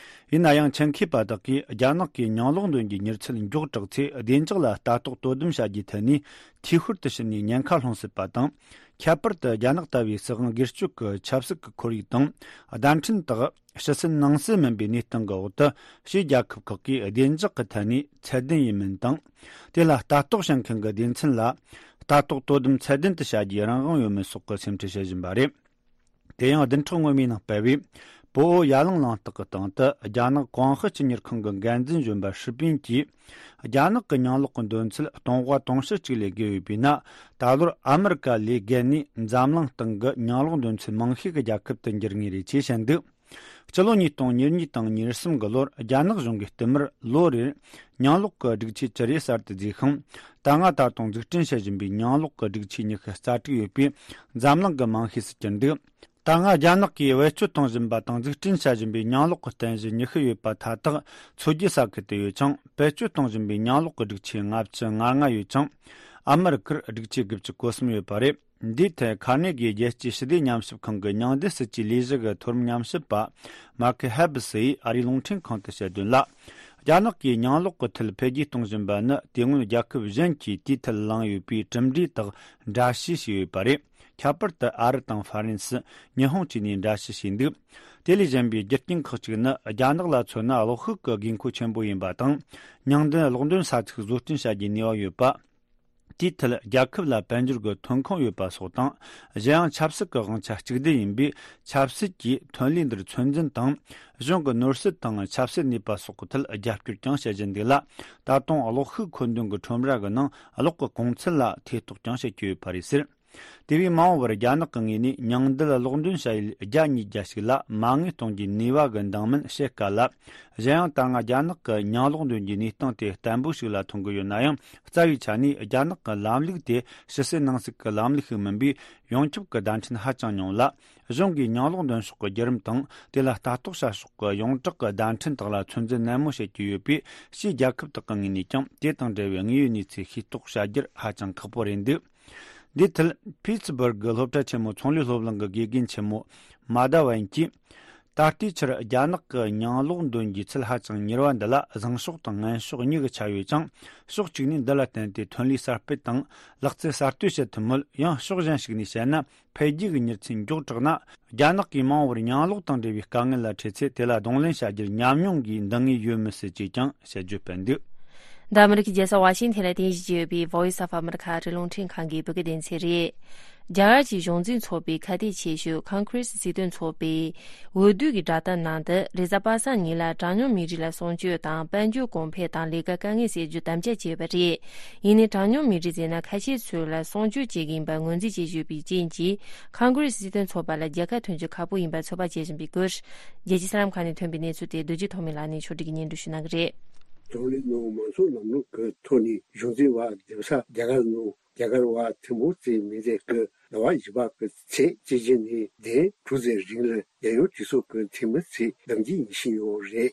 ཡིན་ན་ཡང་ཆེད་མཁས་པ་དག་གིས་རྒྱ་ནག་གིས་ཉང་གློག་འདོན་རྒྱུའི་མྱུར་ཚད་མགྱོགས་དྲགས་ཚེ་བདེ་འཇགས་ལ་ལྟ་རྟོག་དོ་དམ་བྱ་རྒྱུའི་ཐད་ནས་འཐུས་ཤོར་དུ་ཕྱིན་ནས་ཉེན་ཁ་སློང་སྲིད་པ་དང་། ཁྱད་པར་དུ་རྒྱ་ནག་ལྟ་བུའི་སྲིད་དབང་སྒེར་གཅོད་ཀྱི་ཆབ་སྲིད་ཀྱི་ཁོར་ཡུག་དང་བརྡ་འཕྲིན་དག་ཕྱི་སྲིད་ནང་སྲིད་མིན་པའི་གནས་སྟངས་ཀྱི་འོག་ཏུ། ཕྱིའི་རྒྱལ་ཁབ་ཁག་གིས་བདེ་འཇགས་ཀྱི་ཐད་ནས་ཚད་ལྡན་ཡིན་མིན་དང་། དེ་ལ་ལྟ་རྟོག་བྱེད་མཁན་གྱི་སྡེ་ཚན་ལ་ལྟ་རྟོག་དོ་དམ་ཚད་ལྡན་དུ་བྱ་རྒྱུའི་རང་དབང་ཡོད་མིན་སོགས་ཀྱི་སེམས་ཁྲལ་བྱེད་བཞིན་པ་རེད། དེ་ཡང་བདུན་ཕྲག་སྔོན་མའི་ནང་སྤེལ་བའི་བོད་ཨོ་ཡ་གླིང་གླེང་སྟེགས་ཀྱི་སྟེང་དུ་རྒྱ་ནག་ཀོང་ཧི་སྤྱི་གཉེར་ཁང་གི་འགན་འཛིན་གཞོན་པ་ཧྲི་པིན་གྱིས། རྒྱ་ནག་གི་ཉང་གློག་གི་འདོན་ཚད་སྟོང་པ་དུང་ཕྱུར་གཅིག་ལས་བརྒལ་ཡོད་པས་ན། ད་ལོར་ཨ་མི་རི་ཀ་ལས་བརྒལ་ནས་འཛམ་གླིང་སྟེང་གི་ཉང་གློག་འདོན་ཚད་མང་ཤོས་ཀྱི་རྒྱལ་ཁབ་ཏུ་འགྱུར་ངེས་རེད་ཅེས་བཤད་འདུག་སྤྱི་ལོ་ཉིས་སྟོང་ཉེར་གཉིས་དང་ཉེར་གསུམ་གྱི་ལོར་རྒྱ་ནག་གཞུང་གིས་བསྟུད་མར་ལོ་རེར་ཉང་གློག་གི་སྒྲིག་ཆས་ཅི་རེ་གསར་དུ་བརྩིས་ཤིང་། ད་སྔ་ད་དུང་འཛུགས་སྐྲུན་བྱེད་བཞིན་པའི་ཉང་གློག་གི་སྒྲིག་ཆས་ཉི་ཤུ་རྩ་དྲུག་ཡོད་པས་འཛམ་གླིང་གི་མང་ཤོས་སུ་གྱུར་འདུག་ད་སྔ་རྒྱ་ནག་གིས་བེད་སྤྱོད་གཏོང་བཞིན་པ་དང་འཛུགས་སྐྲུན་བྱ་བཞིན་པའི་ཉང་གློག་གི་རྟེན་གཞི་ཉི་ཤུ་ཡོད་པ་མཐའ་དག་མཚོ་རྒྱུད་ས་ཁུལ་དུ་ཡོད་ཅིང་། བེད་སྤྱོད་གཏོང་བཞིན་པའི་ཉང་གློག་གི་སྒྲིག་ཆས་ལྔ་བཅུ་ང་ལྔ་ཡོད་ཅིང་། ཨ་མི་རི་ཀར་སྒྲིག་ཆས་དགུ་བཅུ་གོ་གསུམ་ཡོད་པ་རེད། འདིའི་ཐད་ཁ་ནེ་གིའི་རྒྱལ་སྤྱིའི་ཞི་བདེ་ཉམས་ཞིབ་ཁང་གི་ཉང་བདེ་སྲིད་ཇུས་ལས་གཞི་གི་མཐོ་རིམ་ཉམས་ཞིབ་པ་མཱ་ཁེ་ཧེ་བི་སི་ཡིས་ཨ་རིའི་རླུང་འཕྲིན་ཁང་དུ་བཤད་དོན་ལ། རྒྱ་ནག་གིས་ཉང་གློག་གི་ཐད་འཕེལ་རྒྱས་གཏོང་བཞིན་པ་ནི་དེ་སྔོན་རྒྱལ་ཁབ་གཞན་གྱིས་དེའི་ཐད་བླངས་ཡོད་པའི་གྲུབ་འབྲས་དག་འདྲ་བཤུས་བྱས་ཡོད་པ་རེད། ཁྱད་པར་དུ་ཨ་རི་དང་ཧྥ་རན་སི། ཉི་ཧོང་བཅས་ནས་འདྲ་བཤུས་བྱས་འདུག་དེ་ལས་གཞན་པའི་རྒྱུ་རྐྱེན་ཁག་ཅིག་ནི་རྒྱ་ནག་ལ་མཚོན་ན་གློག་ཤུགས་ཀྱི་དགོས་མཁོ་ཆེན་པོ་ཡིན་པ་དང་། ཉང་བདུན་གློག་འདོན་ས་ཚིགས་བཟོ་སྐྲུན་བྱ་རྒྱུའི་ནུས་པ་ཡོད་པ། དེའི་ཐད་རྒྱལ་ཁབ་ལ་དཔལ་འབྱོར་གྱི་ཐོན་ཁུངས་ཡོད་པ་སོགས་དང་། གཞན་ཡང་ཆབ་སྲིད་ཀྱི་དབང་ཆ་གཅིག་སྡུད་ཡིན་པས། ཆབ་སྲིད་ཀྱིས་ཐོན་ལས་འདིར་ཚོད་འཛིན་དང་། གཞུང་གི་ནོར་སྲིད་དང་ཆབ་སྲིད་ནུས་པ་སོགས་ཀྱི་ཐད་རྒྱབ་སྐྱོར་ཀྱང་བྱེད་བཞིན་འདུག་ལ། ད་དུང་གློག་ཤུགས་མཁོ་འདོན་གྱི་ཁྲོམ་ར་གི་ནང་གློག་གི་གོང་ཚད་ལ་ཐེ་གཏོགས་ཀྱང་བྱེད་ཀྱི་ཡོད་པ་རེད་ཟེར། དེ་བས་མ་འོངས་པར་རྒྱ་ནག་གི་ངོས་ནས་ཉང་བདུན་གློག་འདོན་བྱ་ཡུལ་བརྒྱ་ཉིས་བརྒྱ་ཞིག་ལ་མ་དངུལ་གཏོང་རྒྱུའི་ནུས་པ་གི་འདང་མིན་བཤད་དཀའ་ལ། གཞན་ཡང་ད་སྔ་རྒྱ་ནག་གི་ཉང་གློག་འདོན་རྒྱུའི་གནས་སྟངས་དེ་བརྟན་པོ་ཞིག་ལ་མཐོང་གི་ཡོད་ན་ཡང་། རྩ་བའི་ཆ་ནས་རྒྱ་ནག་གི་ལམ་ལུགས་དེ་ཕྱི་སྲིད་ནང་སྲིད་ཀྱི་ལམ་ལུགས་ཤིག་མིན་པས། ཡོངས་ཁྱབ་ཀྱི་བརྡ་འཕྲིན་ཧ་ཅང་ཉུང་ལ། གཞུང་གིས་ཉང་གློག་འདོན་ཕྱོགས་ཀྱི་བརྒྱུད་རིམ་དང་། དེ་ལ་ལྟ་རྟོག་བྱ་ཕྱོགས་ཀྱི་ཡོངས་གྲགས་ཀྱི་བརྡ་འཕྲིན་དག་ལ་ཚོད་འཛིན་ནན་མོ་བྱེད་ཀྱི་ཡོད་པས། ཕྱིའི་རྒྱལ་ཁབ་དག་གི་ངོས་ནས་ཀྱང་དེ་དང་འབྲེལ་བའི་དངོས་ཡོད་གནས་ཚུལ་ཤེས་རྟོགས་བྱ་རྒྱུར་ཧ་ཅང་ཁག་པོ་རེད་འདུག་འདིའི་ཐད། ཕིཊ་སི་སྦུར་གི་སློབ་གྲྭ་ཆེན་མོའི་ཚོང་ལས་སློབ་གླིང་གི་དགེ་རྒན་ཆེན་མོ་མ་ད་ཝན་གྱིས། ད་ལྟའི་ཆར་རྒྱ་ནག་གི་ཉང་གློག་འདོན་རྒྱུའི་ཚད་ཧ་ཅང་མྱུར་བ་འདི་ལ་བཟང་ཕྱོགས་དང་ངན་ཕྱོགས་གཉིས་ཀྱི་ཆ་ཡོད་ཅིང་། ཕྱོགས་གཅིག་ནས་འདི་ལ་བརྟེན་ཏེ་ཐོན་ལས་གསར་སྤེལ་དང་ལག་རྩལ་གསར་གཏོད་བྱེད་ཐུབ་མོད། ཡང་ཕྱོགས་གཞན་ཞིག་ནས་བཤད་ན། འཕེལ་རྒྱས་ཀྱི་མྱུར་ཚད་མགྱོགས་དྲགས་ན། རྒྱ་ནག་གིས་མ་འོངས་པར་ཉང་གློག་དང་འབྲེལ་བའི་དཀའ་ངལ་ལ་འཕྲད་ཚེ། དེ་ལ་གདོང་ལེན་བྱ་རྒྱུར་ཉམས་མྱོང་གིས་འདང་ངེས་ཡོད་མི་སྲིད་ཅེས་ཀྱང་དཔྱད་བརྗོད་སྤེལ་འདུག། འདི་ཨ་མི་རི་ཀའི་རྒྱལ་ས་ཝ་ཤིང་ཐན་ལ་རྟེན་གཞི་བྱས་ཡོད་པའི་Voice of America ཨ་རིའི་རླུང་འཕྲིན་ཁང་གི་བོད་སྐད་སྡེ་ཚན་རེད། རྒྱ་གར་གྱི་གཞུང་འཛིན་ཚོགས་པའི་ཁ་གཏད་ཆེ་ཤོས་Congress སྲིད་དོན་ཚོགས་པའི་འོས་བསྡུ་གི་བསྒྲགས་གཏམ་ནང་དུ། རེས་གཟའ་པ་སངས་ཉིན་ལ་གྲངས་ཉུང་མི་རིགས་ལ་གསུང་ཆོས་དང་། དཔལ་འབྱོར་གོང་འཕེལ་དང་ལས་ཀ་དཀའ་ངལ་སེལ་རྒྱུ་དམ་བཅའ་བྱས་པ་རེད། ཡིན་ནའི་གྲངས་ཉུང་མི་རིགས་ཟེར་ན་ཁ་ཤས་ཚོ་ལ་གསུང་ཆོས་བྱེད་ཀྱི་ཡིན་པ་ངོས་འཛིན་བྱེད་བཞིན་པའི་རྐྱེན་གྱིས། Congress སྲིད་དོན་ཚོགས་པ་ལ་རྒྱལ་ཁ་ཐོན་རྒྱུ་ཁག་པོ་ཡིན་པ་ཚོད་དཔག་བྱེད་བཞིན་པའི་སྐོར། རྒྱལ་སྤྱིའི་གསར་ལམ་ཁག་ནས་ཐོན་པའི་གནས་ཚུལ་དེ་རྡོ་རྗེ་ཐོགས་མེད་ལགས་ནས་ཕྱོགས་སྒྲིག་གིས་སྙན་སྒྲོན་ཞུ་གནང་གི་རེད། གདོང་ལེན་ནང་མང་གཙོ་ལམ་ལུགས་ཀྱི་ཐོག་ནས་གཞུང་འཛིན་པ་འདེམས་ས་རྒྱ་གར་ནང་རྒྱ་གར་བ་ཐེངས་པོ་རྩིས་མི་འདས་ཀྱི་ཟླ་བ་བཞི་པ་གི་ཚེས་གཅིག་བཞི་ནས་དེ་དྲུག་ཙམ་རིང་ལ་རྒྱལ་ཡོངས་གྲོས་ཚོགས་ཀྱི་འཐུས་མི་ཚོས་བདམས་རྒྱུ་ཡིན་བཞིན་ཡོད་རེད།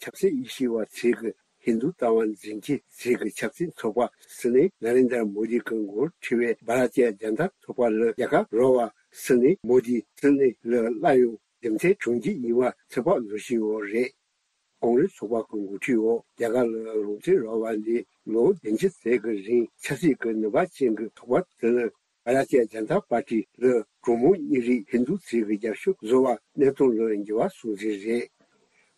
ཆབ་སྲིད་དབྱེ་ཞིབ་པ་ཚོས་ཀྱི་ཧིན་རྡུ་ལྟ་བ་འཛིན་སྐྱོང་ཚོགས་ཀྱི་ཆབ་སྲིད་ཚོགས་པ་སྲིད་བློན་ན་རེན་དར་མོ་དི་གི་འགོ་ཁྲིད་པའི་བྷ་ར་ཏི་ཡ་ཇན་ད་ཚོགས་པ་ལ་རྒྱལ་ཁ་རོལ་བ་སྲིད་བློན་མོ་དི་སྲིད་བློན་ལ་སླར་ཡང་འདེམས་ཐོན་བྱུང་རྒྱུ་ཡིན་པ་ཚོད་དཔག་བཟོ་བཞིན་ཡོད་རེད། ཀོང་རེས་ཚོགས་པ་གི་འགོ་ཁྲིད་འོག་རྒྱ་གར་ལ་རང་བཙན་རག་པ་ནས་ལོ་བདུན་ཅུ་ཙམ་གྱི་རིང་ཆབ་སྲིད་ཀྱི་ནུས་པ་ཅན་གྱི་ཚོགས་པ་དེ་ལ་བྷ་ར་ཏི་ཡ་ཇན་ད་པར་ཏི་ལ་གྲངས་མང་མི་རིགས་ཧིན་རྡུ་ཚོས་ཀྱི་རྒྱབ་སྐྱོར་བཟོ་བ་གནས་སྟངས་ལ་འགྱུར་བ་སོང་ཟིན་རེད།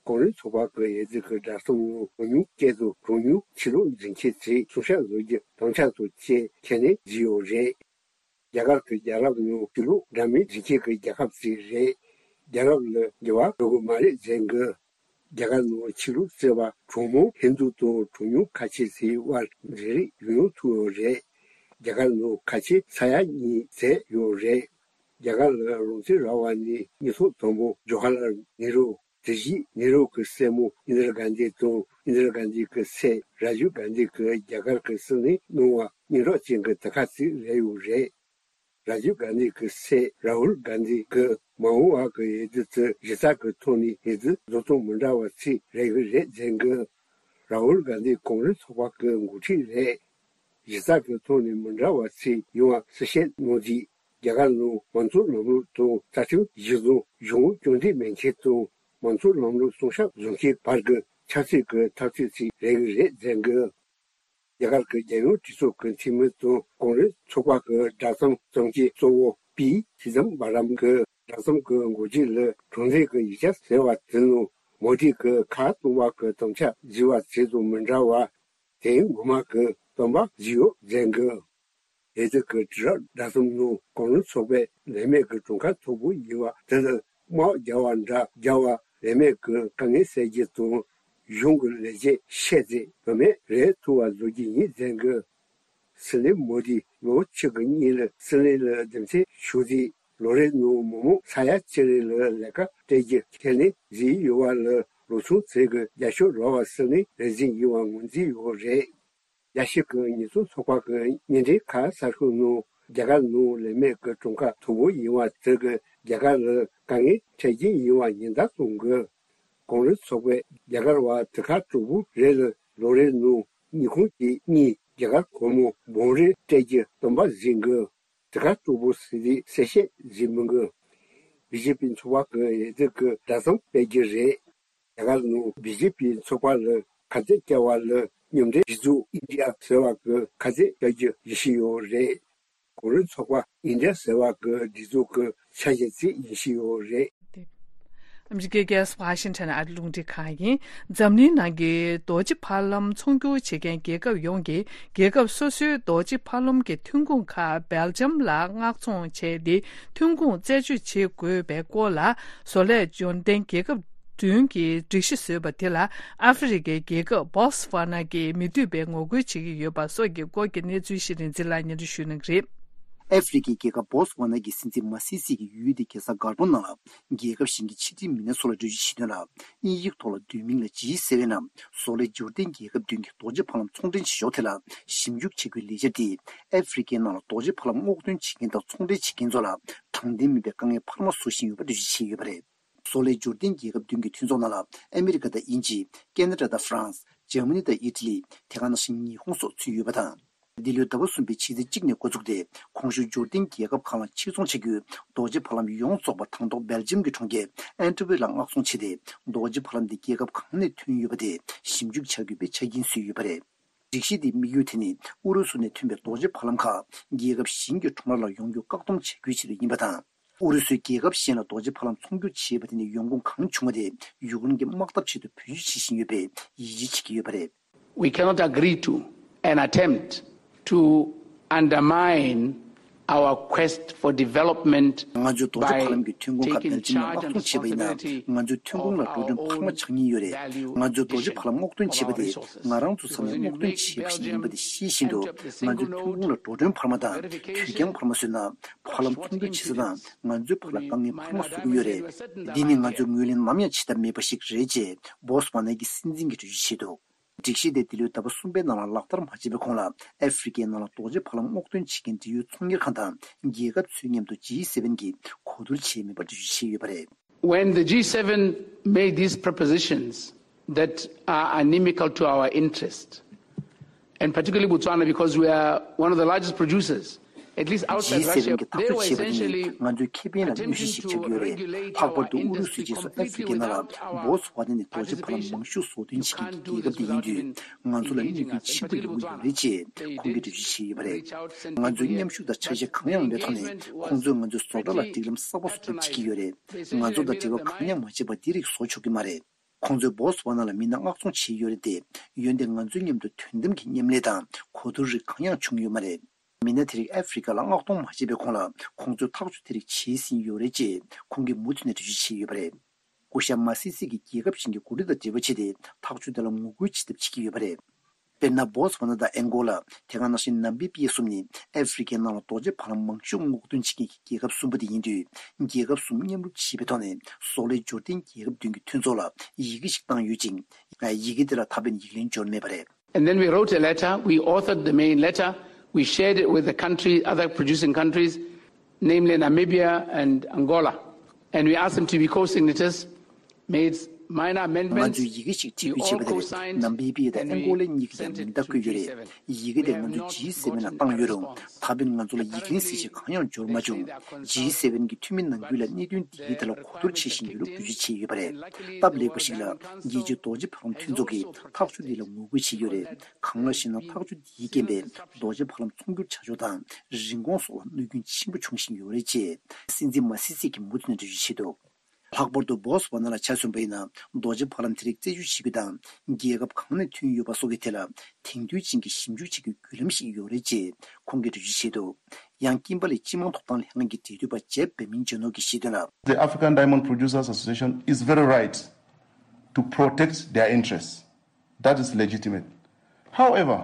ཀོང་རེས་ཚོགས་པ་གི་འོས་བསྡུ་གི་བསྒྲགས་གཏམ་ནང་གྲངས་ཉུང་སྐད་དང་གྲངས་ཉུང་ཆོས་ལུགས་འཛིན་མཁན་ཚོས་གསུང་བཤད་བཟོ་རྒྱུ་དམ་བཅའ་དང་བཅས་ཁས་ལེན་བཟོས་ཡོད་རེད། རྒྱ་གར་གྱི་རྒྱལ་རབས་ནང་ཆོས་ལུགས་འདྲ་མིན་འཛིན་མཁན་གྱི་རྒྱལ་ཁབ་ཅིག་རེད། རྒྱལ་རབས་ལ་འགྱུར་བ་འགྲོ་གི་མ་རེད་ཟེར་གི། རྒྱ་གར་ནང་ཆོས་ལུགས་བརྩི་བ་གྲངས་མང་ཧིན་རྡུ་དང་གྲངས་ཉུང་ཁ་ཆེ་ཚོའི་དབར་འབྲེལ་རེས་ཡོང་ཡོང་ཐུབ་ཡོད་རེད། རྒྱ་གར་ནང་ཁ་ཆེ་ས་ཡ་གཉིས་ཟིན་ཡོད་རེད། རྒྱ་གར་ལ་རང་བཙན་རག་པ་ནས་སྙན་ཐོ་དང་པོ་ཇོ་ཧ་ལར་ནེ་རུ། དེ་བཞིན་ནེ་རུ་གི་སྲས་མོ་ཨིན་དྲ་གྷན་དྷི་དང་ཨིན་དྲ་གྷན་དྷི་གི་སྲས་ར་ཇིབ་གྷན་དྷི་གིས་རྒྱ་གར་གྱི་སྲིད་བློན་གནང་བ་སྙན་གྲགས་ཅན་གྱི་དེབ་ཁག་ཅིག་རེད་ཡོད་རེད། ར་ཇིབ་གྷན་དྷི་གི་སྲས་ར་ཧུལ་གྷན་དྷི་གིས་མ་འོངས་པ་གི་འོས་བསྡུ་དེ་གཞི་རྩ་གི་ཐོག་ནས་འོས་བསྡུ་བཟོ་སྟངས་མི་འདྲ་བ་ཅིག་རེད་གི་རེད་ཟེར་གི། ར་ཧུལ་གྷན་དྷི་ཀོང་རེས་ཚོགས་པ་གི་འགོ་ཁྲིད་རེད། གཞི་རྩ་གི་ཐོག་ནས་མི་འདྲ་བ་ཅིག་ཡོང་བ་གསལ་བཤད་གནང་རྗེས། རྒྱ་གར་ནང་མང་གཙོ་ལམ་ལུགས་དང་རྩ་ཁྲིམས་གཞི་བཟུང་གཞུང་རྐྱང་འབྲེལ་མེད་མཁན་དང་མང་གཙོ་ལམ་ལུགས་སྲུང་སྐྱོབ་བཟོ་མཁན་བར་གྱི་ཆབ་སྲིད་ཀྱི་འཐབ་རྩོད་ཅིག་རེད་གི་རེད་ཟེར་གི། རྒྱ་གར་གྱི་རྒྱལ་ཡོངས་གྲོས་ཚོགས་ཀྱི་འཐུས་མི་དང་ཀོང་རེས་ཚོགས་པ་གི་བསྒྲགས་གཏམ་བརྩམས་མཁན་གཙོ་བོ་པི་ཆི་དམ་པ་རམ་གྱིས་བསྒྲགས་གཏམ་གྱི་འགོ་བརྗོད་ལ་གྲངས་ལས་ཀྱི་ཡིག་ཆ་ཟེར་བ་དེ་ནང་མོ་དི་གིས་ཁ་གཏོང་བ་གི་དམ་བཅའ་བཟོས་པ་དེ་དང་མི་འདྲ་བར། དེ་ངོ་མ་གི་སྟོན་པ་ཞིག་ཡོད་ཟེར་གི། འོས་བསྡུ་གི་དུས་རབས་བསྒྲགས་གཏམ་ནང་ཀོང་རེས་ཚོགས་པས་ལས་མེད་ཀྱི་གྲངས་ཀ་མཐོ་པོ་ཡིན་པ་དེ་ལ་དམག་རྒྱག་པ་འདྲ་རྒྱག་པ་ལས་མེད་ཀྱི་དཀའ་ངལ་སེལ་རྒྱུ་དང་གཞུང་གི་ལས་བྱེད་ཤེས་ཚད་བུད་མེད་རེད་ཐུབ་པ་བཟོ་རྒྱུ་ཡིན་ཟེར་གི། སྲིད་བློན་མོ་དི་ལོ་གཅིག་གི་སྔོན་ལ་སྲིད་བློན་ལ་འདེམས་ཐོན་བྱུང་རྗེས་ལོ་རེ་ནང་མི་མང་ས་ཡ་གཅིག་རེ་ལ་ལས་ཀ་སྤྲད་རྒྱུ་ཁས་ལེན་བཟོས་ཡོད་པ་ལ་ལོ་ཆུང་ཚོས་ཀྱི་རྒྱབ་སྐྱོར་རག་པ་སྲིད་བློན་རེ་ཟིན་ཡིན་པ་ངོས་འཛིན་ཡོད་རེད། རྒྱལ་སྤྱི་གི་ཉེས་སྲུང་ཚོགས་པ་གི་བརྙན་འཕྲིན་ཁ་གསར་ཤོག་ནང་རྒྱ་གར་ནང་ལས་མེད་ཀྱི་གྲངས་ཀ་མཐོ་པོ་ཡིན་པ་དེ་གིས་རྒྱ་གར་ལ་དཀའ་ངལ་འཕྲད་རྒྱུ་ཡིན་པ་ཉེན་བརྡ་གཏོང་གི། ཀོང་རེས་ཚོགས་པས་རྒྱ་གར་བ་དེ་ཁག་དྲུག་པོ་རེ་ལ་ལོ་རེ་ནང་ཉིས་ཁོངས་ཀྱི་གཉིས་རྒྱ་གར་སྒོར་མོ་འབུམ་རེ་སྤྲད་རྒྱུ་སྟོན་པ་ཟིན་གི། དེ་ཁག་དྲུག་པོ་ཟིན་རིགས་གསལ་བཤད་ཟིན་མི་འགི། བི་ཇེ་པི་ཚོགས་པ་གི་འོས་བསྡུ་གི་བསྒྲགས་གཏམ་སྤེལ་རྒྱུ་རེད། རྒྱ་གར་ནང་བི་ཇེ་པི་ཚོགས་པ་ལ་ཁ་གཏད་བཅག་པ་ལ་མཉམ་འབྲེལ་སྒྲིག་འཛུགས་ཨིན་ཌི་ཡ་ཟེར་བ་གི་ཁ་གཏད་བཅག་རྒྱུ་ཡིན་བཞིན་ཡོད་རེད། གོང་རིམ་ཚོགས་པ་ཨིན་ཌི་ཡ་ཟེར་བ་གི་སྒྲིག་འཛུགས་ཀྱི་ཆ་ཤས་ཅིག་ཡིན་བཞིན་ཡོད་རེད། ཨ་མི་རི་ཀའི་རྒྱལ་ས་ཝ་ཤིང་ཊོན་ཨ་རིའི་རླུང་འཕྲིན་ཁང་ཡིན། འཛམ་གླིང་ནང་གི་རྡོ་རྗེ་ཕ་ལམ་ཚོང་སྒྱུར་བྱེད་མཁན་རྒྱལ་ཁབ་ཡོངས་ཀྱིས་རྒྱལ་ཁབ་སོ་སོའི་རྡོ་རྗེ་ཕ་ལམ་གྱི་ཐོན་ཁུངས་ཁག་སྦེལ་ཇམ་ལ་མངགས་ཚོང་བྱས་ཏེ་ཐོན་ཁུངས་རྩད་གཅོད་བྱེད་དགོས་པའི་སྐོར་ལ། བཟོ་ལས་འབྱོར་ལྡན་རྒྱལ་ཁབ་བདུན་གྱིས་སྒྲིག་གཞི་བཟོས་པ་དེ་ལ་ཨ་ཧྥེ་རི་ཁའི་རྒྱལ་ཁབ་བོ་སི་ཝ་ན་གྱིས་མི་འདོད་པའི་ངོ་རྒོལ་བྱེད་ཀྱི་ཡོད་པ་སོགས་ཀྱི་སྐོར་གྱི་གནས་ཚུལ་ཞིག་རིག་འཛིན་ལགས་སྙན་སྒྲོན་ཞུ་གནང་གི་རེད། ཨ་ཧྥེ་རི་ཁའི་རྒྱལ་ཁབ་བོ་སི་ཝ་ན་གྱི་སྲིད་འཛིན་མ་སི་སི་གི་ཡུལ་དེ་རྒྱལ་ས་གར་པོ་ནང་ལ་རྒྱལ་ཁབ་གཞན་གྱི་ཕྱི་འབྲེལ་མི་སྣ་ཚོ་ལ་གྲོས་ཆོད་བྱེད་དོན་ལ། དབྱིན་ཡིག་ཐོག་ལ་བསྡུས་མིང་ལ་ཇི་ཟེར་བའི་ནང་བཟོ་ལས་འབྱོར་ལྡན་རྒྱལ་ཁབ་བདུན་གྱི་རྡོ་རྗེ་ཕ་ལམ་ཚོང་འབྲེལ་བྱེད་ཕྱོགས་དེ་ལ་ཞིབ་འཇུག་བྱེད་དགོས་ལས་འཆར་དེས་ཨ་ཧྥེ་རི་ཁའི་ནང་ལ་རྡོ་རྗེ་ཕ་ལམ་སྔོག་འདོན་བྱེད་མཁན་དང་ཚོང་འབྲེལ་བྱེད་མཁན་ཚོ་ལ་དྲང་བདེན་མིན་པའི་དཀའ་ངལ་འཕར་མ་བཟོ་བཞིན་ཡོད་པ་འགྲེལ་བརྗོད་བྱས་ཡོད་པ་རེད། བཟོ་ལས་འབྱོར་ལྡན་རྒྱལ་ཁབ་བདུན་གྱི་མཐུན་ཚོགས་ནང་ལ་ཨ་མི་རི་ཀ་དང་དབྱིན་ཇི། ཁེ་ན་ཌ་དང་ཧྥ་རན་སི། འཇར་མ་ནི་དང་ཨི་ཊ་ལི། དེ་ག་ནང་བཞིན་ཉི་ཧོང་སོགས་ཚུད་ཡོད་པ་དང་། འདི་ལོའི་ཟླ་བ་གསུམ་པའི་ཕྱི་ཚེས་གཅིག་ནས་འགོ་བཙུགས་ཏེ། གོང་ཞུས་འབྱོར་ལྡན་རྒྱལ་ཁབ་ཁག་ལ་ཕྱིར་ཚོང་བྱ་རྒྱུའི་རྡོ་རྗེ་ཕ་ལམ་ཡོངས་རྫོགས་པ་དང་ཐོག་སྦེལ་ཇམ་གྱི་གྲོང་ཁྱེར་ཨན་ཏི་ཝེར་ལ་མངགས་ཚོང་བྱས་ཏེ། རྡོ་རྗེ་ཕ་ལམ་དེ་རྒྱལ་ཁབ་གང་ནས་ཐོན་ཡོད་པ་དེ་ཞིབ་འཇུག་བྱ་དགོས་པའི་ཆ་རྐྱེན་བཟོས་ཡོད་པ་རེད། སྒྲིག་གཞི་དེའི་དམིགས་ཡུལ་དེ་ནི་ཨུ་རུ་སུ་ནས་ཐོན་པའི་རྡོ་རྗེ་ཕ་ལམ་ཁག་རྒྱལ་ཁབ་གཞན་གྱི་ཁྲོམ་ར་ལ་ཡོང་རྒྱུ་བཀག་སྡོམ་བྱ་རྒྱུའི་ཆེད་དུ་ཡིན་པ་དང་། ཨུ་རུ་སུས་རྒྱལ་ཁབ་གཞན་ལ་རྡོ་རྗེ་ཕ་ལམ་ཚོང་སྒྱུར་བྱས་པ་དེ་ནས་ཡོང་ཁུངས་གང་བྱུང་བ་དེ་ཡུཀ་རེན་གྱི་དམག་འཐབ་ཆེད་དུ་བེད་སྤྱོད་བྱེད་བཞིན་ཡོད་པས་ཡིད་ཆེས་བྱེད་ཀྱི་ཡོད་པ་རེད། We cannot agree to and attempt to undermine our quest for development ང་ཚོས་རྡོ་རྗེ་ཕ་ལམ་གྱི་ཐོན་ཁུངས་ཁག་སྦེལ་ཇམ་ནས་མངགས་གཏོང་བྱས་པ་ཡིན་ན། ང་ཚོའི་ཐོན་ཁུངས་ལ་འགྲོ་གྲོན་འཕར་མ་ཆགས་ཉེན་ཡོད་རེད། ང་ཚོས་རྡོ་རྗེ་ཕ་ལམ་སྔོག་འདོན་བྱས་པ་དེ་ང་རང་ཚོ་ཚང་མས་སྔོག་འདོན་བྱས་པ་ཞིག་ཡིན་པ་དེ་ཤེས་བཞིན་དུ། ང་ཚོའི་ཐོན་ཁུངས་ལ་འགྲོ་གྲོན་འཕར་མ་དང་དུས་འགྱངས་འཕར་མ་བཟོས་ན། ཕ་ལམ་ཚོང་སྒྱུར་བྱེད་ས་དང་ང་ཚོའི་ཕ་ལ་དཀའ་ངལ་འཕར་མ་བཟོ་གི་ཡོད་རེད། འདི་ནི་ང་ཚོས་ངོས་ལེན་ནམ་ཡང་བྱེད་ཐབས་མེད་པ་ཞིག་རེད་ཅེས་བོ་སི་ཝ་ནའི་སྲིད་འཛིན་གྱིས་འགྲེལ་བརྗོད་བྱས་འདུག་སྒྲིག་གཞི་དེ་འདི་ལོའི་ཟླ་བ་གསུམ་པའི་ནང་ལ་ལག་བསྟར་མ་བྱས་པའི་གོང་ལ། ཨ་ཧྥེ་རི་ཁའི་ནང་ལ་རྡོ་རྗེ་ཕ་ལམ་སྔོག་འདོན་བྱེད་མཁན་འབྲེལ་ཡོད་ཚོང་གཉེར་ཁང་དང་རྒྱལ་ཁབ་ཚོའི་མཉམ་དུ་ཇི་སེ་ཝེན་གྱིས་གོ་བསྡུར་བྱས་མེད་པར་འགྲེལ་བརྗོད་བྱས་ཡོད་པ་རེད། When the G seven made these propositions that are inimical to our interest, and particularly Botswana, because we are one of the largest producers, at least outside Russia, they were essentially attempting to regulate our industry completely without involving the government. ཇི་སེ་ཝེན་གྱི་ཐག་གཅོད་བྱས་པ་དེ་ནི་ང་ཚོའི་ཁེ་ཕན་ལ་གནོད་གཞི་ཞིག་ཆགས་ཀྱི་ཡོད་རེད། ལྷག་པར་དུ་ཨུ་རུ་སུའི་རྗེས་སུ་ཨ་ཧྥེ་རི་ཁའི་ནང་ལ་བོ་སི་ཝ་ནའི་རྡོ་རྗེ་ཕ་ལམ་མང་ཤོས་བཟོ་སྐྲུན་བྱེད་མཁན་གྱི་རྒྱལ་ཁབ་དེ་ཡིན་དུས། ང་ཚོ་ལ་གནོད་སྐྱོན་ཆེན་པོ་ཡོང་གི་ཡོད་རེད་ཅེས་ཁོང་གིས་འགྲེལ་བརྗོད་བྱས་ཡོད་པ་རེད། ང་ཚོས་མཉམ་ཞུགས་དང་འཆར་གཞི་གང་ཡང་མེད་ཐོག་ནས་ཁོང་ཚོས་ང་ཚོའི་བཟོ་གྲྭ་ལ་སྒྲིག་ལམ་གསར་པ་བཟོ་ཐབས་བྱེད་ཀྱི་ཡོད་རེད། ང་ཚོ་དང་འབྲེལ་བ་གང་ཡང་མ་བྱས་པར་འདི་རིགས་བཟོ་ཆོག་གི་མ་རེད། ཁོང་ཚོས་བོ་སི་ཝ་ན་ལ་མི་སྣ་མངགས་ཚོང་བྱས་ཡོད་རེད་དེ། འོན་ཏེ་ང་ཚོའི་མཉམ་དུ་དོ་དམ་གྱི་མཉམ་ལས་དང་གོ་བསྡུར་རིགས་གང་ཡང་བྱུང་ཡོད་མ་རེད། མི་སྣ་དེ་རིགས་ཨ་ཧྥེ་རི་ཁ་ལ་མངགས་གཏོང་མ་བྱས་པའི་གོང་ལ་ཁོང་ཚོས་ཐག་གཅོད་དེ་རིགས་བྱས་ཟིན་ཡོད་རེད་ཅེས་ཁོང་གིས་མུ་མཐུད་ནས་འགྲེལ་བརྗོད་བྱས་ཡོད་པ་རེད། སྐུ་ཞབས་མ་སི་སི་གིས་རྒྱལ་ཁབ་གཞན་གྱི་འགོ་ཁྲིད་དང་འབྲེལ་བ་བྱས་ཏེ་ཐག་གཅོད་དེ་ལ་ངོ་རྒོལ་བྱེད་ཐབས་བྱེད་ཀྱི་ཡོད་པ་རེད། དཔེར་ན་བོ་སི་ཝ་ན་དང་ཨན་གོ་ལ། དེ་ག་ནང་བཞིན་ནམ་བི་པི་ཡ་གསུམ་ནི་ཨ་ཧྥེ་རི་ཁའི་ནང་ལ་རྡོ་རྗེ་ཕ་ལམ་མང་ཤོས་སྔོག་འདོན་བྱེད་མཁན་གྱི་རྒྱལ་ཁབ་གསུམ་པོ་དེ་ཡིན་དུས། རྒྱལ་ཁབ་གསུམ་མཉམ་རུབ་བྱས་པའི་ཐོག་ནས་བཟོ་ལས་འབྱོར་ལྡན་རྒྱལ་ཁབ་བདུན་གྱི་མཐུན་ཚོགས་ལ་ཡི་གེ་ཞིག་བཏང་ཡོད་ཅིང་། ཡི་གེ་དེ་ལ་ད་ཕན་ཡིག་ལན་འབྱོར་མེད་པ་རེད། And then we wrote a letter, we authored the main letter, we shared it with the country, other producing countries, namely Namibia and Angola. And we asked them to be co-signatories, made minor amendments. ང་ཚོས་ཡི་གེ་ཞིག་འབྲི་འབུལ་བྱས་པ་དེ་རེད། ནམ་བི་པི་ཡ་དང་ཨན་གོ་ལའི་གཉིས་ཀྱིས་ཀྱང་མིང་རྟགས་བཀོད་ཡོད་རེད། ཡི་གེ་དེ་ང་ཚོས་ཇི་སེ་ཝེན་ལ་བཏང་ཡོད་རུང་། ད་ཕན་ང་ཚོ་ལ་ཡིག་ལན་གསལ་བཤད་གང་ཡང་འབྱོར་མ་བྱུང་། ཇི་སེ་ཝེན་གྱི་འཐུས་མི་ནང་ཁུལ་ལ་གནད་དོན་འདིའི་ཐད་ལ་གོ་བསྡུར་བྱེད་བཞིན་ཡོད་ལུགས་འགྲེལ་བརྗོད་བྱས་ཡོད་པ་རེད། སྟབས་ལེགས་པ་ཞིག་ལ་རྒྱལ་སྤྱིའི་རྡོ་རྗེ་ཕ་ལམ་མཐུན་ཚོགས་ཀྱིས་ཐག་གཅོད་འདི་ལ་ངོ་རྒོལ་བྱས་ཡོད་རེད། གང་ལགས་ཤེ་ན་ཐག་གཅོད་འདིའི་རྐྱེན་པས་རྡོ་རྗེ་ཕ་ལམ་ཚོང་སྒྱུར་བྱ་ཕྱོགས་དང་རིན་གོང་སོགས་ལ་གནོད་སྐྱོན་ཆེན་པོ་འབྱུང་བཞིན་ཡོད་རེད་ཅེས་སྲིད་འཛིན་མ་སི་སི་གིས་མུ་མཐུད་ནས་འགྲེལ་བརྗོད་བྱས་འདུག་ལྷག་པར་དུ་བོ་སི་ཝ་ན་ལ་ཆ་མཚོན་པ་ཡིན་ན། རྡོ་རྗེ་ཕ་ལམ་དེ་རིགས་རྩད་གཅོད་བྱེད་རྒྱུ་དང་། རྒྱལ་ཁབ་གང་ནས་ཐོན་ཡོད་པ་སོགས་ཀྱི་ཐད་ལ་དེང་དུས་ཅན་གྱི་ཞིབ་འཇུག་བྱེད་རྒྱུའི་བརྒྱུད་ལམ་ཞིག་ཡོད་རེད་ཅེས་ཁོང་གིས་འགྲེལ་བརྗོད་བྱས་འདུག་ཡང་ཀིམ་པར་ལི་སྤྱི་དམངས་ཐོབ་ཐང་ལྷན་ཁང་གི་འབྲེལ་མཐུད་པ་ཇེབ་བེ་མིན་ཇོ་ནོ་གིས་བཤད་དོན་ལ། The African Diamond Producers Association is very right to protect their interests. That is legitimate. However,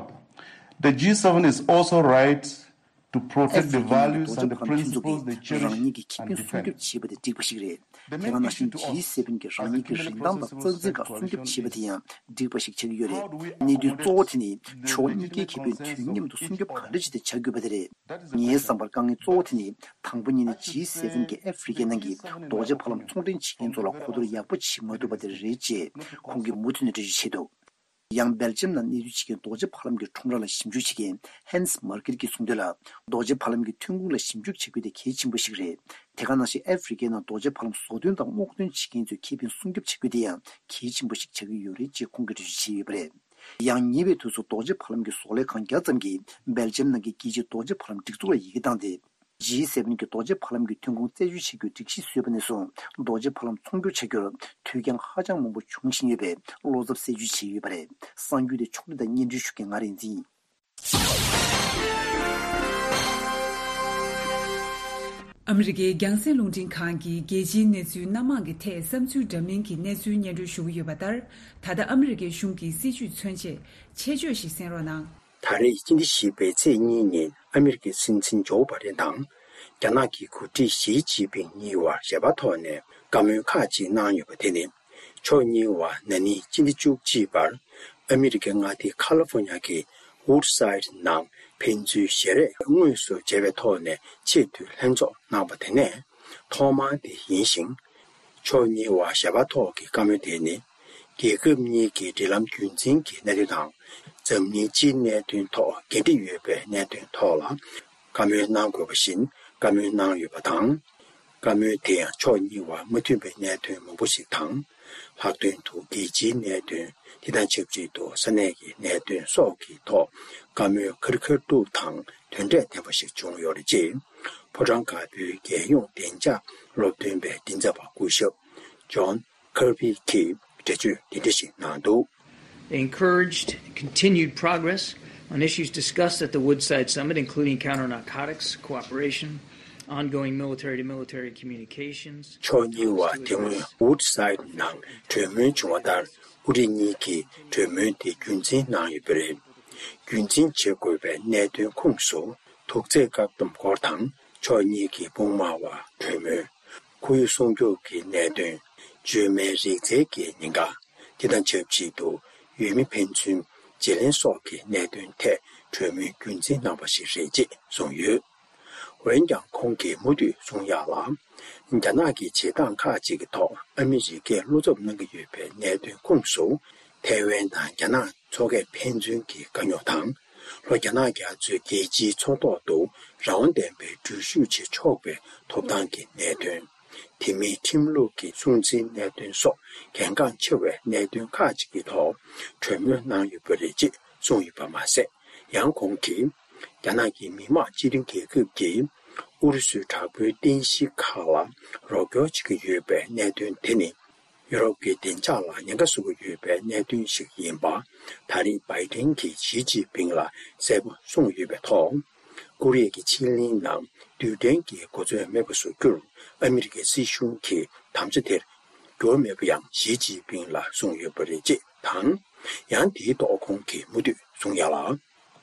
the G seven is also right to protect the values and the principles they cherish and defend. ཨ་ཧྥེ་རི་ཁའི་ནང་གི་རྡོ་རྗེ་ཕ་ལམ་མཐུན་ཚོགས་ཀྱིས་རང་ཉིད་ཀྱི་ཁེ་ཕན་སྲུང་སྐྱོབ་བྱེད་པ་དེ་འགྲིག་པ་ཞིག་རེད། དེ་ག་ནང་བཞིན་ཇི་སེ་ཝེན་གྱིས་རང་ཉིད་ཀྱི་རིན་ཐང་དང་རྩ་འཛིན་ཁག་སྲུང་སྐྱོབ་བྱེད་པ་དེ་ཡང་འགྲིག་པ་ཞིག་ཆགས་ཀྱི་ཡོད་རེད། གནད་དོན་གཙོ་བོ་དེ་ནི་ཕྱོགས་གཉིས་ཀའི་ཁེ་ཕན་དུས་མཉམ་དུ་སྲུང་སྐྱོབ་ག་འདྲ་བྱས་ཏེ་བྱ་དགོས་པ་དེ་རེད། ངའི་བསམ་པར་དཀའ་ངལ་གཙོ་བོ་དེ་ནི་དང་པོ་ཉིད་ནས་ཇི་སེ་ཝེན་གྱིས་ཨ་ཧྥེ་རི་ཁའི་ནང་གི་རྡོ་རྗེ་ཕ་ལམ་ཚོང་འབྲེལ་བྱེད་མཁན་ཚོ་ལ་གོ་བསྡུར་ཡག་པོ་བྱེད་མ་ཐུབ་པ་དེ་རེད་ཅེས་ཁོང་གིས་མུ་མཐུད་ནས་འགྲེལ་བརྗོད་བྱས་འདུག་ཡང་སྦེལ་ཇམ་ནང་གནས་སྡོད་བྱེད་མཁན་རྡོ་རྗེ་ཕ་ལམ་གྱི་ཁྲོམ་ར་ལ་ཞིབ་འཇུག་བྱེད་མཁན་ཧན་སི་མར་ཀེར་གྱིས་གསུངས་དོན་ལ། རྡོ་རྗེ་ཕ་ལམ་གྱི་ཐོན་ཁུངས་ལ་ཞིབ་འཇུག་བྱེད་དགོས་དེ་གལ་ཆེན་པོ་ཞིག་རེད། དེ་ག་ནང་བཞིན་ཨ་ཧྥེ་རི་ཁའི་ནང་རྡོ་རྗེ་ཕ་ལམ་བཟོ་སྐྲུན་དང་སྔོག་འདོན་བྱེད་མཁན་ཚོའི་ཁེ་ཕན་སྲུང་སྐྱོབ་བྱེད་དགོས་དེ་ཡང་གལ་ཆེན་པོ་ཞིག་ཆགས་ཀྱི་ཡོད་རེད་ཅེས་ཁོང་གིས་འགྲེལ་བརྗོད་བྱས་ཡོད་པ་རེད། ཡང་ཉེ་བའི་དུས་སུ་རྡོ་རྗེ་ཕ་ལམ་གྱི་བཟོ་ལས་ཁང་བརྒྱ་ཙམ་གྱིས་སྦེལ་ཇམ་ནང་གི་རྒྱལ་སྤྱིའི་རྡོ་རྗེ་ཕ་ལམ་སྒྲིག་འཛུགས་ལ་ཡི་གེ་བཏང་སྟེ། ཇི་སེ་ཝེན་གྱིས་རྡོ་རྗེ་ཕ་ལམ་གྱི་ཐོན་ཁུངས་རྩད་གཅོད་བྱེད་རྒྱུའི་སྒྲིག་གཞི་བཟོས་པ་ནས་བཟུང་རྡོ་རྗེ་ཕ་ལམ་ཚོང་སྒྱུར་བྱ་རྒྱུར་དུས་འགྱངས་ཧ་ཅང་མང་པོ་འབྱུང་བཞིན་ཡོད་པའི་བློ་འཚབ་གསལ་བརྗོད་བྱས་ཡོད་པ་རེད། གསར་འགྱུར་དེ་ཕྱོགས་སྒྲིག་དང་སྙན་སྒྲོན་ཞུ་མཁན་ང་རིག་འཛིན་ཡིན། ཨ་མི་རི་ཀའི་རྒྱང་སྲིང་རླུང་འཕྲིན་ཁང་གིས་རྒྱལ་སྤྱིའི་གནས་ཚུལ་སྣ་མང་གི་ཐད་བསམ་ཚུལ་འདྲ་མིན་གྱི་གནས་ཚུལ་སྙན་སྒྲོན་ཞུ་གི་ཡོད་པ་ལྟར། ད་ལྟ་ཨ་མི་རི་ཀའི་གཞུང་གི་སྲིད་བྱུས་མཚོན་ཆེད་ཆེད་བརྗོད་ཞིག་གསན་རོགས་གནང་། ད་རེས་སྤྱི་ཟླ་བཞི་པའི་ཚེས་གཉིས་ཉིན་ཨ་མི་རི་ཀའི་སྲིད་འཛིན་ཇོ་བྷ་ཌེན་དང་། རྒྱ་ནག་གི་འགོ་ཁྲིད་ཞི་ཅིན་ཕིང་གཉིས་བར་ཞལ་པར་ཐོག་ནས་བཀའ་མོལ་ཁག་ཅིག་གནང་ཡོད་པ་དེ་ནི། ཕྱོགས་གཉིས་བར་ན་ནིང་སྤྱི་ཟླ་བཅུ་གཅིག་པར་ཨ་མི་རི་ཀའི་མངའ་སྡེ་ཁ་ལ་ཧྥོ་ཉ་གི་ཝུཌ་སའིཌ་ནང་ཕན་ཚུན་ཞལ་རས་དངོས་སུ་མཇལ་བའི་ཐོག་ནས་ཆེས་མཐོའི་ལྷན་ཚོགས་གནང་བ་དེ་ནས་ཐོག་མ་དེ་ཡིན་ཞིང་། ཕྱོགས་གཉིས་བར་ཞལ་པར་ཐོག་གི་བཀའ་མོལ་དེ་ནི། རྒྱལ་ཁབ་གཉིས་ཀྱི་འབྲེལ་ལམ་རྒྱུན་འཛིན་གྱི་གནད་དོན་དང་། རྩ་ འཛམ་གླིང་སྤྱིའི་གནད་དོན་ཐོག་འགན་འཁྲི་ཡོད་པའི་གནད་དོན་ཐོག་ལ་བཀའ་མོལ་གནང་དགོས་པ་བཞིན་བཀའ་མོལ་གནང་ཡོད་པ་དང་། བཀའ་མོལ་དེ་ཡང་ཕྱོགས་གཉིས་བར་མ་མཐུན་པའི་གནད་དོན་མང་པོ་ཞིག་དང་། ལྷག་དོན་དུ་རྒྱལ་སྤྱིའི་གནད་དོན། དེ་དང་ཆབས་ཅིག་ཏུ་ས་གནས་ཀྱི་གནད་དོན་སོགས་ཀྱི་ཐོག་བཀའ་མོལ་ཁ་རི་ཁ་ཐུག་དང་དོན་འབྲས་ལྡན་པ་ཞིག་བྱུང་ཡོད་རེད། ཅེས་ཕོ་བྲང་དཀར་པོའི་རྒྱལ་ཡོངས་བདེ་འཇགས་སློབ་སྟོན་པའི་མགྲིན་ཚབ་པ་སྐུ་ཞབས་ཇོན་ཁར་བྷི་གིས་འགྲེལ་བརྗོད་འདི་འདྲ་ཞིག་གནང་འདུག། They encouraged continued progress on issues discussed at the Woodside Summit, including counter-narcotics cooperation, ongoing military-to-military communications, ཕྱོགས་གཉིས་བར་དེ་སྔོན་ཝུཌ་སའིཌ་ནང་གྲོས་མོལ་བྱུང་བ་ལྟར། དབུ་ཁྲིད་གཉིས་ཀྱིས་གྲོས་མོལ་དེ་རྒྱུན་འཛིན་གནང་ཡོད་པ་རེད། རྒྱུན་འཛིན་བྱེད་དགོས་པའི་གནད་དོན་ཁོངས་སུ། དུག་རྫས་བཀག་སྡོམ་སྐོར་དང་། ཕྱོགས་གཉིས་ཀྱི་དཔུང་དམག་བར་གྲོས་མོལ། ཁོར་ཡུག་སྲུང་སྐྱོབ་ཀྱི་གནད་དོན། བཅོས་མའི་རིག་རྩལ་གྱི་ཉེན་ཁ། དེ་དང་ཆབས་ཅིག་ཏུ་ཡུལ་མི་ཕན་ཚུན་བརྗེ་ལེན་སོགས་ཀྱི་གནད་དོན་ཐད་གྲོས་མོལ་རྒྱུན་འཛིན་གནང་བ་ཞིག་རེད་ཅེས་གསུངས་ཡོད། འོན་ཀྱང་ཁོང་གིས་མུ་མཐུད་གསུང་ཡག་ལ། རྒྱ་ནག་གི་བྱེད་སྟངས་ཁག་ཅིག་གི་ཐོག་ཨ་མི་རི་ཀས་བློ་འཚབ་གནང་གི་ཡོད་པའི་གནད་དོན་ཁོངས་སུ། ཐའེ་ཝན་དང་རྒྱ་ནག་མཚོ་ཁ་ཕན་ཚུན་གྱི་དཀའ་རྙོག་དང་། ལྷོ་རྒྱ་ནག་རྒྱ་མཚོའི་རྒྱལ་སྤྱིའི་མཚོ་ཐོག་ཏུ་རང་དབང་ལྡན་པའི་འགྲུལ་བཞུད་བྱེད་ཆོག་པའི་ཐོབ་ཐང་གི་གནད་དོན། དེ་མིན་ཁྲིམས་ལུགས་ཀྱི་སྲུང་བརྩིའི་གནད་དོན་སོགས་གལ་འགངས་ཆེ་བའི་གནད་དོན་ཁག་ཅིག་གི་ཐོག་གྲོས་མོལ་གནང་ཡོད་པ་རེད་ཅེས་གསུངས་ཡོད་པ་མ་ཟད། ཡང་ཁོང་གིས། རྒྱ་ནག་གི་མི་དམངས་སྤྱི་མཐུན་རྒྱལ་ཁབ་ཀྱིས་ཨུ་རུ་སུའི་དྲག་པོའི་རྟེན་གཞི་ཁག་ལ་རོགས་སྐྱོར་བྱེད་ཀྱི་ཡོད་པའི་གནད་དོན་དེ་ནི། ཡུ་རོབ་ཀྱི་བདེ་འཇགས་ལ་ཉེན་ཁ་བཟོ་གི་ཡོད་པའི་གནད་དོན་ཞིག་ཡིན་པ། ད་རེས་བྷའི་ཏན་གྱིས་ཞི་ཅིན་ཕིང་ལ་གསལ་པོ་གསུངས་ཡོད་པའི་ཐོག་ཀོ་རི་ཡ་གི་ཕྱེད་གླིང་ནང་རྡུལ་ཕྲན་གྱི་གོ་མཚོན་མེད་པ་བཟོ་རྒྱུར་ཨ་མི་རི་ཀའི་སྲིད་གཞུང་གིས་དམ་བཅའ་དེར་འགྱུར་བ་མེད་པ་ཡང་ཞི་ཅིན་ཕིང་ལ་གསུངས་ཡོད་པ་རེད་ཅེས་དང་། ཡང་དེའི་ཐོག་ཁོང་གིས་མུ་མཐུད་གསུང་ཡག་ལ།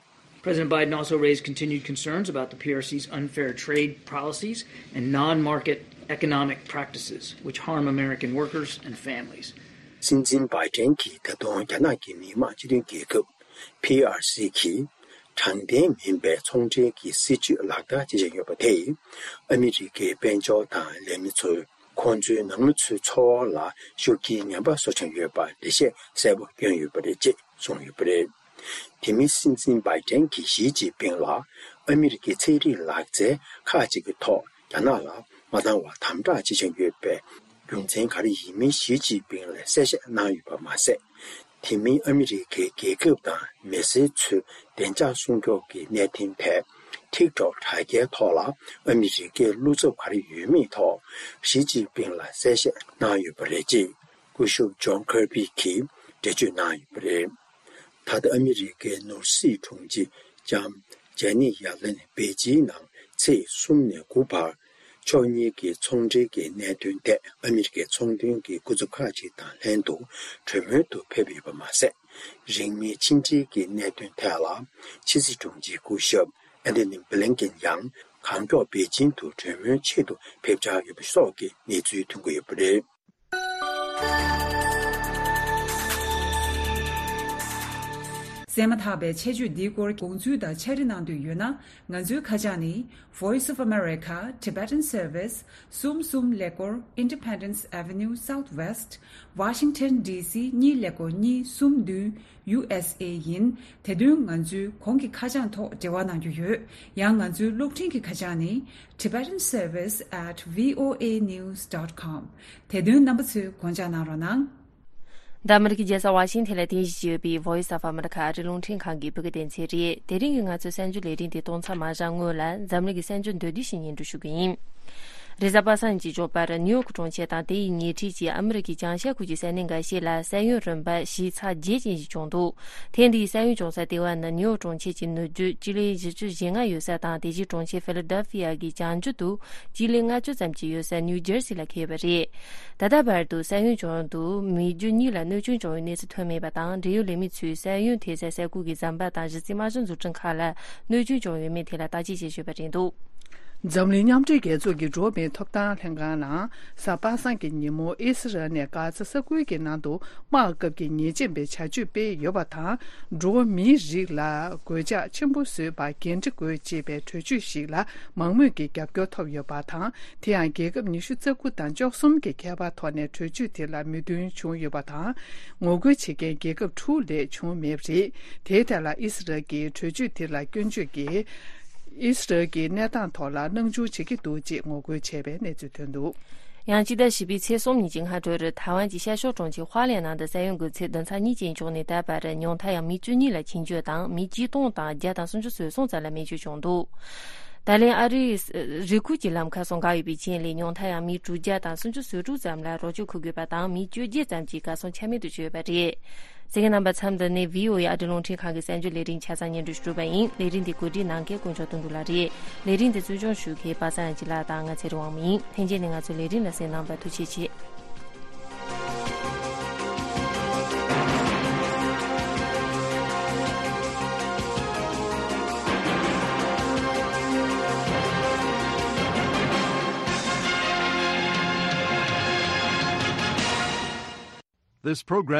President Biden also raised continued concerns about the P R C's unfair trade policies and non-market economic practices, which harm American workers and families. སྲིད་འཛིན་བྷའི་ཏན་གྱིས་ད་དུང་རྒྱ་ནག་གི་མི་དམངས་སྤྱི་མཐུན་རྒྱལ་ཁབ་P R C གིས་དྲང་བདེན་མིན་པའི་ཚོང་འབྲེལ་གྱི་སྲིད་བྱུས་ལག་བསྟར་བྱེད་བཞིན་ཡོད་པ་དེས། ཨ་མི་རི་ཀའི་དཔལ་འབྱོར་དང་ལས་མི་ཚོས་ཁོང་ཚོའི་ནང་མི་ཚོའི་འཚོ་བ་ལ་ཤུགས་རྐྱེན་ངན་པ་བཟོ་བཞིན་ཡོད་པར་འགྲེལ་བཤད་གསལ་པོ་བསྐྱོན་ཡོད་པ་རེད་ཅེས་གསུངས་ཡོད་པ་རེད། དེ་མིན་སྲིད་འཛིན་བྷའི་ཏན་གྱིས་ཞི་ཅིན་ཕིང་ལ་ཨ་མི་རི་ཀའི་ཚན་རིག་ལག་རྩལ་ཁག་ཅིག་གི་ཐོག་རྒྱ་ནག་ལ་མ་བཏང་བར་དམ་དྲག་བྱེད་བཞིན་ཡོད་པའི་རྒྱུ་མཚན་ག་རེ་ཡིན་མིན་ཞི་ཅིན་ཕིང་ལ་གསལ་བཤད་གནང་ཡོད་པ་མ་ཟད། དེ་མིན་ཨ་མི་རི་ཀའི་རྒྱལ་ཁབ་དང་མི་སེར་ཚོའི་བདེ་འཇགས་སྲུང་སྐྱོབ་ཀྱི་གནད་དོན་ཐད་ཐིག་ཐོག་དྲ་རྒྱའི་ཐོག་ལ་ཨ་མི་རི་ཀའི་བློ་འཚབ་ག་རེ་ཡོད་མེད་ཐོག་ཞི་ཅིན་ཕིང་ལ་གསལ་བཤད་གནང་ཡོད་པ་རེད་ཅེས་སྐུ་ཞབས་ཇོན་ཁར་བྷི་གིས་འགྲེལ་བརྗོད་གནང་ཡོད་པ་རེད། ད་ལྟ་ཨ་མི་རི་ཀའི་ནོར་སྲིད་དྲུང་ཆེ་ལྕམ་ཇེ་ནེ་ཡ་ལེན་པེ་ཅིན་ནང་ཚེས་གསུམ་ནས་དགུ་བར། ཕྱོགས་གཉིས་ཀྱི་ཚོང་འབྲེལ་གྱི་གནད་དོན་ཐད་ཨ་མི་རི་ཀའི་ཚོང་དོན་གྱི་སྐུ་ཚབ་ཁག་ཅིག་དང་ལྷན་དུ་གྲོས་མོལ་དུ་ཕེབས་ཡོད་པ་མ་ཟད། རིང་མིན་ཕྱི་འབྲེལ་གྱི་གནད་དོན་ཐད་ལ་ཕྱི་སྲིད་དྲུང་ཆེ་སྐུ་ཞབས་ཨན་ཐོ་ནི་བྷི་ལིན་ཀེན་ཡང་གང་མགྱོགས་པེ་ཅིན་དུ་གྲོས་མོལ་ཆེད་དུ་ཕེབས་འཆར་ཡོད་པ་སོགས་ཀྱི་གནས་ཚུལ་ཐོན་གྱི་ཡོད་པ་རེད། གསན་མ་ཐག་པའི་ཆེད་བརྗོད་འདིའི་སྐོར་དགོངས་ཚུལ་དང་ཕྱག་བྲིས་གནང་འདོད་ཡོད་ན། ང་ཚོའི་ཁ་བྱང་ནི། Voice of America Tibetan Service གསུམ་གསུམ་ཀླད་ཀོར་Independence Avenue Southwest Washington D C གཉིས་ཀླད་ཀོར་གཉིས་གསུམ་བདུན། U S A ཡིན། དེ་དོན་ང་ཚོའི་གོང་གི་ཁ་བྱང་ཐོག་འབྲེལ་བ་གནང་རྒྱུ་ཡོད། ཡང་ང་ཚོའི་གློག་འཕྲིན་གྱི་ཁ་བྱང་ནི། Tibetan Service at V O A news dot com དེ་དོན་རྣམ་པ་ཚོས་དགོངས་འཇགས་གནང་རོགས་གནང་། འདི་ཨ་མི་རི་ཀའི་རྒྱལ་ས་ཝ་ཤིང་ཐན་ལ་རྟེན་གཞི་བྱས་ཡོད་པའི་Voice of America ཨ་རིའི་རླུང་འཕྲིན་ཁང་གི་བོད་སྐད་སྡེ་ཚན་རེད། དེ་རིང་གི་ང་ཚོའི་གསར་འགྱུར་ལས་རིམ་དེ་གཏོང་ཚར་མ་བཞག་སྔོན་ལ། འཛམ་གླིང་གི་གསར་འགྱུར་མདོར་བསྡུས་ཤིག་སྙན་སྒྲོན་ཞུ་གི་ཡིན། རེས་གཟའ་པ་སངས་ཉིན་གྱི་མགྱོགས་པར་ནིའུ་ཡོག་གྲོང་ཁྱེར་དང་དེ་ཡི་ཉེ་འཁྲིས་ཀྱི་ཨ་མི་རི་ཀའི་བྱང་ཤར་ཁུལ་གྱི་ས་གནས་འགའ་ཤས་ལ་ས་ཡོམ་རིམ་པ་བཞི་ཚེག་བརྒྱད་ཅན་ཞིག་བྱུང་འདུག། ཐེངས་འདིའི་ས་ཡོམ་བྱུང་ས་ལྟེ་བ་ནི་ནིའུ་ཡོག་གྲོང་ཁྱེར་གྱི་ནུབ་རྒྱུད་སྤྱི་ལེ་བཞི་བཅུ་ཞེ་ལྔ་ཡོད་ས་དང་། དེ་རྗེས་གྲོང་ཁྱེར་ཕི་ལ་ཌེལ་ཕི་ཡ་གི་བྱང་རྒྱུད་དུ་སྤྱི་ལེ་ལྔ་བཅུ་ཙམ་ཅིག་ཡོད་ས་ནིའུ་ཇར་སི་ལ་འཁེལ་བ་རེད། ད་ལྟ་བར་དུ་ས་ཡོམ་བྱུང་དུས་མི་རྒྱུ་གཉིས་ལ་གནོད་སྐྱོན་བྱུང་བའི་གནས་ཚུལ་ཐོན་མེད་པ་དང་། འབྲེལ་ཡོད་ལས་མི་ཚོས་ས་ཡོམ་ཐེབས་སའི་ས་ཁུལ་གྱི་ཟམ་པ་དང་གཞི་རྩའི་དམག་སྦྱོང་འཛུགས་སྐྲུན་ཁག་ལ་གནོད་སྐྱོན་བྱུང་ཡོད་མེད་ཐད་ལ་བརྟག་དཔྱད་བྱེད་བཞིན་པ་རེད་འདུག། འཛམ་གླིང་མཉམ་འབྲེལ་རྒྱལ་ཚོགས་ཀྱི་འགྲོ་བ་མིའི་ཐོབ་ཐང་ལྷན་ཁང་ནང་གཟའ་པ་སངས་ཀྱི་ཉིན་མོ་ཨི་སི་རལ་ནས་གྷ་ཛ་ས་ཁུལ་གྱི་ནང་དུ་དམག་སྐབས་ཀྱི་ཉེས་ཅན་པའི་བྱ་སྤྱོད་སྤེལ་ཡོད་པ་དང་། འགྲོ་བ་མིའི་རིགས་ལ་གོད་ཆག་ཆེན་པོ་བཟོས་པར་འགན་འཁྲི་དགོས་ཅེས་པའི་གྲོས་ཆོད་ཞིག་ལ་མང་མོས་ཀྱི་རྒྱབ་སྐྱོར་ཐོབ་ཡོད་པ་དང་། དེ་ཡང་རྒྱལ་ཁབ་ཉི་ཤུ་རྩ་དགུ་དང་བཅུ་གསུམ་གྱི་ཁྱད་པར་ཐོག་ནས་གྲོས་ཆོད་དེ་ལ་མོས་མཐུན་བྱུང་ཡོད་པ་དང་། ངོ་རྒོལ་བྱེད་མཁན་རྒྱལ་ཁབ་དྲུག་ལས་བྱུང་མེད་པ་རེད། དེའི་ཐད་ལ་ཨི་སི་རལ་གྱིས་གྲོས་ཆོད་དེ་ལ་སྐྱོན་བརྗོད་ཀྱིས། ཨི་སི་རལ་གྱི་གནས་སྟངས་ཐོག་ལ་སྣང་ཆུང་བྱེད་ཀྱི་འདུག་ཅེས་ངོ་རྒོལ་བྱས་པའི་གནས་ཚུལ་ཐོན་འདུག། ཡང་སྤྱི་ཟླ་བཞི་པའི་ཚེས་གསུམ་ཉིན་གྱི་སྔ་དྲོར་ཐའེ་ཝན་གྱི་ཤར་ཕྱོགས་གྲོང་ཁྱེར་ཧྭ་ལན་ནང་དུ་ས་ཡོམ་གྱི་ཚད་བདུན་ཚེག་གཉིས་ཅན་བྱུང་ནས་ད་བར་ཉུང་མཐར་ཡང་མི་བཅུ་གཉིས་ལ་འཆིང་སྐྱོད་དང་མི་ཆིག་སྟོང་དང་བརྒྱ་དང་སུམ་ཅུ་སོ་གསུམ་ཙམ་ལ་རྨས་སྐྱོན་བྱུང་འདུག། ད་ལན་ཨ་རིའི་རི་ཁུལ་གྱི་ལམ་ཁ་སོགས་འགག་ཡོད་པའི་རྐྱེན་ལས་ཉུང་མཐར་ཡང་མི་དྲུག་བརྒྱ་དང་སུམ་ཅུ་སོ་དྲུག་ཙམ་ལ་རོགས་སྐྱོར་འཁུར་དགོས་པ་དང་མི་བཅོ་བརྒྱད་ཙམ་གྱིས་གར་སོང་ཆ་མེད་དུ་གྱུར་ཡོད་པ་རེད། གསན་མཁན་རྣམ་པ་མཚམས་འདི་ནས་བྷི་ཨོ་ཨེ་ཨ་རིའི་རླུང་འཕྲིན་ཁང་གི་གསར་འགྱུར་ལས་རིམ་ཆ་ཚང་སྙན་སྒྲོན་ཞུ་གྲུབ་པ་ཡིན། ལས་རིམ་འདི་གོ་སྒྲིག་གནང་མཁན་དཀོན་མཆོག་དོན་གྲུབ་ལགས་རེད། ལས་རིམ་འདི་གཙོ་སྐྱོང་ཞུ་མཁན་པ་སངས་སྐྱིད་ལགས་དང་ང་ཚེ་རིང་དབང་མོ་ཡིན། ལྷན་རྒྱས་ནས་ང་ཚོའི་ལས་རིམ་ལ་གསན་གནང་བར་ཐུགས་རྗེ་ཆེ། This program